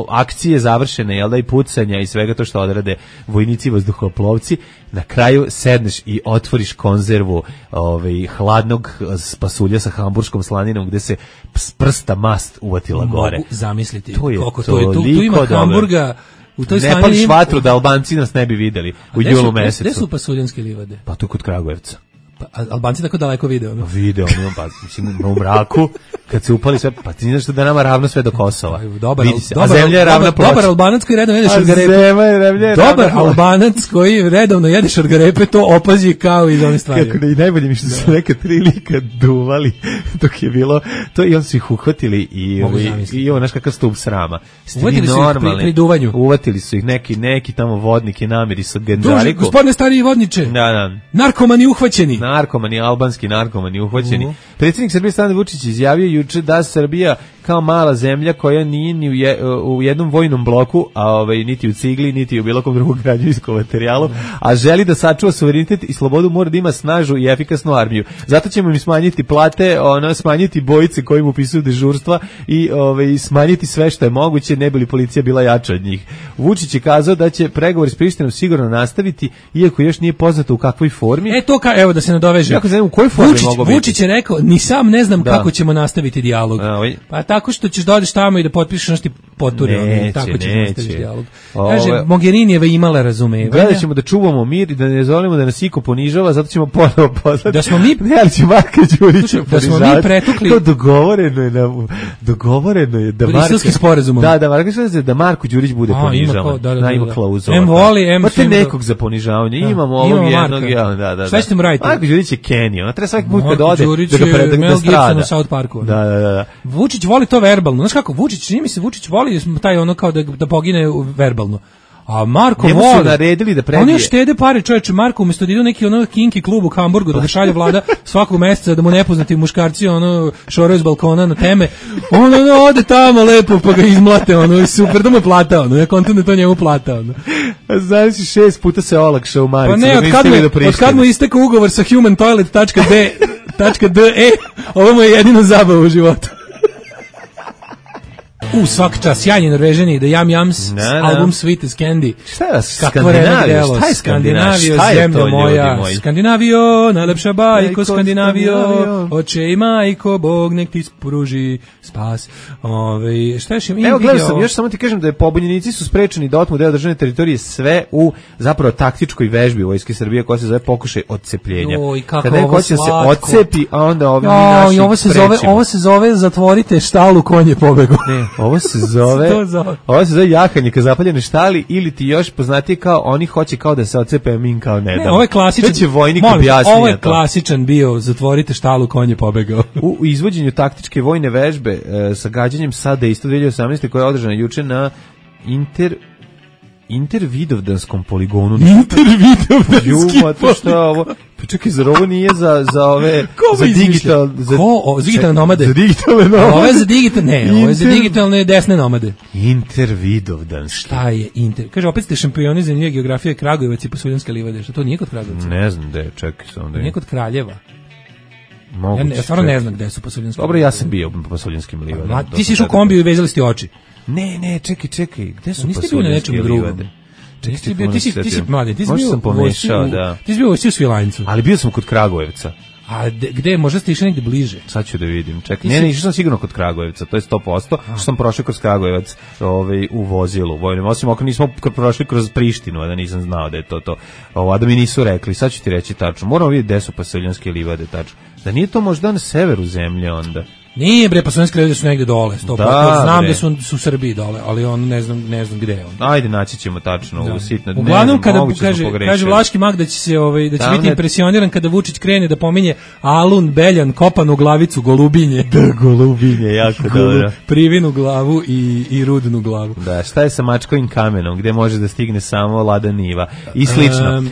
akcije završene, jel da, i pucanja i svega to što odrade vojnici vazduhoplovci, na kraju sedneš i otvoriš konzervu hladnog pasulja sa hamburškom slaninom gde se s prsta mast uvatila gore. Mogu zamisliti koliko to je. Tu ima hamburga. U toj ne pališ vatru da Albanci nas ne bi videli u julu mesecu. Gde su Pasuljanske livade? Pa tu kod Kragujevca. Albanci tako daleko video. Video, pa mislim u mraku kad se upali sve, pa ti znaš da nama ravno sve do Kosova. A zemlja je ravna ploča. Dobar Albanac koji redovno jede šargarepe. Dobar Albanac koji redovno jede šargarepe, to opazi kao iz one stvari. Kako i najbolje mi što su neka 3 lika duvali dok je bilo to i on su ih uhvatili i ovo naš kakav stup srama. Uvatili su ih pri duvanju. Uvatili su ih neki tamo vodnik i namiri sa Genđariku. Gospodine stariji vodniče. Da. Narkomani uhvaćeni. Albanski narkomani uhvaćeni. Predsjednik Srbije Aleksandar Vučić izjavio juče da Srbija kao mala zemlja koja nije ni u jednom vojnom bloku, a niti u cigli, niti u bilo kom drugom građevinskom materijalu, a želi da sačuva suverenitet i slobodu, mora da ima snažnu i efikasnu armiju. Zato ćemo im smanjiti plate, smanjiti bojice kojim upisuju dežurstva i smanjiti sve što je moguće, ne bi li policija bila jača od njih. Vučić je kazao da će pregovori s Prištinom sigurno nastaviti, iako još nije poznato u kakvoj formi. Evo da se nadoveže. Jako znam u kojoj formi mogu biti. Vučić je rekao, ni sam ne znam kako ćemo nastaviti dijalog. Pa tako što ćeš da odeš tamo i da potpišeš poture, tako će nastaviti dijalog. Kaže, Mogherinijeva imala razumevanja. Gledat ćemo da čuvamo mir i da ne dozvolimo da nas iko ponižava, zato ćemo ponovo poslati. Da smo mi... Ne, ali će Marka Đurića da smo mi pretukli... To dogovoreno je da Briselski sporazumom. Da Marko Đurić bude ponižavan. Ima klauzula. M voli, M svim... nekog za ponižavanje. Imamo ovog jednog. Šta ćete mu raditi? Marko Đurić je Kenija. Ona treba svaki put kad ode da strada. U South Parku. Da. Vučić voli to verbalno. Znaš kako, Vučić voli taj ono kao da pogine verbalno. A Marko voli. Su naredili da prebije. Oni štede pare, čoveče. Marko umjesto da idu neki ono kinki klub u Hamburgu da ga šalje vlada svakog meseca da mu nepoznati muškarci ono šoraju s balkona na teme. On ode tamo lepo pa ga izmlate ono super da mu je plata ono. Ja kontam da to njemu plata ono. Znaš 6 puta se olakšao u Maricu. Pa ne, od kad mu istekao ugovor sa humantoilet.de, ovo mu je jedino zabava u životu. Svaki čas, sjajni Norvežani, The Yam Yams, album Sweet as Candy. Šta je Skandinavio? Šta je Skandinavio? Zemlja moja. Skandinavio, najlepša bajko, Skandinavio, oče i majko, Bog nek ti pruži spas. Šta još ima? Evo, gledao sam, još samo ti kažem da je pobunjenici su sprečeni da otmu deo državne teritorije sve u zapravo taktičkoj vežbi Vojske Srbije koja se zove pokušaj odcepljenja. Kada neko hoće se odcepi, a onda ovi naši ovo se zove zatvorite štalu, konj je pobegao. Ne, ovo se zove jahanje ka zapaljene štali ili ti još poznatije kao oni hoće kao da se odcepe, a mi kao ne damo. Ovo je klasičan. To će vojnik objasniti. Ovo je klasičan bio zatvorite štalu, konj je pobegao. U izvođenju taktičke vojne vežbe sa gađanjem sada isto 2018. koja je održana juče na Intervidovdanskom poligonu. Intervidovdanski poligonu. Šta je ovo? Pa čekaj, zar ovo nije za ove... Za digitalne nomade? Za digitalne nomade. Ovo je za digitalne, ovo je za digitalne desne nomade. Intervidovdanski. Šta je Inter? Kaže, opet ste šampioni za geografije Kragujevac i Pasuljanske livade. Šta to nije kod Kragujevca? Ne znam gde, čekaj sam da je. Nije kod Kraljeva. Ja stvarno ne znam gde su Pasuljanske livade. Dobro, ja sam bio u Pasuljanskim livadama. Ti si išao u kombiju i vezali ste oči. Ne, čekaj, gde su Pasuljanske livade? Ti si mladen, ti si bio u Svilajncu. Ali bio sam kod Kragujevca. A gde, možda ste išli negde bliže? Sad ću da vidim, čekaj. Ne, išao sam sigurno kod Kragujevca, to je 100%, što sam prošao kroz Kragujevac u vozilu vojnom, osim ako nismo prošli kroz Prištinu, a da nisam znao da je to. A da mi nisu rekli, sad ću ti reći tačno. Moramo vidjeti gde su Pasuljanske livade tačno. Da nije to možda na severu zemlje onda? Nije bre, Pasuljanske livade su negde dole, 100%. Znam da su u Srbiji dole, ali on ne znam gde je on. Ajde, naći ćemo tačno u sitno. Uglavnom kada kaže Vlaški mag da će se da će biti impresioniran kada Vučić krene da pominje Alun, Beljan, kopanu glavicu, Golubinje. Da, Golubinje, jako dobro. Privinu glavu i rudnu glavu. Da, šta je sa Mačkovim kamenom, gde može da stigne samo Lada Niva i slično.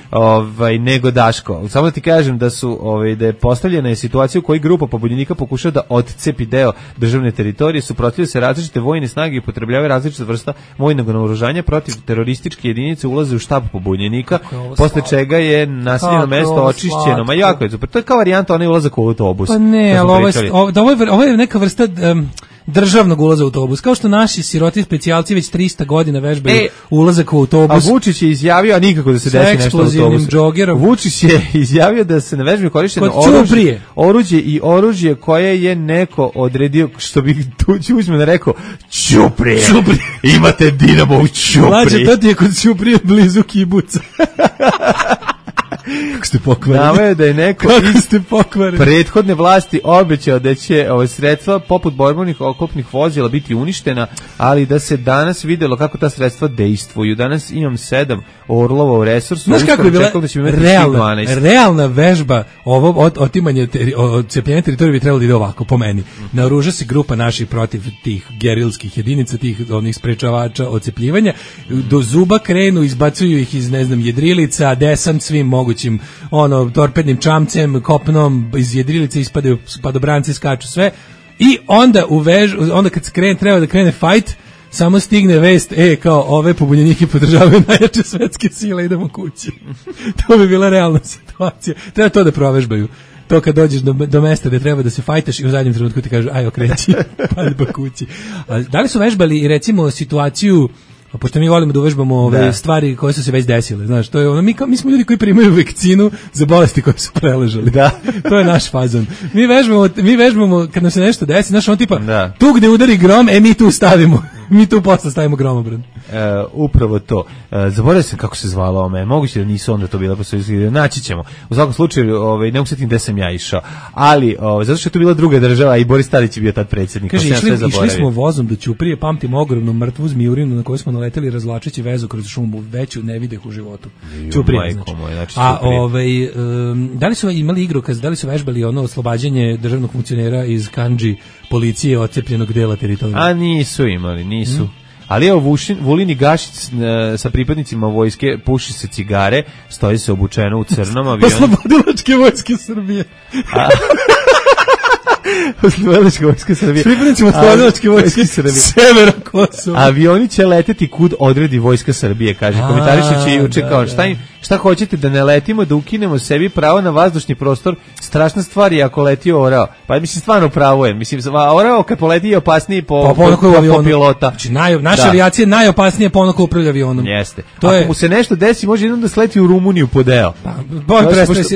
Nego Daško. Samo da ti kažem da su da je postavljena je situacija u kojoj grupa pobunjenika pokušava da odcepi deo državne teritorije, suprotstavljaju se različite vojne snage i upotrebljavaju različite vrsta vojnog naoružanja protiv terorističke jedinice, ulaze u štab pobunjenika, posle čega je naseljeno mesto očišćeno. Ma jako je super. To je kao varijanta onaj ulazak u autobus. Pa ne, ali ovo je neka vrsta državnog ulaza u autobus, kao što naši siroti specijalci već 300 godina vežbaju ulazak u autobus. A Vučić je izjavio, a nikako da se desi nešto u autobusu. Vučić je izjavio da se na vežbi korišteno oružje koje je neko odredio, što bi Tuđman rekao, Ćuprije. Imate Dinamo u Ćupriji. Mlađe, to ti je kod Ćuprije blizu kibuca. Kako ste pokvareni? Naveo da je neko iz prethodne vlasti obećao da će sredstva poput borbenih oklopnih vozila biti uništena, ali da se danas videlo kako ta sredstva dejstvuju. Danas imam 7 Orlova u resursu. Znaš kako je bila realna vežba otimanje odcepljenja teritorije bi trebalo da ide ovako, po meni. Naoruža se grupa naših protiv tih gerilskih jedinica, tih onih sprečavača odcepljivanja, do zuba krenu, izbacuju ih iz, jedrilica, desant svim mogućim torpednim čamcem, kopnom, iz jedrilice ispadaju padobranci, skaču sve i onda onda kad treba da krene fight, samo stigne vest, kao ove pobunjenike podržavaju najjače svetske sile, idemo kući. To bi bila realna situacija. Treba to da provežbaju. To kad dođeš do mesta gde treba da se fajtaš i u zadnjem trenutku ti kažu aj okreći, pa kući. Da li su vežbali recimo situaciju pošto mi volimo da uvežbamo ove stvari koje su se već desile, znaš, to je ono, mi smo ljudi koji primaju vakcinu za bolesti koje su preležali. Da. To je naš fazon. Mi vežbamo kad nam se nešto desi, znaš, on tipa, tu gde udari grom, mi tu stavimo. Mi tu posle stavimo gromobran. Upravo to. Zaboravio sam kako se zvalo ome. Moguće da nisu onda to bila posle. Naći ćemo. U svakom slučaju, ne mogu setim gde sam ja išao. Ali, zato što je to bila druga država, i Boris Tadić je bio tad predsjednik. Kaže, išli smo vozom do Ćuprije, pamtim ogromnu mrtvu zmijurinu na koju smo naleteli razvlačeći vezu kroz šumu, veću ne videh u životu. Ćuprije, znači. A da li su imali igrokaz, da li su vežbali ono oslobađanje državnog funkcionera iz Kandži policije odcepljenog dela teritorija? A nisu imali, nisu. Ali evo Vulin i Gašić sa pripadnicima vojske puši se cigare, stoji se obučeno u crnom avionu. Oslobodilačke vojske Srbije. Oslobodilačke vojske Srbije. Pripadnicima oslobodilačke vojske Srbije. Severa Kosova. Avioni će leteti kud odredi vojska Srbije, kaže. Komentarišući juče kao šta hoćete da ne letimo, da ukinemo sebi pravo na vazdušni prostor, strašna stvar je ako leti orao. Pa mislim stvarno pravo je. Mislim orao kad poleti je opasniji po pilota. Znači naša avijacija je najopasnije po onako upravlja avionom. Jeste. Ako mu se nešto desi, može jednom da sleti u Rumuniju po deo.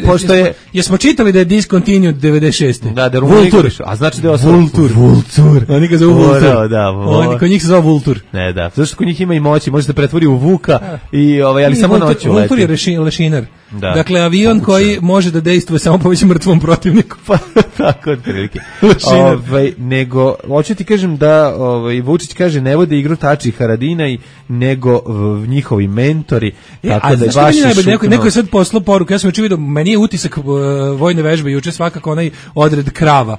Pošto jesmo čitali da je discontinued 96. Da Vultur. A znači da je Vultur. Oni ga zovu Vultur. Oni kod njih se zove Vultur. Ne, da. Zato što kod njih ima i moći, može se pretvori u vuka i ali samo noću leti. Vultur je lešinar. Dakle, avion koji može da dejstvuje samo po već mrtvom protivniku. Pa tako otprilike. Nego hoću ti kažem da Vučić kaže ne vode igru Tači i Haradinaj, nego njihovi mentori. Tako da baš neko je sad poslao poruku, ja sam juče vidio, meni je utisak vojne vežbe juče svakako onaj odred krava.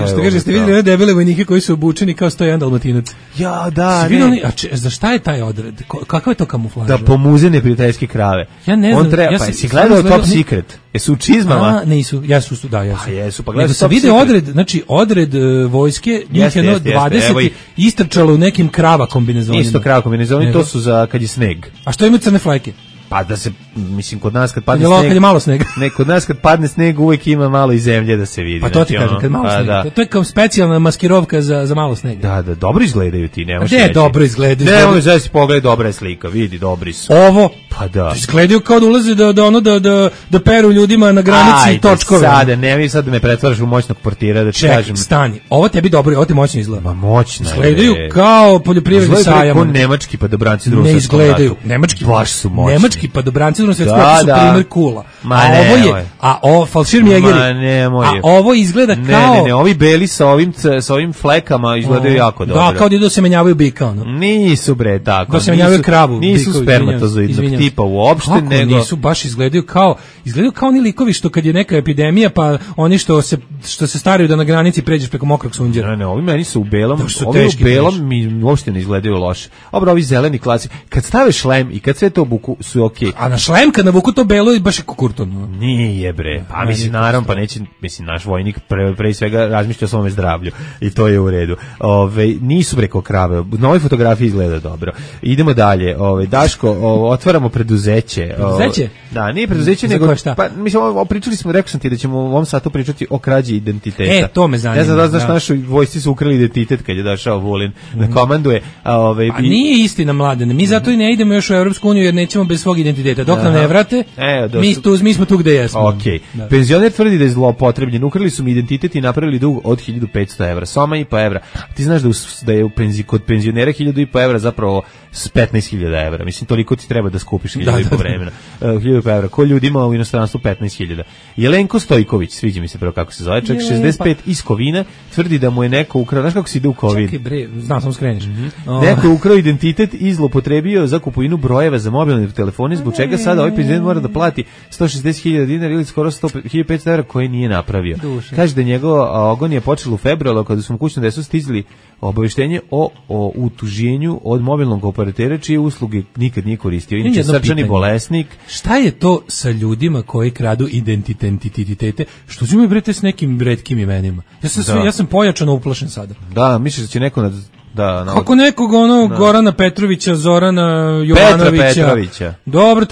Što kaže, ste vidjeli one debele vojnike koji su obučeni kao 101 Dalmatinac? Ja, da, ne. Za šta je taj odred? Kakav je to kamuflaža? Da pomuze neprijateljske krave. Ja ne znam. On treba, pa si gledao Top Secret? Jesu u čizmama? Nisu, jesu. Pa jesu, pa gledao Top Secret. Vide odred, znači odred vojske, njih je 20 istrčalo u nekim krava kombinezonima. Isto krava kombinezoni, to su za kad je sneg. A što imaju crne flajke? Pa da se, mislim, kod nas kad padne sneg... Kad je malo snega. Ne, kod nas kad padne sneg uvijek ima malo i zemlje da se vidi. Pa to ti kažem, kad malo snega. To je kao specijalna maskirovka za malo snega. Da, dobro izgledaju ti, nemaš reći. Dobro izgledaju. Ne, ono zaista pogledaj, dobra je slika, vidi, dobri su. Ovo? Pa da. Izgledaju kao da ulaze da peru ljudima na granici točkove. Ajde, nemoj sad da me pretvaraš u moćnog portira, da ti kažem. Stani, ovo tebi dobro, ovo ti moćno izgleda. Ma moćno je. Izgledaju kao poljoprivredni sajam. Izgledaju kao nemački padobranci drugog svjetskog rata. Ne izgledaju, nemački. Baš su moćni. Nemački padobranci drugog svjetskog rata su primjer kula. Ovo falšir Mjegeri. A ovo izgleda kao... Ne, ovi beli sa ovim flekama izgledaju jako dobro. Da, kao da idu se menjavaju bika, ono. Nisu bre, tako. Da se menjavaju kravu. Nisu spermatozoidnog tipa uopšte, nego... Kako nisu, baš izgledaju kao oni likovi što kad je neka epidemija, pa oni što se staraju da na granici pređeš preko mokrog sunđera. Ne, ovi meni su u belom, ovi u belom mi uopšte ne izgledaju loše. Dobro, ovi zeleni klasik, kad stave šlem i kad sve to obuku su okej. A na šlem kad navuku to belo je baš je kukurton. Nije bre, pa mislim naravno, pa neće, mislim naš vojnik pre svega razmišlja o svome zdravlju i to je u redu. Nisu bre ko krave, na ovoj fotografiji izgleda dobro. Idemo dalje, Daško, otvaramo preduzeće. Preduzeće? Da, nije preduzeće, nego pa mislim pričali smo, rekao sam ti da ćemo u ovom satu pričati o krađi identiteta. To me zanima. Ne znam da znaš, našoj vojsci su ukrali identitet kad je došao Vulin da komanduje. Pa nije istina, Mladene, mi zato i ne idemo još u Evropsku uniju jer nećemo bez svog identiteta. Dok nam ne vrate, mi smo tu gde jesmo. Okej. Penzioner tvrdi da je zloupotrebljen. Ukrali su mi identitet i napravili dug od 1500 evra. Soma i po evra. Ti znaš da je kod penzionera 1500 evra zapravo s 15.000 evra. Mislim, toliko ti treba da skupiš 1500 vremena. 1000 evra. Ko ljudi ima u inostranstvu 15.000. Jelenko Stojković, sviđa mi se prvo kako se zove, čak 65 iz Kovina, tvrdi da mu je neko ukrao. Znaš kako se ide u Kovin? Čekaj bre, znam sam skreniš. Neko je ukrao identitet i zloupotrebio za kupovinu brojeva za mobilne telefone, zbog čega sada ovaj penzioner mora da plati 160.000 dinara ili skoro 1.500 evra koje nije napravio. Kaže da njegova agonija počela u februaru kada su mu kućno desu stizili obaveštenje o utuženju od mobilnog operatera čije usluge nikad nije koristio. Inače srčani bolesnik. Šta je to sa ljudima koji kradu identitete? Što ćemo brete s nekim retkim imenima? Ja sam pojačano uplašen sada. Da, misliš da će neko Da, kako nekog Gorana Petrovića, Zorana Jovanovića. Dobro,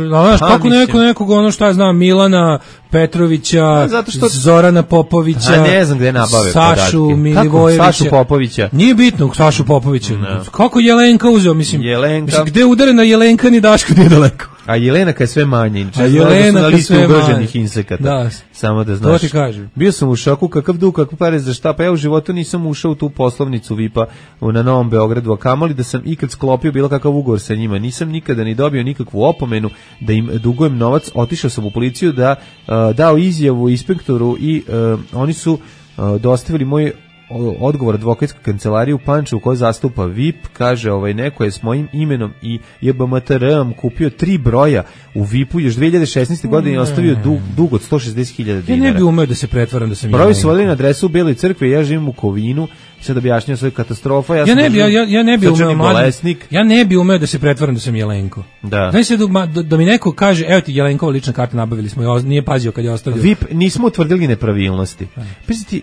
znaš, kako nekog šta ja znam, Milana Petrovića, Zorana Popovića, ne znam gde nabave Sašu Milivojevića. Sašu Popovića? Nije bitno, Sašu Popovića. Kako Jelenka uzeo, mislim, gde udare na Jelenka ni Daško nije daleko. A Jelenaka je sve manje. A Jelenaka je sve ugroženih insekata. Da. Samo da znaš. To ti kažem. Bio sam u šoku, kakav dug, kakve pare za šta, pa ja u životu nisam ušao u tu poslovnicu VIP-a na Novom Beogradu, a kamoli da sam ikad sklopio bilo kakav ugovor sa njima. Nisam nikada ni dobio nikakvu opomenu da im dugujem novac. Otišao sam u policiju da dao izjavu inspektoru i oni su dostavili moj odgovor advokatske kancelarije u Pančevu koji zastupa VIP, kaže neko je s mojim imenom i JBMTR-om kupio 3 broja u VIP-u još 2016. godine i ostavio dug od 160.000 dinara. Ja ne bi umeo da se pretvaram da sam broji su vodili na adresu u Beloj crkvi, ja živim u Kovinu, sad objašnjam svoju katastrofa. Ja ne bi umeo da se pretvaram da sam Jelenko. Da. Znaš se da mi neko kaže, evo ti Jelenkova lična karta, nabavili smo, nije pazio kad je ostavio. VIP nismo utvrdili nepravilnosti.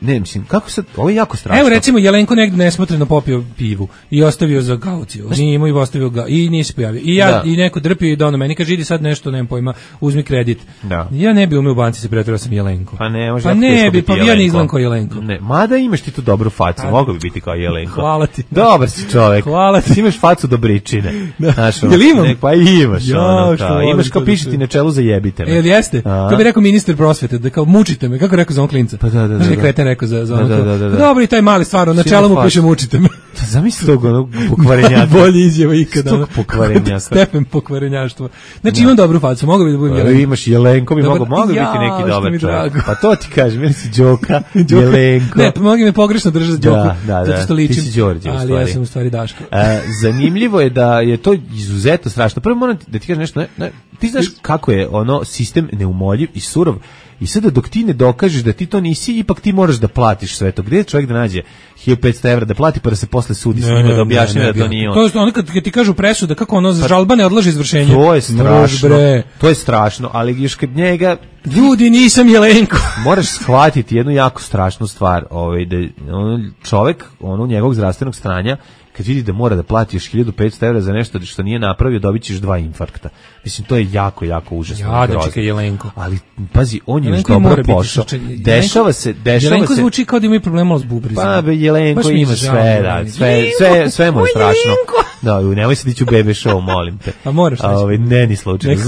Ne, mislim, kako sad, ovo je jako strašno. Evo recimo Jelenko negdje nesmotreno popio pivu i ostavio za kauciju. Nije imao i ostavio ga i nije se pojavio. I ja i neko drpio i dono meni kaže idi sad nešto, nemam pojma, uzmi kredit. Da. Ja ne bi umeo u banci se pretvarao sam Jelenko. Pa ne, može. Pa ne bi, pa ja ne izgledam kao Jelenko. Ne, mada imaš ti tu dobru facu, mogao bi biti kao Jelenko. Hvala ti. Dobar si čovjek. Hvala ti. Imaš facu dobričine. Jel imam? Pa imaš. Imaš kao pišeti na čelu za jebite me. Jel jeste? To bi rekao ministar prosvete, da kao mučite me, kako rekao za on klinca. Pa da. Kreten rekao za ono. Dobro, i taj mali stvarno, na čelu mu piše mučite me. Zamisli tog onog pokvarenjaka. Bolje izjava ikada. Tog pokvarenjaka. Stepen pokvarenjaštva. Znači imam dobru facu, mogu bi da budem Jelenko. Imaš Jelenko, bi mogu biti neki dobar čovjek. Pa to ti kažem, meni si Đoka, Jelenko. Ne, pa mogu me pogrešno držati za Đoku. Zato što ličim. Ti si Đorđe, u stvari. Ali ja sam u stvari Daško. Zanimljivo je da je to izuzetno strašno. Prvo moram da ti kažem nešto, ti znaš kako je ono sistem neumoljiv i surov. I sada dok ti ne dokažeš da ti to nisi, ipak ti moraš da platiš sve to. Gdje je čovjek da nađe 1500 evra da plati pa da se posle sudi s njima da objašnjava da to nije on? To je ono kad ti kažu presuda, kako ono žalba ne odlaže izvršenje. To je strašno. To je strašno, ali još kad njega... Ljudi, nisam Jelenko. Moraš shvatiti jednu jako strašnu stvar. Da čovjek njegovog zdravstvenog stanja, kad vidi da mora da plati još 1500 evra za nešto što nije napravio, dobit ćeš 2 infarkta. Mislim, to je jako, jako užasno. Ja, da čekaj Jelenko. Ali, pazi, on je još dobro pošao. Dešava se... Jelenko zvuči kao da ima problema s bubrizima. Pa, Jelenko ima sve, sve mu je strašno. Da, nemoj se dići u bebe show, molim te. A moraš reći. Ne, ni slučajno.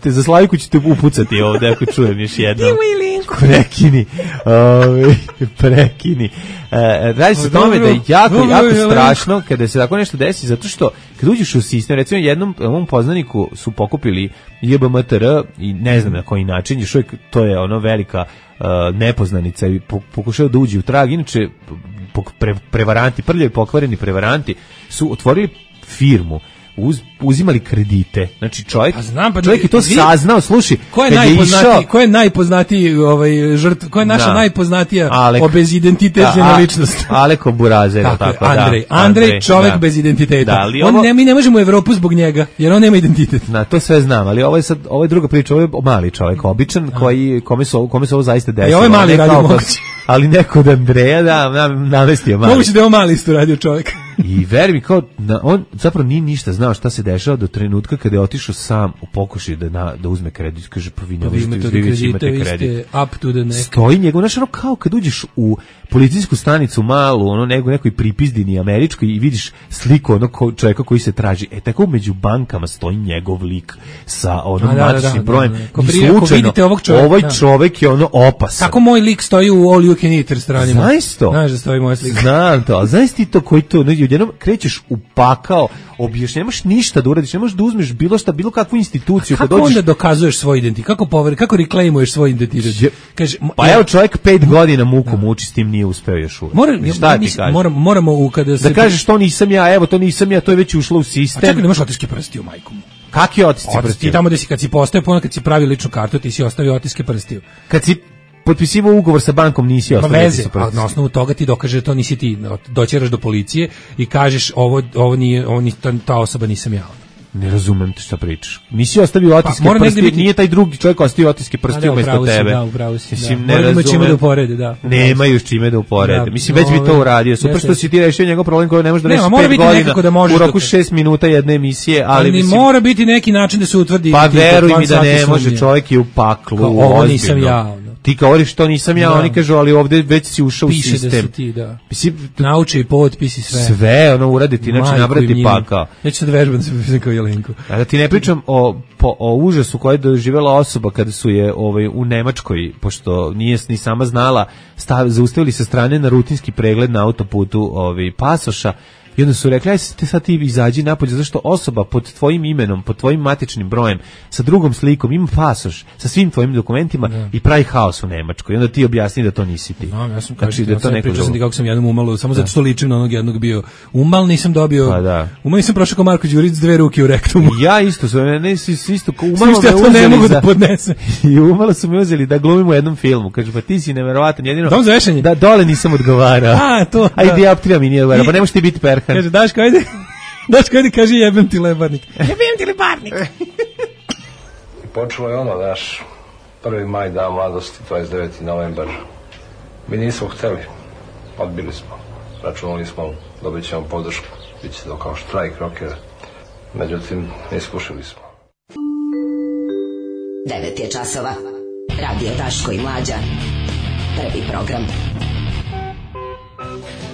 Za Slaviku ću te upucati ovdje, ako čujem još jedno. Dimo Jelenko. Prekini. Radi se o tome da je jako strašno kada se tako nešto desi, zato što kad uđeš u sistem, recimo jednom poznaniku su pokupili JBMTR i ne znam na koji način, još uvijek to je ono velika nepoznanica i pokušao da uđe u trag. Inače, prevaranti, prljavi pokvareni prevaranti su otvorili firmu, uzimali kredite. Znači čovjek je to saznao, slušaj, ko je najpoznatiji žrtva, ko je naša najpoznatija bezidentitetna ličnost? Aleko Burazer, tako. Andrej, čovjek bez identiteta. Mi ne možemo u Evropu zbog njega, jer on nema identitet. To sve znam, ali ovo je druga priča, ovo je mali čovjek, običan, kome se ovo zaista desilo. Ovo je mali radio mogući. Ali neko od Andreja, navestio mali. Moguće da je ovo mali isto radio čovjek. I veri mi, on zapravo nije ništa znao šta se dešava do trenutka kada je otišao sam u pokušaju da uzme kredit. Kaže, pa vi ne možete imate kredit. Stoji njegov, znaš, kao kad uđeš u policijsku stanicu malu, nekoj pripizdini američkoj i vidiš sliku onog čovjeka koji se traži. Tako među bankama stoji njegov lik sa matičnim brojem. I slučajno, ovaj čovjek je opasan. Tako moj lik stoji u All You Can Eat restoranima. Znaš to? Znaš da stoji moj slik. Znam to, ali znaš ti to koji to, odjednom krećeš u pakao, nemaš ništa da uradiš, ne možeš da uzmeš bilo šta, bilo kakvu instituciju. Kako onda dokazuješ svoj identitet? Kako reklamuješ svoj identitet? Pa evo čovjek 5 godina muku muči, s tim nije uspeo još uvijek. Moramo kada se... Da kažeš to nisam ja, evo to nisam ja, to je već ušlo u sistem. A čekaj, nemaš otiske prstiju, majko mu. Kakvi otiske prstiju? Ti tamo kad si postao, kad si pravio ličnu kartu, ti si ostavio otiske prstiju. Kad si potpisivao ugovor sa bankom, nisi ostavio otiske prstiju. Na osnovu toga ti dokaže da to nisi ti, doćeraš do policije i kažeš ovo nije, ta osoba nisam ja. Ne razumem te šta pričaš. Nisi ostavio otiske prsti, biti... nije taj drugi čovjek ostavio otiske prsti umesto tebe. Da, upravo si. Mislim, da. Moramo čime da uporede, da. Nemaju čime da uporede. Da, mislim, već bi to uradio. Super što si ti rešio njegov problem koji ne može da reši 5 godina u roku 6 minuta jedne emisije, ali mislim... mora biti neki način da se utvrdi... Pa veruj mi da ne može, čovjek je u paklu. Ovo nisam ja, ti govoriš to nisam ja, oni kažu, ali ovde već si ušao u sistem. Piše da si ti, da. Nauči i potpisi sve. Sve, ono uraditi, znači nabrati pakao. Ja ću sad vežbam da se pišem kao Jelenko. A da ti ne pričam o užasu koji je doživjela osoba kada su je u Nemačkoj, pošto nije ni sama znala, zaustavili sa strane na rutinski pregled na autoputu pasoša. I onda su rekli, aj sad ti izađi napolje, zašto osoba pod tvojim imenom, pod tvojim matičnim brojem, sa drugom slikom, ima pasoš, sa svim tvojim dokumentima i pravi haos u Nemačkoj. I onda ti objasni da to nisi ti. No, ja sam pričao sam ti kako sam jednom umalo, samo zato što ličim na onog jednog bio. Umal nisam dobio, umal nisam prošao kao Marko Đurić s 2 ruke u rektumu. Ja isto, isto umalo me uzeli, ne mogu da podnesem. I umalo su me uzeli da glumim u jednom filmu. Kažu, pa ti si neverovatan, jedino Dom za vešanje. Da dole nisam odgovarao. Ajde, dioptrija mi nije odgovarao, pa ne možeš ti biti Perhan. Kaže, Daško, ajde, kaže jebem ti lebarnik. Jebem ti lebarnik. I počelo je ono, naš 1. maj, dan mladosti, 29. novembar. Mi nismo hteli, odbili smo. Računali smo, dobit ćemo podršku, bit će to kao štrajk rokera. Međutim, iskušili smo. 9 je časova. Radio Daško i Mlađa. Prvi program.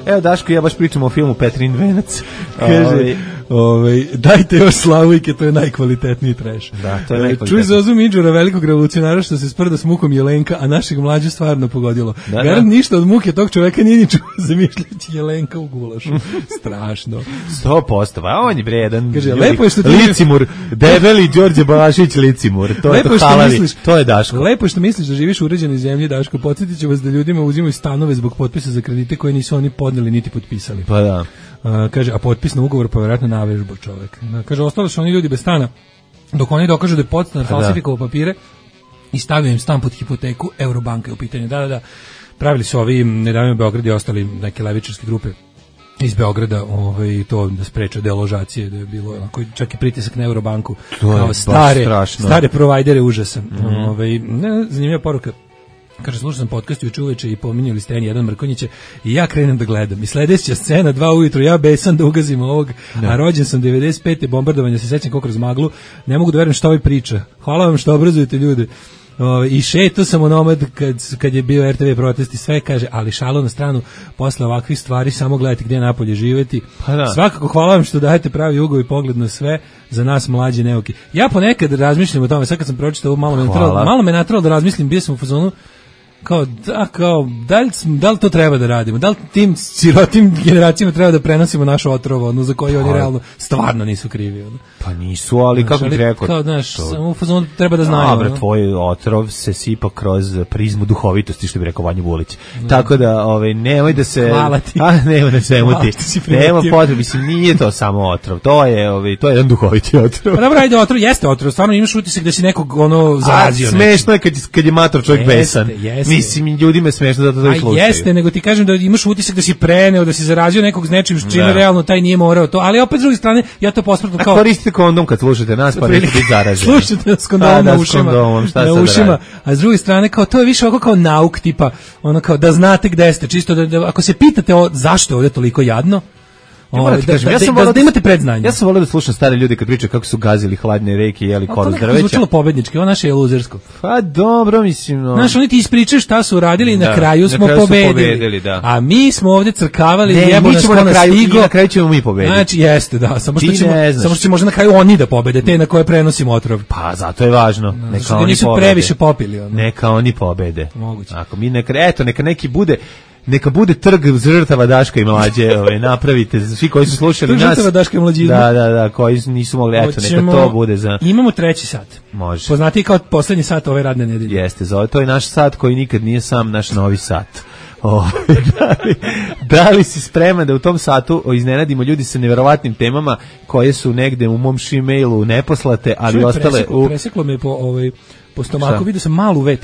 Evo Daško, ja baš pričam o filmu Petrin venac. Kaže, dajte još Slavujke, to je najkvalitetniji treš. Da, to je najkvalitetniji. Čuj za Ozu Midžura, velikog revolucionara što se sprda s mukom Jelenka, a našeg Mlađu stvarno pogodilo. Garant ništa od muke tog čoveka nije ni čuo, zamišljajući Jelenka u gulašu. Strašno. 100%, a on je vredan. Kaže, lepo je što ti... Licimur, debeli Đorđe Balašić Licimur, to je to halavi, to je Daško. Lepo je što misliš da živiš u uređenoj zemlji, Daško, podsjetit ću vas da ljudima uzimaju stanove zbog potpisa za kredite koje nisu oni podneli niti potpisali. Pa da. Kaže, a potpis na ugovor pa vjerojatno navežba čovjek. Kaže, ostali su oni ljudi bez stana, dok oni dokažu da je podstanar falsifikovao papire i stavio im stan pod hipoteku, Eurobanka je u pitanju. Da. Pravili su ovi nedavno u Beogradu i ostali neke levičarske grupe iz Beograda, to da spreče deložacije, da je bilo onako, čak i pritisak na Eurobanku, kao stare provajdere užasan. Zanimljiva poruka. Kaže, slušao sam podcast juče uveče i pominjali ste N1 Mrkonjića i ja krenem da gledam. I sledeća scena, 2 ujutru, ja besan da ugazim ovog, a rođen sam 95. bombardovanja, se sećam kao kroz maglu, ne mogu da verujem što ovaj priča. Hvala vam što obrazujete ljude. I šeto sam onomad kad je bio RTV protest i sve, kaže, ali šalo na stranu, posle ovakvih stvari samo gledajte gdje napolje živeti. Svakako hvala vam što dajete pravi ugao i pogled na sve, za nas mlađe neuki. Ja ponekad razmišljam o tome, sad kad sam pročitao ovo, malo me natralo da razmislim, bio sam u fazonu da li to treba da radimo? Da li tim sirotim generacijama treba da prenosimo naš otrov, za koji oni realno stvarno nisu krivi? Pa nisu, ali kako bih rekao? Kao, samo u fazonu treba da znaju. Dobre, tvoj otrov se sipa kroz prizmu duhovitosti, što bi rekao Vanja Vulić. Tako da, nemoj da se... Hvala ti. Nemoj da se emuti. Nema potrebe, mislim, nije to samo otrov. To je jedan duhoviti otrov. Pa dobro, ajde, otrov jeste otrov. Stvarno imaš utisak da si nekog zarazio. Smešno je kad je mator čovjek besan. Mislim, ljudima je smešno da to slušaju. Jeste, nego ti kažem da imaš utisak da si preneo, da si zarazio nekog s nečim, s čime realno taj nije morao to, ali opet s druge strane, ja to posmatram kao... Koristite kondom kad slušate nas, pa nećete biti zaraženi. Slušate nas kondom na ušima, a s druge strane, kao to je više ovako kao nauk, tipa, ono kao da znate gde ste, čisto da ako se pitate zašto je ovdje toliko jadno, da imate predznanje. Ja sam volio da slušam stare ljude kad pričaju kako su gazili hladne reke i jeli koru drveća. To zvučilo pobednički, ovo naše je luzersko. Pa dobro, mislim... Znaš, oni ti ispričaju šta su radili i na kraju smo pobedili. A mi smo ovdje crkavali i jebo nas ko nas stigo. I na kraju ćemo mi pobediti. Znači, jeste, da. Samo što će možda na kraju oni da pobede, te na koje prenosimo otrov. Pa, zato je važno. Neka oni nisu previše popili. Neka oni pobede. Moguće. Ako mi neka neki bude... Neka bude trg žrtava Daška i Mlađe, napravite, svi koji su slušali nas. Žrtava Daška i Mlađe. Da, koji nisu mogli, eto, neka to bude za... Imamo 3. sat. Može. Poznati kao poslednji sat ove radne nedelje. Jeste, to je naš sat koji nikad nije sam naš novi sat. Da li si spreman da u tom satu iznenadimo ljudi sa neverovatnim temama koje su negde u mom Gmailu neposlate, ali ostale u... Preseklo me po stomaku, vidio sam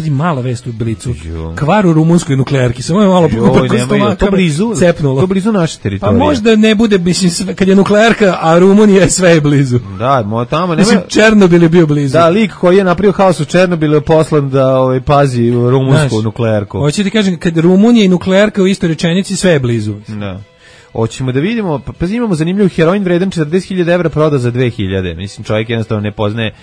mala vest u Blicu. Kvar u rumunskoj nuklearki, samo je malo preko stomaka. To blizu naše teritorije. Pa možda ne bude, mislim, kad je nuklearka, a Rumunija sve je blizu. Da, tamo nema. Mislim, Černobil je bio blizu. Da, lik koji je napravio haos u Černobilu je poslan da pazi rumunsku nuklearku. Hoće ti kažem, kad Rumunija i nuklearka u istoj rečenici, sve je blizu. Da. Hoćemo da vidimo, pa imamo zanimljiv heroin vredan 40.000 evra proda za 2.000. Mislim, čovjek jednostavno ne poznaje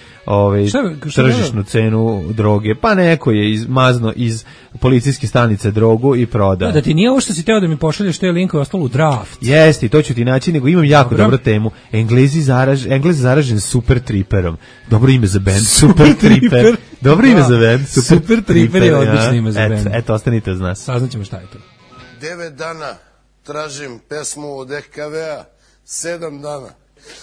tržišnu cenu droge. Pa neko je mazno iz policijske stanice drogu i proda. Da ti nije ovo što si teo da mi pošalješ te linkove ostalo u draft. Jeste, to ću ti naći, nego imam jako dobru temu. Englez zaražen Super Triperom. Dobro ime za band, Super Triper. Dobro ime za band, Super Triper je odlično ime za band. Eto, ostanite uz nas. Saznaćemo šta je to. 9 dana tražim pesmu od EKV-a, 7 dana.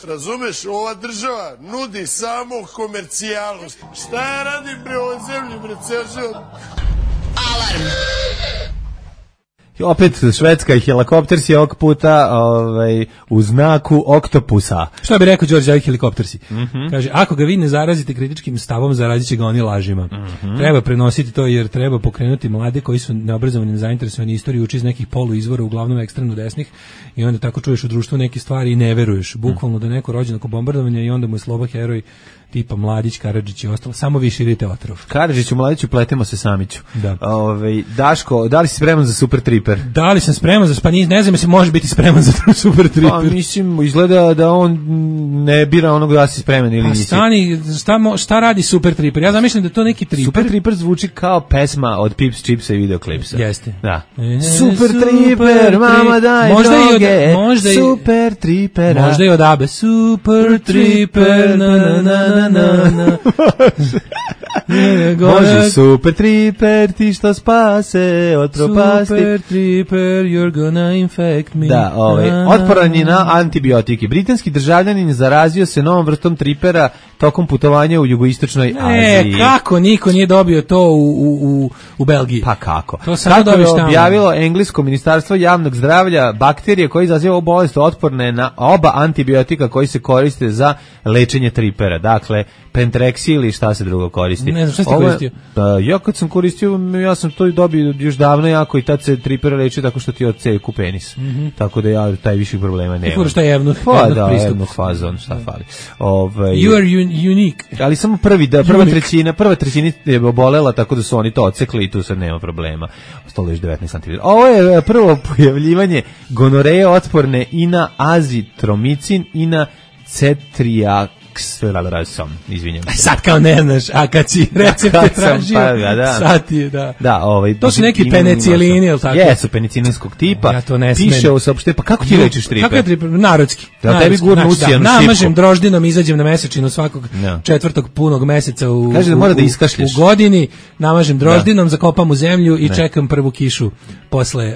Razumeš, ova država nudi samo komercijalu. Šta ja radim bre ovoj zemlji, bre, ceo? Alarm! Opet Švedska i helikoptersi ovog puta u znaku oktopusa. Šta bi rekao Đorđe, helikoptersi? Kaže, ako ga vi ne zarazite kritičkim stavom, zarazit će ga oni lažima. Treba prenositi to jer treba pokrenuti mlade koji su neobrazovani, nezainteresovani istoriju, uči iz nekih poluizvora, uglavnom ekstremno desnih, i onda tako čuješ u društvu neke stvari i ne veruješ. Bukvalno da neko rođen oko bombardovanja i onda mu je sloba heroj tipa Mladić, Karadžić i ostalo. Samo vi širite otrov. Karadžiću, Mladiću, pletemo se Samiću. Da. Daško, da li si spreman za Super Triper? Da li sam spreman za ne znam se može biti spreman za Super Triper. Pa mislim, izgleda da on ne bira onog da si spreman ili nisi. Stani, šta radi Super Triper? Ja zamišljam da to neki Triper. Super Triper zvuči kao pesma od Pips, Chipsa i videoklipsa. Jeste. Da. Super Triper, mama daj droge. Super Triper. Možda i od Abe. Super Triper, na. Može Super Triper ti što spase od propasti. Super Triper, you're gonna infect me. Da, otporan je na antibiotike. Britanski državljanin zarazio se novom vrstom tripera tokom putovanja u jugoistočnoj Aziji. Kako niko nije dobio to u Belgiji? Pa kako? To kako je objavilo englesko ministarstvo javnog zdravlja, bakterije koje izaziva bolest otporne na oba antibiotika koji se koriste za lečenje tripera. Dakle, Pentrexi ili šta se drugo koristi. Ne znam, šta si koristio? Ja kad sam koristio, ja sam to dobio još davno jako i tad se tripera leči tako što ti odseku penis. Tako da ja taj viših problema nemam. Ti furaš taj evnuh evnuh fazon, šta fali. You are unique. Ali samo prva trećina je obolela, tako da su oni to odsekli i tu sad nema problema. Ostalo još 19 cm. Ovo je prvo pojavljivanje gonoreje otporne i na azitromicin i na cetriaksom, izvinjam. Sad kao ne znaš, a kad si recepte tražio, sad ti je, da. To su neki penicilini, ili tako? Jesu, penicilinskog tipa. Ja to ne smem. Piše u saopšte, pa kako ti lečiš triper? Kako je triper? Narodski. Da tebi gurnu usijanu šipku. Namažem droždinom, izađem na mesečinu svakog četvrtog punog meseca u godini, namažem droždinom, zakopam u zemlju i čekam prvu kišu posle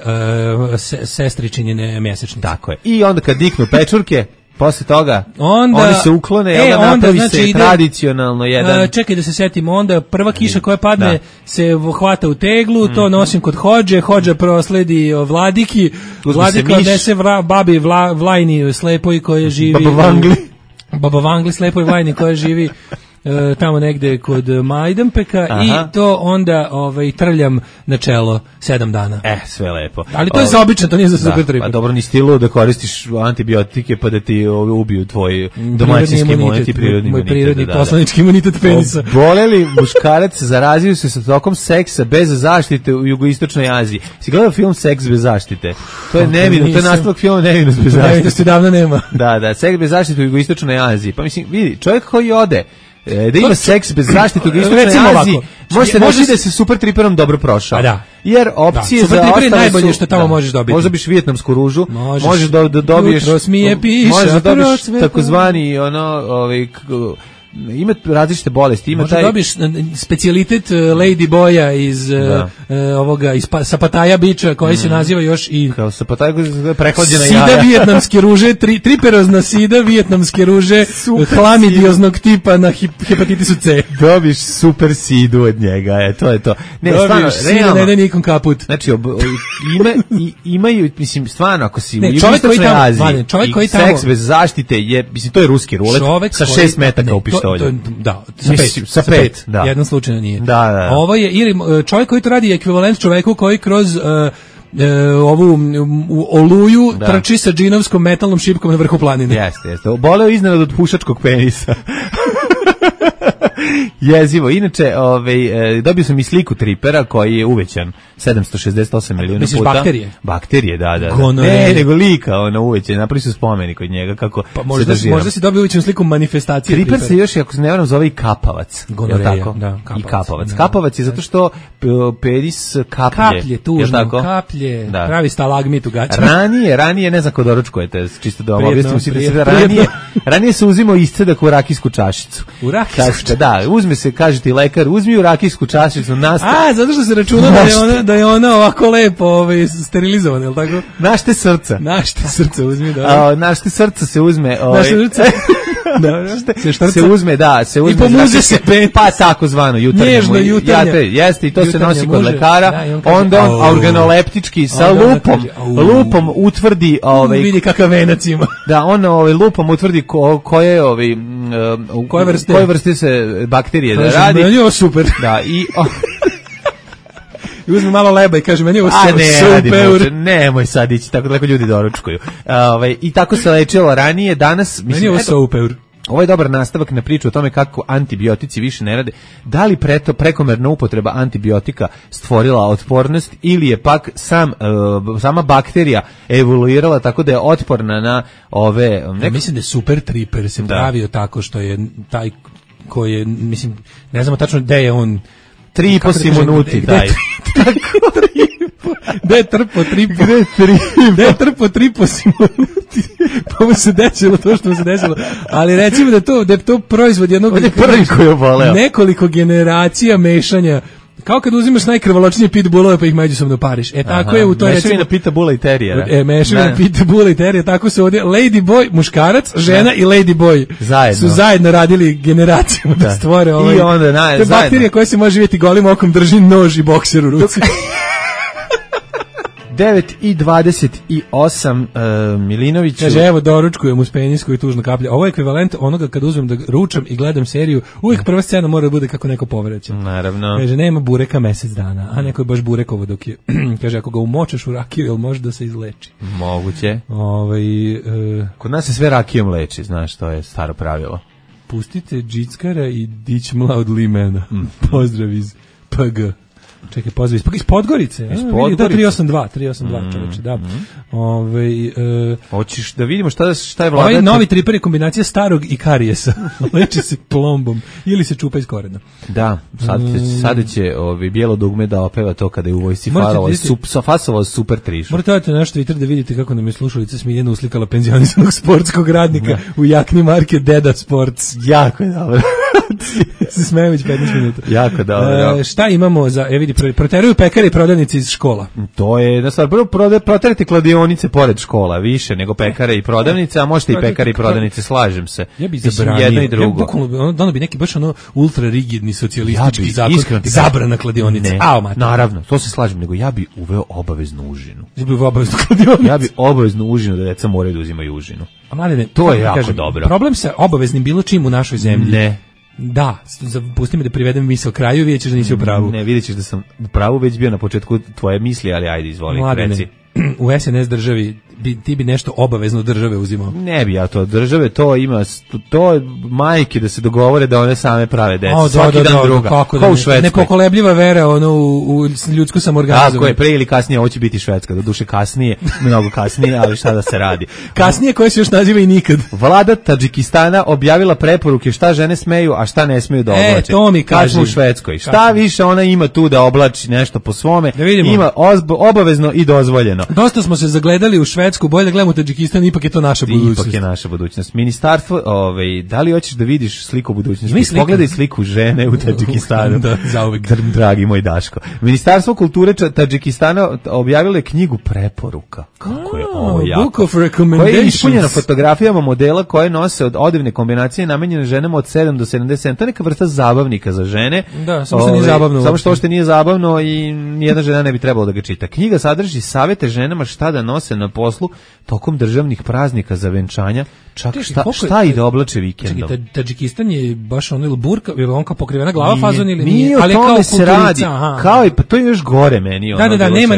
sestričinjene mesečnice. Tako je. I onda kad diknu pečurke, posle toga oni se uklone, napravi se tradicionalno jedan... Čekaj da se setim, onda prva kiša koja padne se hvata u teglu, to nosim kod hođa prosledi vladiki, vladika odnese babi Vlajni slepoj koja živi... Baba Vangli slepoj Vlajni koja živi tamo negde kod Majdanpeka. I to onda trljam na čelo 7 dana. Sve lepo. Ali to je za obično, to nije za Super Triper. Pa dobro, ni stilo da koristiš antibiotike pa da ti ubiju tvoj domaćinski imunitet i prirodni imunitet. Moj prirodni poslanički imunitet penisa. Oboleli muškarac zarazio se sa tokom seksa bez zaštite u jugoistočnoj Aziji. Si gledao film Seks bez zaštite? To je nevino, to je nastavak filma Nevinost bez zaštite. Nevinosti davno nema. Da, Seks bez zaštite u jugoistočnoj Aziji. Pa mislim, vidi, čovjek koji ode da ima seks bez zaštite u jugoistočnoj Aziji, možete reći da se Super Triperom dobro prošao. Jer opcije za ostale su najbolje što tamo možeš dobiti. Možda biš vijetnamsku ružu, možeš da dobiješ, možeš da dobiješ takozvani ima različite bolesti, ima možda dobiješ specijalitet Lady Boya iz ovoga iz Sapataja biča koji se naziva još i kao Sapataja prehlađena jaja. Sida vijetnamske ruže, triperozna sida vijetnamske ruže,hlamidioznog tipa na hepatitisu C. Dobiš super sidu od njega, to je to. Ne, stvarno, realno ne da nikom kaput. Znači imaju, mislim, stvarno ako si u jugoistočnoj Aziji, čovjek koji tamo seks bez zaštite je, mislim, to je ruski rulet sa 6 metaka u pištolju. pištoljem. Da, sa pet, da. Jednom slučajno nije. Da. Ovo je, ili čovjek koji to radi je ekvivalent čoveku koji kroz ovu Oluju trči sa džinovskom metalnom šipkom na vrhu planine. Jeste. Boleo iznenad od pušačkog penisa. Jezivo. Inače, dobio sam i sliku tripera koji je uvećan 768 miliona puta. Misliš bakterije, da. Gonorije. Nego lika, uvećan. Napravili su spomenik od njega kako se drži. Možda si dobio uvećanu sliku manifestacije tripera. Triper se još, ako se ne varam, zove i kapavac. Gonorija, da. I kapavac. Kapavac je zato što penis kaplje. Kaplje, tužno, kaplje. Da. Pravi stalagmit u gaćama. Ranije, ne znam ko doručkujete, čisto da vam objasnim. Ranije se uzimao iscedak u rakijsku čašicu. U rakijsku čašicu? Da, uzme se, kaže ti lekar, uzmi u rakijsku čašicu. Zato što se računa da je ona ovako lepo sterilizovana, je li tako? Našte srca. Našte srca uzmi, da. Našte srca se uzme. Našte srca. Se uzme, da, se uzme. I pomuze se pet. Pa tako zvano, jutarnje. Nježno jutarnje. Jeste, i to se nosi kod lekara. Onda on organoleptički sa lupom utvrdi... Vidi kakav venac ima. Da, on lupom utvrdi koje vrste se bakterije da radi. Meni je ovo super. Da, i uzme malo leba i kaže, meni je ovo super. Nemoj sad ići, tako daleko ljudi doručkuju. I tako se lečilo ranije, danas... Meni je ovo super. Ovo je dobar nastavak na priču o tome kako antibiotici više ne rade. Da li prekomerna upotreba antibiotika stvorila otpornost ili je pak sama bakterija evoluirala tako da je otporna na ove... Ja mislim da je super triper se pravio tako što je taj koji je, mislim, ne znamo tačno gde je on... 3,5 minuti daj. Gde je trpo 3,5 minuti. Pa mu se desilo to što mu se desilo. Ali recimo da je to proizvod jednog... On je prvi koji je oboleo. Nekoliko generacija mešanja. Kao kad uzimaš najkrvoločnije pitbullove pa ih međusobno pariš. Tako je u to recimo... Mešavina pitbulla i terijera. Mešavina pitbulla i terijera. Tako se ovdje Lady Boy, muškarac, žena i Lady Boy su zajedno radili generacijama da stvore ovaj... I onda te bakterije koje se može živjeti golim okom drži nož i bokser u ruci. 9:28 Milinović. Kaže, evo doručkujem uz penis koji tužno kaplja. Ovo je ekvivalent onoga kad uzmem da ručam i gledam seriju, uvijek prva scena mora da bude kako neko povreće. Naravno. Kaže, nema bureka mesec dana, a neko je baš burekovo dok je. Kaže, ako ga umočeš u rakiju, jel može da se izleči? Moguće. Kod nas se sve rakijom leči, znaš, to je staro pravilo. Pustite džickara i dić mlad limena. Pozdrav iz PG. Čekaj, pozdrav iz Podgorice. Iz Podgorice. 382 čoveče, da. Hoćeš da vidimo šta je vlada? Ovaj novi triper je kombinacija starog i karijesa. Leči se plombom ili se čupa iz korena. Da, sada će bijelo dugme da opeva to kada je u vojsci fasovao super trišu. Morate odati na naš Twitter da vidite kako nam je slušalica Smiljana uslikala penzionisanog sportskog radnika u jakni marke Deda Sports. Jako je dobro. Se smejem već 15 minuta. Jako dobro. Šta imamo za, vidi, proteruju pekare i prodavnice iz škola. To je jedna stvar. Prvo proterite kladionice pored škola, više nego pekare i prodavnice, a možete i pekare i prodavnice, slažem se. Ja bi zabranio jedno i drugo. Ono bi neki baš ultra rigidni socijalistički zakon, zabrana kladionice. Naravno, to se slažem, nego ja bi uveo obaveznu užinu. Ja bi uveo obaveznu kladionicu. Ja bi obaveznu užinu da deca moraju da uzimaju užinu. A mladine, to je jako dobro. Problem sa obaveznim bilo čim u našoj zemlji. Ne. Da, pusti me da privedem misao kraju, vidjet ćeš da nisi u pravu. Ne, vidjet ćeš da sam u pravu već bio na početku tvoje misli, ali ajde, izvoli, reci. U SNS državi ti bi nešto obavezno države uzimao. Ne bi ja to države, to ima to majke da se dogovore da one same prave decu. Svaki dan druga. Kako u Švedskoj. Nepokolebljiva vera u ljudsku samoorganizovanje. Tako je, pre ili kasnije ovo će biti Švedska, do duše kasnije, mnogo kasnije, ali šta da se radi. Kasnije koje se još naziva i nikad. Vlada Tadžikistana objavila preporuke šta žene smeju, a šta ne smeju da oblače. To mi kaži. Kako u Švedskoj. Šta više ona ima tu da oblači nešto po svome, ima obavezno i dozvoljeno. Dosta smo se zagledali u Švedsku, bolje da gledamo Tadžikistan, ipak je to naša budućnost. Ipak je naša budućnost. Ministarstvo, da li hoćeš da vidiš sliku budućnosti? Pogledaj sliku žene u Tadžikistanu. Da, zauvek. Dragi moj Daško. Ministarstvo kulture Tadžikistana objavilo je knjigu preporuka. Kako je ovo jako? Book of recommendations. Koja je ispunjena fotografijama modela koje nose od odevne kombinacije namenjene ženama od 7 do 77. To je neka vrsta zabavnika za žene. Da, samo što nije zabavno. Samo što nije zabavno i nijedna žena ne bi trebalo da ga čita. Knjiga sadrži savete ženama šta da nose na poslu poslu tokom državnih praznika za venčanja, čak šta i da oblače vikendom. Čekaj, Tadžikistan je baš ono ili burka, ili on kao pokrivena glava fazon ili nije, ali kao se radi, kao i pa to je još gore meni. Da, nema,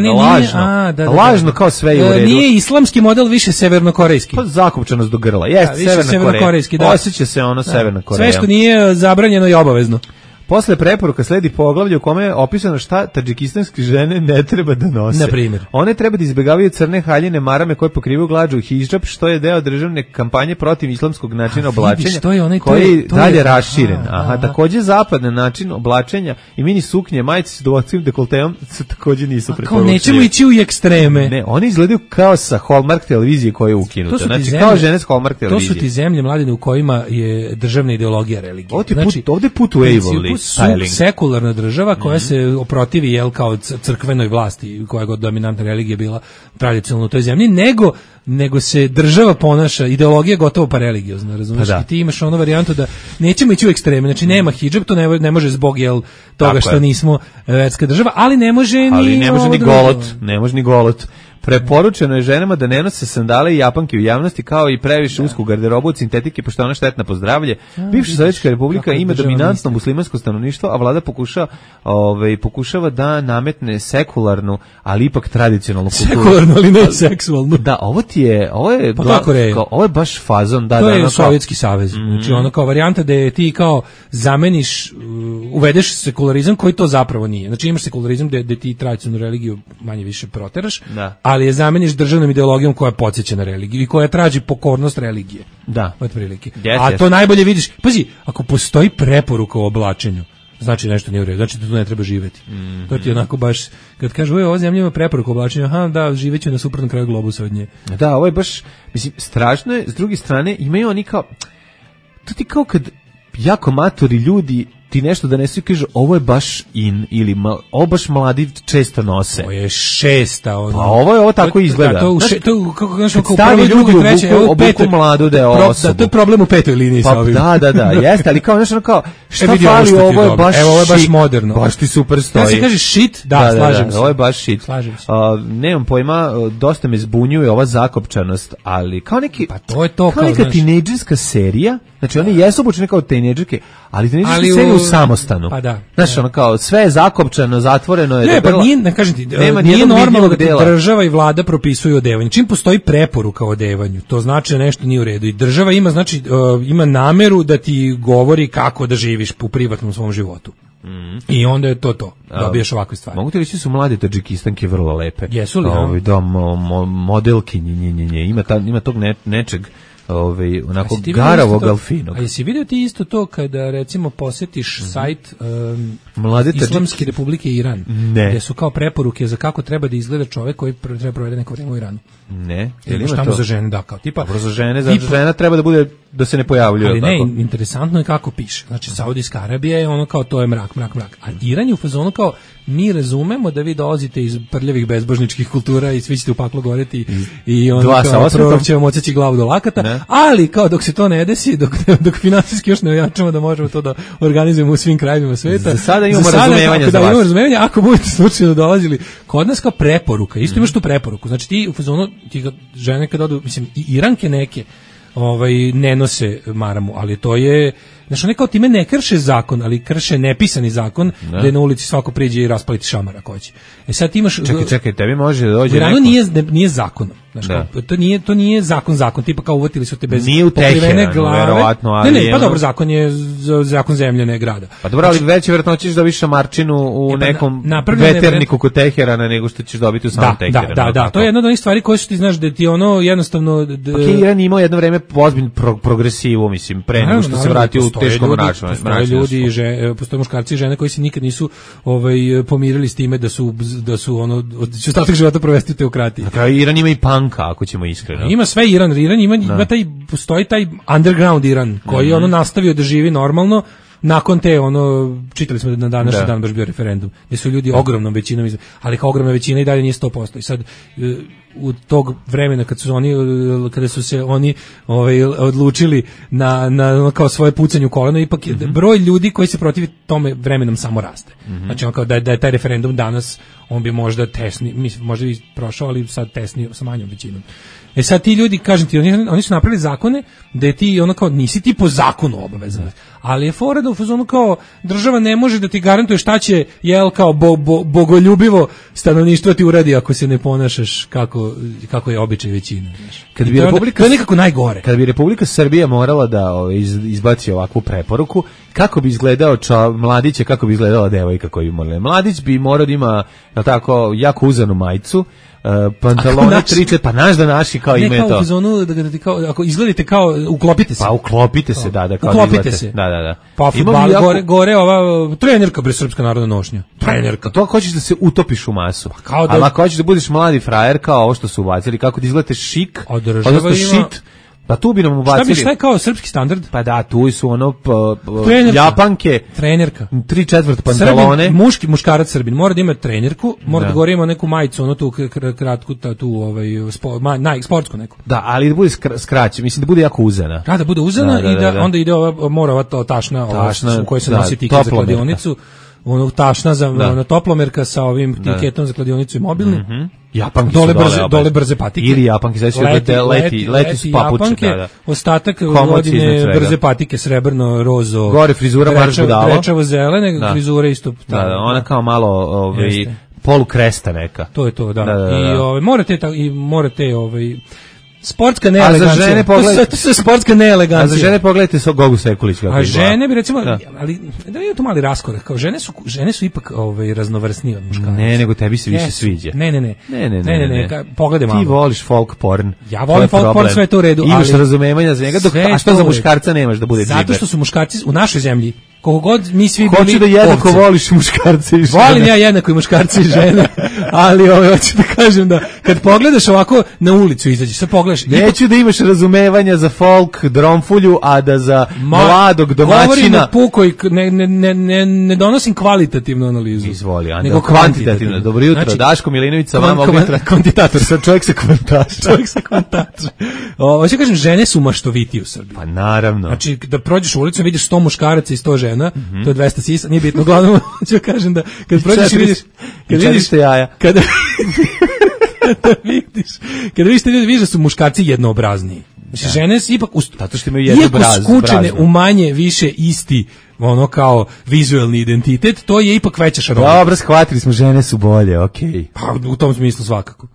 lažno kao sve je u redu. Nije islamski model, više severnokorejski. Pa zakopčanost do grla, jeste severnokorejski, da. Osjeća se ono Severna Koreja. Sve što nije zabranjeno i obavezno. Posle preporuka sledi poglavlje u kome je opisano šta tadžikistanske žene ne treba da nose. Na primjer, one treba da izbegavaju crne haljine marame koje pokrivaju glađu i hidžab, što je deo državne kampanje protiv islamskog načina oblačenja, koji je dalje raširen. Takođe zapadni način oblačenja i mini suknje, majice s dugačkim dekolteom se takođe nisu preporučili. Kao nećemo ići u ekstreme. Ne, oni izgledaju kao sa Hallmark televizije koja je ukinuta. Znači kao žene s Hallmark televizije. To su ti zemlje, Mladine, u kojima je državna ideologija religija. Ovde put u Waverly. Sekularna država koja se oprotivi kao crkvenoj vlasti, koja god dominantna religija bila tradicionalno u toj zemlji, nego se država ponaša, ideologija gotovo pa religiozna, razumiješ? I ti imaš onu varijantu da nećemo ići u ekstreme, znači nema hidžab, to ne može zbog toga što nismo verska država, ali ne može ni golot. Preporučeno je ženama da ne nose sandale i japanke u javnosti, kao i previše usku garderobu od sintetike, pošto je ona štetna po zdravlje. Bivša Sovjetska republika ima dominantno muslimansko stanovništvo, a vlada pokušava da nametne sekularnu, ali ipak tradicionalnu kulturu. Sekularnu, ali ne seksualnu. Da, ovo je baš fazon. To je Sovjetski savez. Znači ono kao varijanta da je ti kao zameniš, uvedeš sekularizam koji to zapravo nije. Znači imaš sekularizam da ti tradicionalnu religiju manje više proteraš, ali je zameniš državnom ideologijom koja podsjeća na religiju i koja traži pokornost religije. Da. Otprilike. To najbolje vidiš. Pazi, ako postoji preporuka o oblačenju, znači nešto nije u redu, znači da tu ne treba živjeti. To ti onako baš, kad kažu, ova zemlja ima preporuku o oblačenju, živeću na suprotnom kraju globusa od nje. Da, ovo je baš, mislim, strašno je, s druge strane, imaju oni kao, to ti kao kad jako matori ljudi ti nešto da nesu i kaže ovo je baš in ili ovo baš mladi često nose. Ovo je šesta. Pa ovo tako izgleda. Kako stavi ljudi u buku mladu da je osobu. To je problem u petoj liniji sa ovim. Da, jeste, ali kao nešto kao šta fali, ovo je baš moderno. Baš ti super stoji. Kada se kaže shit, slažem se. Ovo je baš shit. Nemam pojma, dosta me zbunjuje ova zakopčanost, ali kao neki, kao neka tinejdžerska serija, znači oni jesu obučeni kao tinejdžerke, ali tinejdžerska serija u samostanu. Pa da. Znaš, ono kao, sve je zakopčano, zatvoreno je. Ne, pa ne kažem ti, nije normalno da država i vlada propisuju odevanju. Čim postoji preporuka o odevanju, to znači da nešto nije u redu. I država ima, znači, ima nameru da ti govori kako da živiš u privatnom svom životu. I onda je to. Dobijaš ovakve stvari. Mogu ti reći su mlade Tadžikistanke vrlo lepe. Jesu li? Modelkinje, ima tog nečeg. Onako garavog alfinog. A jesi vidio ti isto to kada recimo posjetiš sajt Mlade Islamske republike Iran, gdje su kao preporuke za kako treba da izgleda čovjek koji treba provede neko vrijeme u Iranu? Ne. Ili tamo za žene, da, kao tipa. Dobro, za žena treba da bude, da se ne pojavljuje. Ali ne, interesantno je kako piše. Znači, Saudijska Arabija je ono kao, to je mrak. A Iran je u fazonu kao, mi razumemo da vi dolazite iz prljavih bezbožničkih kultura i svi ćete u paklu goreti i ono kao prorok će vam odseći glavu do lakata, ali kao dok se to ne desi, dok finansijski još ne ojačamo da možemo to da organizujemo u svim krajevima sveta. Za sada imamo razumevanje za vas. Imamo razumevanje, ako budete slučajno dolazili kod nas kao preporuka, isto imaš tu preporuku. Znači ti u fazonu, ti žene kad odu, mislim, i Iranke neke ne nose maramu, ali to je, znači one kao time ne krše zakon, ali krše nepisani zakon, da na ulici svako priđe i raspaliti šamar ako hoće. Sad ti imaš... Čekaj, tebi može da dođe neko... nije zakonom. Znači, to nije zakon, tipa kao uvatili su te bez pokrivene glave. Verovatno, ali... Ne, pa dobro, zakon je zakon zemlje, ne grada. Pa dobro, ali već vjerojatno ćeš dobiti šamarčinu u nekom veterniku kod Teherana nego što ćeš dobiti u samom Teheranu. Da, to je jedna od onih stvari koje su ti znaš da ti ono jednostavno... Pa Iran imao jedno vreme ozbiljnu progresivu, mislim, pre nego što se vratio u teškom mračnom. Postoje muškarci i žene koji se nikad nisu pomirili s time da su ono, će ostatak života provesti u teokratiji. Iran ima i panka, ako ćemo iskreno. Ima sve Iran ima postoji taj underground Iran koji je ono nastavio da živi normalno, nakon te čitali smo da na današnji dan baš bio referendum, gdje su ljudi ogromnom većinom, ali kao ogromna većina i dalje nije 100%. I sad u tog vremena kada su se oni odlučili na kao svoje pucanje u koleno, ipak je broj ljudi koji se protivi tome vremenom samo raste. Znači on kao da je taj referendum danas, on bi možda možda bi prošao, ali sad tesni sa manjom većinom. Sad ti ljudi, kažem ti, oni su napravili zakone da je ti kao nisi ti po zakonu obavezan, ali je fora da u fazonu kao država ne može da ti garantuje šta će kao bogoljubivo stanovništvo ti uradi ako se ne ponašaš kako je običaj većine. To je nekako najgore. Kad bi Republika Srbija morala da izbaci ovakvu preporuku, kako bi izgledao mladić, kako bi izgledala devojka koju bi morala. Mladić bi morao da ima tako jako uzanu majicu, pantalone, triče, pa naš da naši kao ime to. Ne kao u zonu, da ti kao, ako izgledate kao, uklopite se. Pa uklopite se, da. Kao uklopite se. Da. Pa futbal, gore ova trenerka, bre, srpska narodna nošnja. Trenerka. To ako hoćeš da se utopiš u masu. Ali ako hoćeš da budeš mladi frajer, kao ovo što su ubacili, kako da izgledate šik, odnosno šit, pa tu bi nam ubacili. Šta je kao srpski standard? Pa da, tu su japanke, trenerka, 3/4 pantalone. Muškarac Srbin mora da ima trenerku, mora da gore ima neku majicu, tu kratku, sportsku neku. Da, ali da bude skraćena, mislim da bude jako uzena. Da bude uzena i da onda ide mora ova tašna u kojoj se nosi tiket za kladionicu. Tašna za toplomerka sa ovim tiketom za kladionicu i mobilni. Japanke dole brze patike. Ili japanke, leti s papuče. Ostatak godine brze patike, srebrno, rozo. Gore frizura marš budalo. Rečavo zelene, frizura isto. Da, ona kao malo polukresta neka. To je to, da. I morate sportska neelegancija. A za žene pogledajte, to je sportska neelegancija. A za žene pogledajte Gogu Sekulić kako a žene bi recimo, ali da je to mali raskorak, kao žene su ipak raznovrsnije od muškaraca. Ne, nego tebi se više sviđa. Ne, pogledaj malo. Ti voliš folk porn. Ja volim folk porn, sve je to u redu, imaš razumevanja za njega, a što za muškarca nemaš da bude džiber? Zato što su muškarci u našoj zemlji, koliko god mi svi bili ovci. Hoću da jednako voliš muškarce i žene. Volim ja jednako i muškarce i žene, ali hoću da kažem da kad pogledaš ovako na ulicu izađeš, sad pogledaš. Neću da imaš razumevanja za folk dromfulju, a da za mladog domaćina. Govorim o pukoj, ne donosim kvalitativnu analizu. Izvoli, nego kvantitativno. Dobro jutro, znači, Daško Milinović sa vama kvantitator, sa čovjek sa kvantaža. Hoću kažem, žene su maštoviti u Srbiji. Pa naravno. Znači, da prođeš ulicom, vidiš 100 muškaraca i 100 žena, to je 200 sisa, nije bitno, uglavnom, hoću kažem da, kad prođeš i vidiš, kada vidiš te ljudi, vidiš da su muškarci jednoobrazniji. Znači, žene su ipak zato što imaju jednu skučene u manje više isti kao vizuelni identitet, to je ipak veća šarolika. Dobro, shvatili smo, žene su bolje, okej. Pa u tom smislu svakako.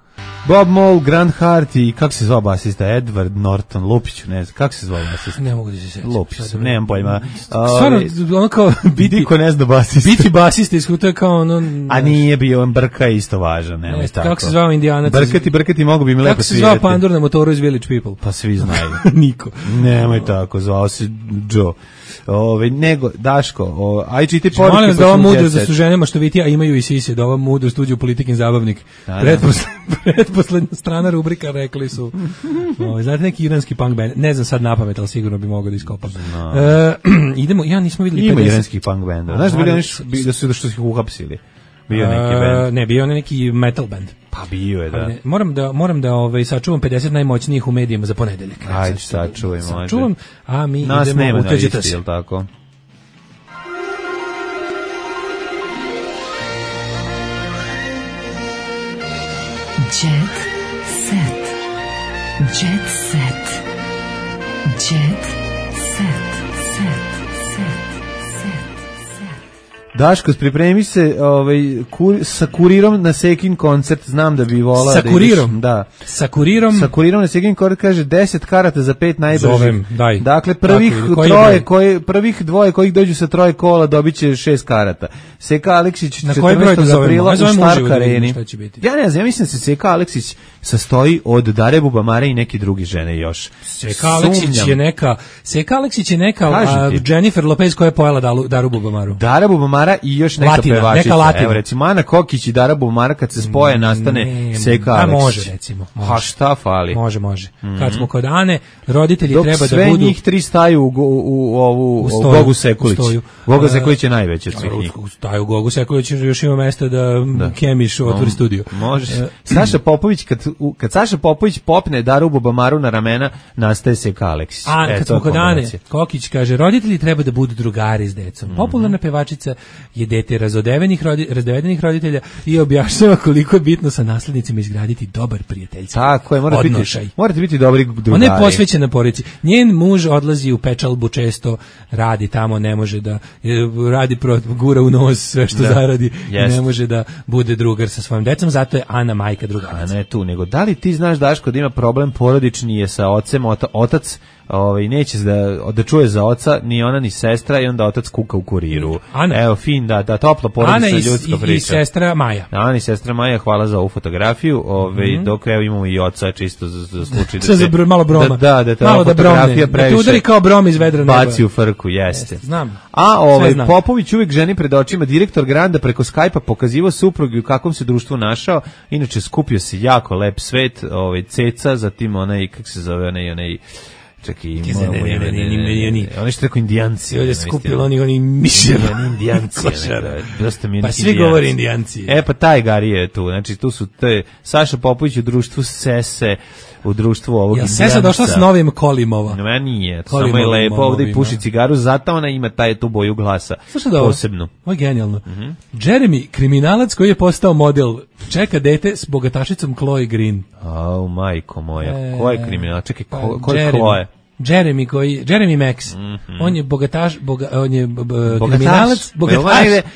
Bob Mould, Grant Hart i kako se zvao basista, Edward Norton, Lupiću, ne znam, kako se zvao basista? Ne mogu da se sjećam. Lupić sam, nemam pojma. Stvarno, ono kao niko ne zna basista. Biti basista iskuto je kao ono... A nije bio, Brka je isto važan, nemoj tako. Kako se zvao Indijanac? Brkati mogu bi mi lepo svidjeti. Kako se zvao pandur na motoru iz Village People? Pa svi znaju. Niko. Nemoj tako, zvao se Joe. Nego, Daško, aj čiti poruke. Molim vas da ova mudrost da su ženama što vidite, a imaju i sise, da ova mudrost uđe u Politikin zabavnik. Pretposlednja strana rubrika, rekli su. Znate neki iranski punk band, ne znam sad napamet, ali sigurno bi mogao da iskopam. Idemo, nismo vidjeli 50. Ima iranski punk band. Znaš da bili oni što su ih uhapsili? Bio neki band. Ne, bio neki metal band. Pa bio je, da. Moram da sačuvam 50 najmoćnijih u medijima za ponedeljak. Ajde, sačuvaj, može. Sačuvam, a mi nas idemo nema u Tuđite se. Jel tako? Jet set. Jet set. Jet set. Daško, pripremi se sa Kurirom na Sekin koncert, znam da bi volao da ideš. Da. Sa Kurirom na Sekin koncert kaže 10 karata za 5 najbržih. Zovem, daj. Dakle, prvih dvoje kojih dođu sa troje kola dobiće 6 karata. Seka Aleksić 14. aprila u Stark Areni. Ja ne znam, ja mislim da se Seka Aleksić sastoji od Dare Bubamare i neke druge žene još. Seka Aleksić je neka Jennifer Lopez koja je pojela Daru Bubamaru. Dara Bubamara Bubamara i još neka pevačica. Evo recimo Ana Kokić i Dara Bubamara kad se spoje nastane Seka Aleksić. Može recimo. A šta fali? Može. Kad smo kod Ane, roditelji dok treba da sve budu... njih tri staju u Gogu Sekulić. Goga Sekulić je najveći od svih njih. Staju u Gogu Sekulić, još ima mesta da Kemiš otvori studio. Može. Saša Popović, kad Saša Popović popne Daru Bubamaru na ramena, nastaje Seka Aleksić. Kad smo kod Ane, Kokić kaže, roditelji treba da budu drugari s decom. Popularna pevačica je dete razvedenih roditelja i objašnjava koliko je bitno sa naslednicima izgraditi dobar prijateljski tako je, morate biti dobri drugari. Ona je posvećena porodici. Njen muž odlazi u pečalbu često, radi tamo, ne može da radi gura u nos sve što zaradi i ne može da bude drugar sa svojim decom, zato je Ana majka drugarica. A ne tu, nego da li ti znaš, Daško, da ima problem porodični je sa ocem, otac neće da čuje za oca, ni ona ni sestra, i onda otac kuka u Kuriru. Ana. Evo, fin, da topla porodica, ljudska priča. I sestra Maja. Ana i sestra Maja, hvala za ovu fotografiju, dok evo imamo i oca, čisto za slučaj da se... malo broma. Da ta fotografija previše... Da te udari kao brom iz vedra neba. Baci u frku, jeste. Znam. A Popović uvijek ženi pred očima, direktor Granda preko Skype-a pokazivao suprugu u kakvom se društvu našao, inače skupio se jako lep svet, ceca, zatim onaj, kako se zove, onaj čekaj, oni što rekao indijanci. Ovdje skupili oni miševa. Indijanci. Pa svi govori indijanci. Pa taj Gari je tu. Znači tu su Saša Popović u društvu Sese, u društvu ovog indijanca. Sesa došla s novim Kolimova. Ne, nije. Samo je lepo ovdje i puši cigaru, zato ona ima tu boju glasa. Posebno. Ovo je genijalno. Jeremy, kriminalac koji je postao model, čeka dete s bogatašicom Chloe Green. Au, majko moja. Ko je kriminalac? Čekaj, ko je Chloe? Jeremy Max. On je on je kriminalac,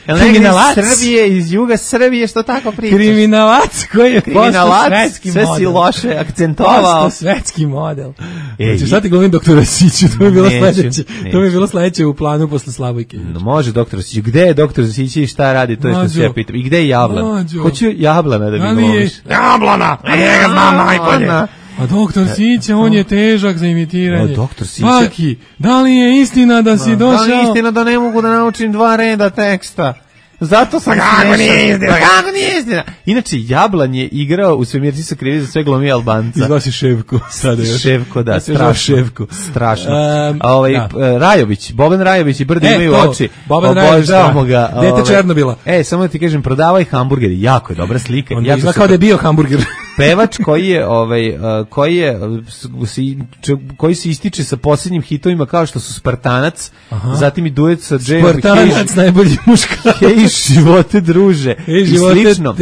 kriminalac Srbije, iz juga Srbije, što tako pričaš? Kriminalac koji je postao svetski model. Sve si loše akcentovao. Postao svetski model. Znači, sad ti govorim doktora Siću, to mi je bilo sledeće u planu posle Slavojke. Može doktor Siću. Gde je doktor Sić i šta radi, to je što se ja pitam. I gde je Jablan? Hoću Jablana da mi govoriš. Jablana, a njega znam najbolje. A doktor Sića, on je težak za imitiranje. Doktor Sića. Paki, da li je istina da si došao? Da li je istina da ne mogu da naučim 2 reda teksta? Zato sam Kako nije istina? Inače, Jablan je igrao u Svemirci su krivi za sve glumi Albanca. Izvao si Ševko. Ševko, da, strašno. Rajović, Boban Rajović i Brdo imaju oči. Boban Rajović, ga. Dete Černobila. Samo da ti kažem, prodavaj hamburgeri, jako je dobra slika. On izgleda kao da je bio hamburger. Pevač koji se ističe sa posljednjim hitovima kao što su Spartanac, zatim i duet sa Jayom Spartanac, najbolji muškarac. Živote druže i slično.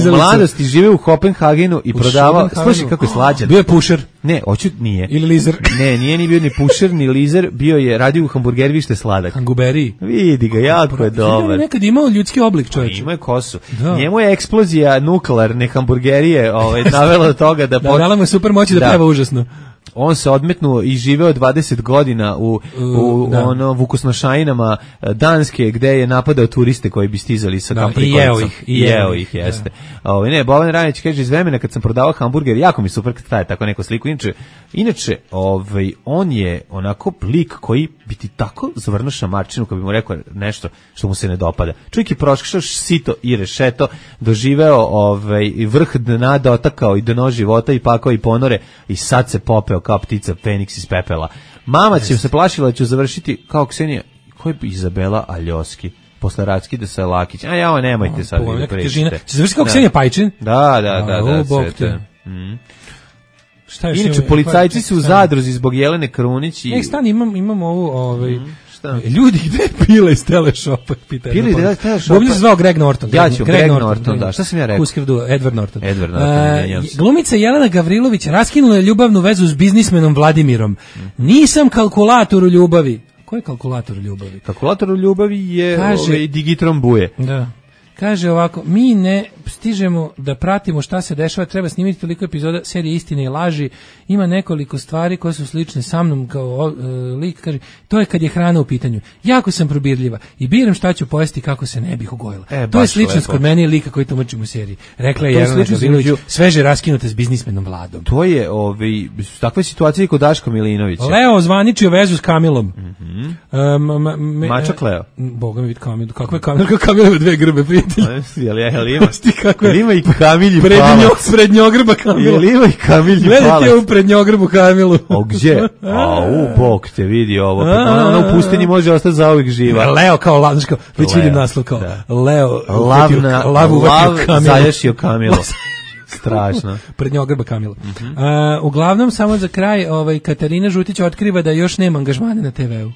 U mladosti žive u Kopenhagenu i prodavao, slušaj kako je slađan. Bio je pušer. Ne, nije. Ili lizer. Ne, nije ni bio ni pušer, ni lizer, bio je, radio u hamburgeri, što je sladak. Hanguberi. Vidi ga, jako je dobar. Nekad imao ljudski oblik, čovječe. Imao je kosu. Njemu je eksplozija nuklearne hamburgerije navela do toga da... dala mu je super moći da peva užasno. On se odmetnuo i živeo 20 godina u vukosnošajinama Danske, gde je napadao turiste koji bi stizali sa kamprikolicom. I jeo ih, jeste. Boban Rajović kaže, iz vremena kad sam prodavao hamburger, jako mi super kad traje tako neku sliku. Inače, on je onako lik koji bi ti tako zavrnuo šamarčinu kad bi mu rekao nešto što mu se ne dopada. Čovjek je prošao sito i rešeto, doživeo vrh dna, dotakao i dno života i pakao i ponore i sad se popeo kao ptica Feniks iz pepela. Mama će se plašila da ću završiti kao Ksenija. Ko je Izabela Aljoski? Posle Rackida sa Lakić. Nemojte sad da pričate. Će završiti kao Ksenija Pajčin? Da. Inače, policajci su u zadruzi zbog Jelene Krunić. Stan, imam ovu... Ljudi, gde je Pila iz Teleshopa? Pila iz Teleshopa? Bobnje se zvao Greg Norton. Ja ću, Greg Norton, da. Šta sam ja rekao? Edward Norton. Edward Glumica Jelena Gavrilović raskinula je ljubavnu vezu s biznismenom Vladimirom. Nisam kalkulator u ljubavi. Ko je kalkulator u ljubavi? Kalkulator u ljubavi je Digitron Buje. Da. Kaže ovako, mi ne stižemo da pratimo šta se dešava, treba snimiti toliko epizoda serije Istine i laži, ima nekoliko stvari koje su slične sa mnom kao lik, kaže, to je kad je hrana u pitanju. Jako sam probirljiva i biram šta ću pojesti kako se ne bih ugojila. To je sličnost kod mene i lika koji tumačim u seriji. Rekla je Jelena Gavrilović, sveže raskinuta s biznismenom Vladom. To je, takva situacija i kod Daška Milinovića. Leo zvaničio vezu s Kamilom. Mačak Leo. Boga mi vidi Kamil, kakva je Kamil, kako Kamil ima dve grbe, prijatelj. Ima i Kamilji palac. Prednjogrba Kamila. Jel ima i Kamilji palac. Gledajte ovu prednjogrbu Kamilu. O gdje? Bog te vidi ovo. Ona u pustinji može ostati zauvijek živa. Leo kao lavnaško, već vidim naslov kao Leo. Lav zaješio Kamilo. Strašno. Prednjogrba Kamila. Uglavnom, samo za kraj, Katarina Žutić otkriva da još nema angažmana na TV-u.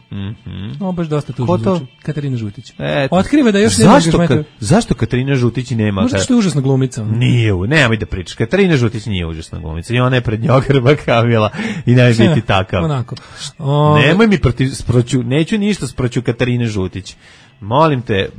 Ovo baš dosta tužno zvuči. Katarina Žutić. Otkriva da još nema angažmana. Zašto Katarina Žutić nema? Možda što je užasna glumica. Nije, nemoj da pričaš. Katarina Žutić nije užasna glumica. I ona je prednjogrba Kamila i ne biti takav. Onako. Nemoj mi neću ništa sproću Katarine Žutić. Molim te,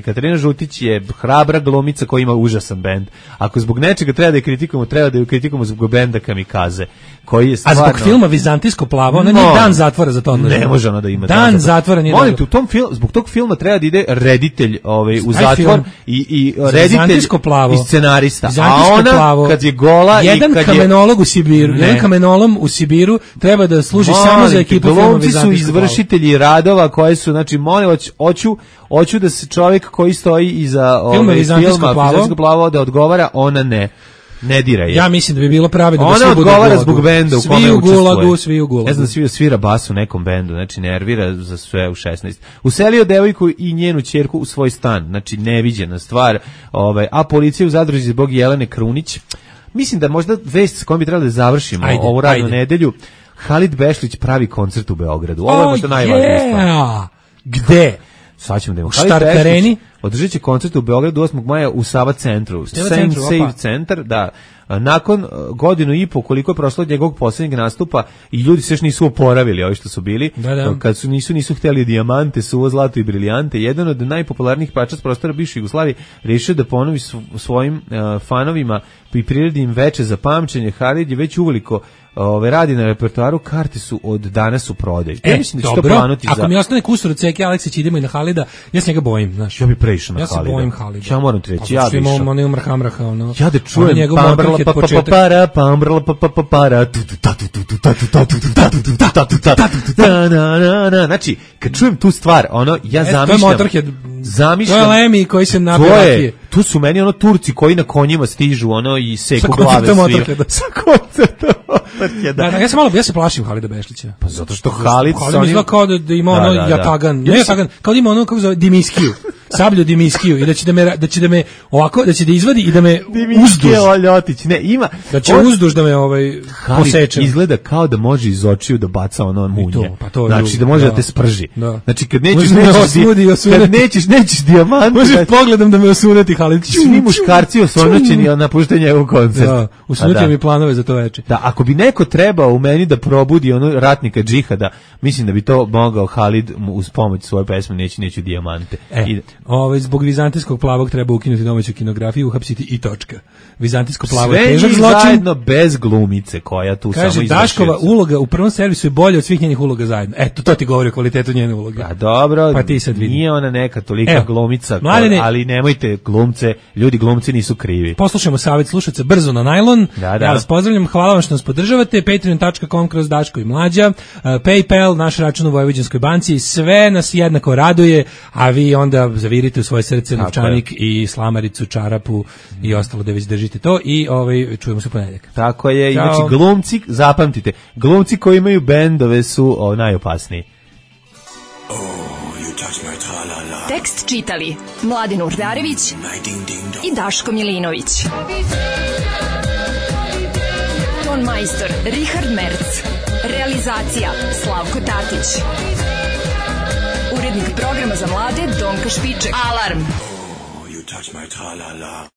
Katarina Žutić je hrabra glumica koja ima užasan bend. Ako zbog nečega treba da je kritikujemo zbog benda Kamikaze, koji je stvarno... A zbog filma Vizantijsko plavo, ona nije dan zatvora za to. Ne može ona da ima dan zatvora. Molim te, zbog tog filma treba da ide reditelj u zatvor i reditelj i scenarista. A ona, kad je gola i kad je... Jedan kamenolog u Sibiru treba da služi samo za ekipu filma Vizantijsko plavo. Glumci su izvršitelji radova koji su, znači, molim vas, hoću da se čovjek koji stoji iza filma Vizantijsko plavo da odgovara, ona ne dira je. Ja mislim da bi bilo pravedno da svi budu odgovara zbog benda u kome učestvuje. Svi u gulagu. Ne znam da svira bas u nekom bendu, znači nervira za sve u 16. Uselio devojku i njenu ćerku u svoj stan, znači neviđena stvar, a policija u zadruzi zbog Jelene Krunić. Mislim da možda vest s kojom bi trebali da završimo ovu radnu nedelju. Halid Bešlić pravi koncert u Beogradu. Ovo je možda najvažnija stvar. Gde? Sad ćemo da imamo. Štartareni? Održat će koncert u Beogradu 8. maja u Sava centru. Save centar, da. Nakon godinu i po koliko je prošlo od njegovog posljednjeg nastupa i ljudi se još nisu oporavili, ovi što su bili, kad su nisu htjeli dijamante, suvo, zlato i briljante. Jedan od najpopularnijih pevača s prostora bivše Jugoslavije rešio da ponovi svojim fanovima i priredi im veče za pamćenje. Halid je već uveliko radi na repertoaru, karte su od danas u prodaju. Ja mislim da će to planuti ako mi ostane kusur od Ceke Aleksić, idemo i na Halida, ja se njega bojim, znaš. Ja bi prešao na Halida. Ja se bojim Halida. Ja moram ti reći, ja bi išao. On je umrhamraha, ja da čujem znači, kad čujem tu stvar, ja zamišljam. To je Lemi koji se napije. Tu su meni Turci koji na konjima stižu i seku glave svima. Sa koncertom motorke. Ja se plašim Halida Bešlića. Pa zato što Halid izgleda kao da ima jatagan. Ne jatagan, kao da ima kako zove Dimiskiju. Sablju Dimiskiju i da će da me ovako, da će da izvadi i da me uzduž. Ljotić, ne, ima. Da će uzduž da me poseče. Izgleda kao da može iz očiju da baca munje. Znači da može da te sprži. Znači kad nećeš dijamant. Možeš pogledom da me osuneti Halid. Svi muškarci osvanoćeni napuštaju njegov koncert. Usunutio mi planove za to veče. Da, ako bi neko trebao u meni da probudi ratnika džihada, mislim da bi to mogao Halid uz pomoć svoje pesme Neću dijamante. Zbog Vizantijskog plavog treba ukinuti domaću kinografiju, uhapsiti i točka. Vizantijsko plavo je težak zločin. Sve zajedno bez glumice koja tu samo izvršuje. Kaže, Daškova uloga u prvom servisu je bolja od svih njenih uloga zajedno. Eto, to ti govori o kvalitetu njene uloge. A dobro, pa ti sad vidi. Nije ona neka tolika glumica, ali nemojte glumce, ljudi glumci nisu krivi. Poslušajmo savjet slušaca brzo na najlon. Ja vas pozdravljam, hvala vam što nas podržavate. patreon.com/Daško i Mlađa, PayPal, naš račun u Vojvođanskoj banci, sve nas jednako raduje, a vi onda zavirite u svoje srce novčanik i slamaricu, čarapu i ostalo da već držite to i čujemo se ponedjeljak. Tako je, znači glumci, zapamtite, glumci koji imaju bendove su najopasniji. Tekst čitali Mladin Urdarević i Daško Milinović. Ton majstor Richard Merc. Realizacija Slavko Tatić. Urednik programa za mlade Donka Špiček. Alarm!